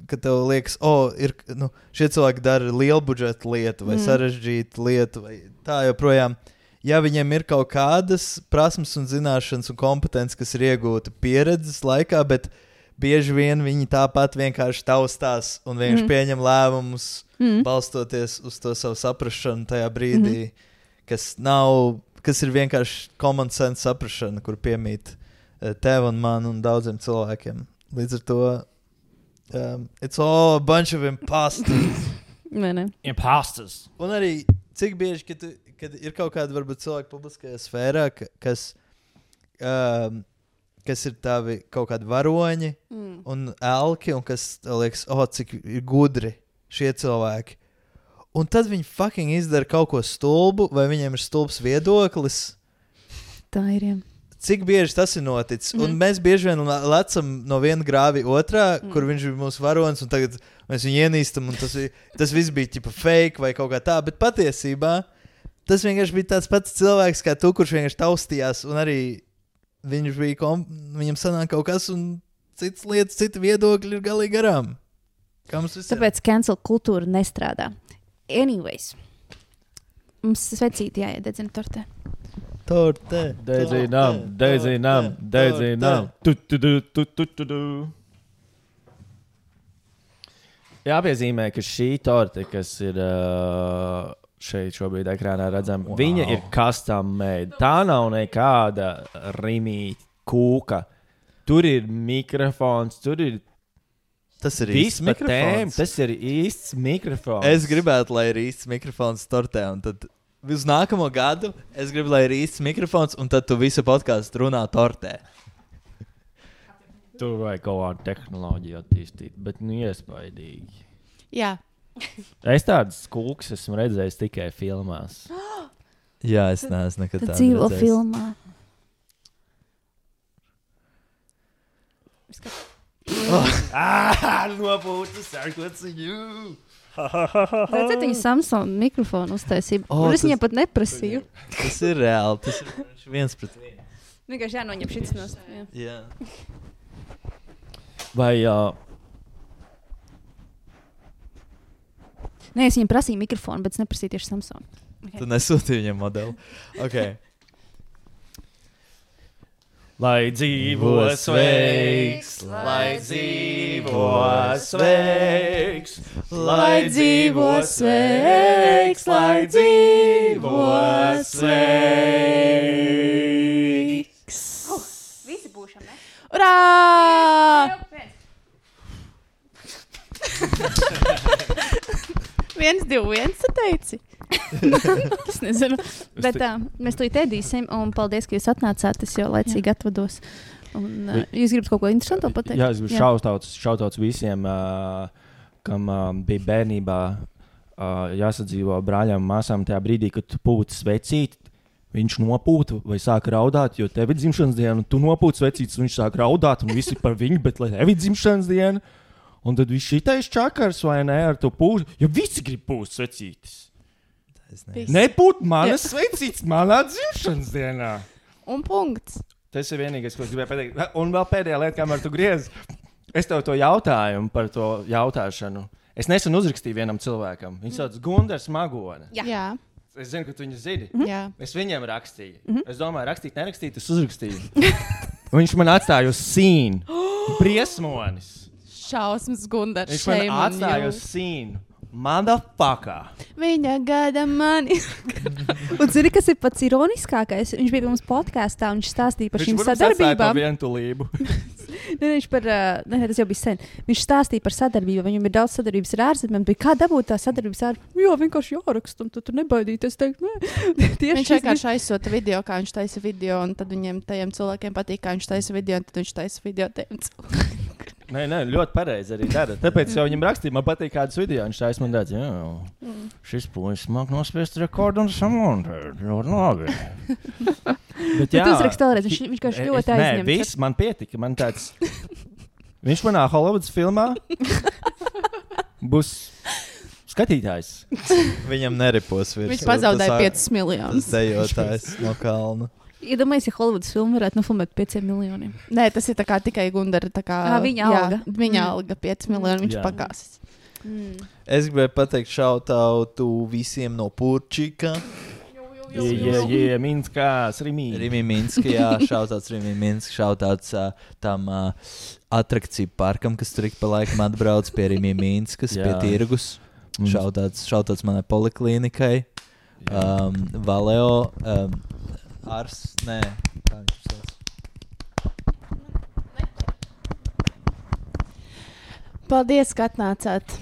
ka tev liekas, o, oh, ir, nu, šie cilvēki dara lielu budžetu lietu vai mm. sarežģītu lietu vai tā joprojām. Ja viņiem ir kaut kādas prasmes un zināšanas un kompetences, kas ir iegūta pieredzes laikā, bet bieži vien viņi tāpat vienkārši taustās un vienkārši mm. pieņem lēmumus, mm. balstoties uz to savu saprašanu tajā brīdī, mm. kas nav, kas ir vienkārši common sense saprašana, kur piemīt tev un man un daudziem cilvēkiem. Līdz ar to um, it's all a bunch of imposters. Vai ne? Imposters. Un arī cik bieži, kad, tu, kad ir kaut kāda varbūt cilvēka publiskajā sfērā, ka, kas, um, kas ir tavi kaut kādi varoņi Mm. un elki, un kas tev liekas, o, oh, cik ir gudri šie cilvēki. Un tad viņi fucking izdara kaut ko stulbu, vai viņiem ir stulbs viedoklis. Tā ir, jā. Cik bieži tas ir noticis? Mm Mhm. -hmm. Un mēs bieži vien le- lecam no viena grāvi otrā, mm. Mm. kur viņš ir mūsu varonis, un tagad mēs viņu ienīstam, un tas, vi- tas viss bija tipa fake vai kaut kā tā. Bet patiesībā tas vienkārši bija tāds pats cilvēks kā tu, kurš vienkārši taustījās, un arī viņš bija, kom... viņam sanāk kaut kas, un citas lietas, citi viedokļi ir galīgi garām. Kā mums visiem? Tāpēc cancel kultūra nestrādā. Anyways. Mums svecīti jāiededzina tortē. torte. Dedzinām, dedzinām, dedzinām. Tu, tu, tu, tu, tu, tu, tu. Jāpiezīmē, ka šī torte, kas ir uh, šeit šobrīd ekrānā redzama, wow. Viņa ir custom made. Tā nav nekāda rimīta kūka. Tur ir mikrofons, tur ir tas ir īsts mikrofons. Tas ir īsts mikrofons. Es gribētu, lai ir īsts mikrofons tortē, un tad uz nākamo gadu es gribu, lai ir īsts mikrofons, un tad tu visu podkāstu runā tortē. Tur vajag kaut kādu tehnoloģiju attīstīt, bet nu iespaidīgi. Jā. Es tādas kūkas esmu redzējis tikai filmās. Jā, es neesmu nekad tādu dzīvo redzējis. Filmā. Oh. Ah, nopūtas, sākot viņu. Redzēt, viņa Samsung mikrofonu uztaisīja. O, Un es tas- viņai pat neprasīju. Tas ir reāli, tas ir viens pret vienu. Vienkārši jānoņem šis no saviem. Jā. Vai uh, Nē, es viņam prasīju mikrofonu, bet es neprasīju tieši Samsung. Tu nesūti viņam modeli. Okay. lai dzīvo sveiks, lai dzīvo sveiks, lai dzīvo sveiks, lai dzīvo sveiks. Visi būšam, ne? Urā! Viens, divi, viens, tu teici. Es nezinu. Bet tā, mēs to ēdīsim, un paldies, ka jūs atnācāt. Es jau laicīgi atvados. Un, uh, jūs gribat kaut ko interesantu pateikt? Jā, es gribu šautauts, šautauts visiem, uh, kam uh, bija bērnībā uh, jāsadzīvo brāļām un māsām tajā brīdī, kad tu pūti svecīt. Viņš nopūta vai sāk raudāt, jo tev ir dzimšanas diena, un tu nopūti svecītas, un viņš sāk raudāt, un visi par viņu, bet lai tev ir dzimšanas diena. Un tad viņš šitais čakars vai ne ar to pūst, jo visi grib pūst svecītas. Nepūt manas svecītas manā dzimšanas dienā. Un punkts. Tas ir vienīgais, ko es gribēju pateikt. Un vēl pēdējā lieta, kamēr tu griez, es tev to jautājumu par to jautāšanu. Es nesen uzrakstīju vienam cilvēkam. Viņš sauc Gundars Magone. Jā. Jā. Es zinu, ka tu viņu zini. Jā. Es viņam rakstīju. Mm-hmm. Es domāju, rakstīt, nerakstīt, es uzrakstīju. Viņš man atstāja uz sīnu. Briesmonis. Šausmas Gundars. Viņš man atstāja uz sīnu. Motherfucker. Viņa gada mani. Un zini, kas ir pats ironiskākais? Viņš bija pie mums podkāstā un viņš stāstīja par šīm sadarbībām. Vientulību. Ne, viņš par, uh, ne, tas jau bija sen. Viņš stāstīja par sadarbību. Viņam ir daudz sadarbības ar ārzemēm. Bija kā dabūt tā sadarbības ar ārzemēm? Jā, vienkārši jāraksta, un tu tur nebaidīties. Teikt, viņš vienkārši aizsūta video, kā viņš taisa video, un tad viņiem tajiem cilvēkiem patīk, kā viņš taisa video, un tad viņš taisa video tiem cilvēkiem. Nē, nē, ļoti pareizi arī dara. Tāpēc jau viņam rakstīja, man patīk kādas video. Viņš taisa man redz, jā, mm. šis puisis māk nospiest rekordu un samontēt. Ļoti labi. Bet jā. Tu uzrakst vēlreiz, viņš, viņš kaut ļoti aizņemts. Nē, viss man pietika. Man tāds, viņš manā Hollywoods filmā būs skatītājs. Viņam neripos virs. Viņš pazaudēja piecus miljonus. Tas dejotājs no kalna. Iedomājies, ja Hollywoods filmu varētu nofilmēt pieciem miljoniem. Nē, tas ir tā kā tikai Gundara. Kā, à, viņa alga. Jā, viņa mm. alga pieci miljoni, viņš pakāsis. Mm. Es gribēju pateikt šautautu visiem no Purčika. Jā, jā, jā, Minskās, Rimī. Rimī Minska, jā, šautauts Rimī Minska, šautauts uh, tam uh, atrakciju parkam, kas tur ik pa laikam atbrauc pie Rimī Minskas, pie tirgus. Mm. Šautauts, šautauts manai poliklīnikai. Um, Valeo. Um, Ars, nē, kā viņš sauc? Paldies, ka atnācāt.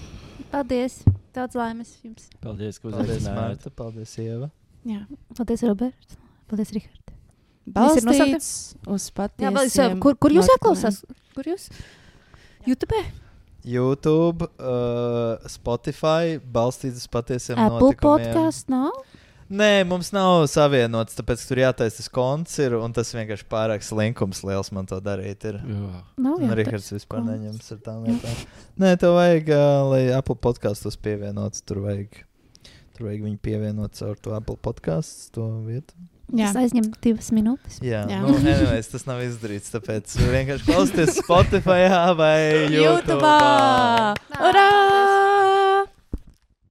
Paldies. Daudz laimes jums. Paldies, ka Paldies, uzaicinājāt. Marta. Paldies, Ieva. Jā. Paldies, Roberts. Paldies, Rihard. Balstīts uz patiesiem. Kur, kur jūs notikumiem. ieklausās? Kur jūs? YouTube? YouTube, uh, Spotify, balstīts uz patiesiem Apple notikumiem. podcast nav? Nē, mums nav savienots, tāpēc, ka tur jātaisa tas konts ir, un tas vienkārši pārāk slinkums liels man to darīt ir. Nav Un Rihards vispār neņems ar tām lietām. Nē, tev vajag, uh, lai Apple podkastos pievienots, tur vajag, tur vajag viņu pievienot caur to Apple podcasts, to vietu. Jā. Tas aizņem divas minūtes. Jā, Jā. nu, anyways, tas nav izdarīts, tāpēc vienkārši klausieties Spotify vai YouTube. YouTube! Urā!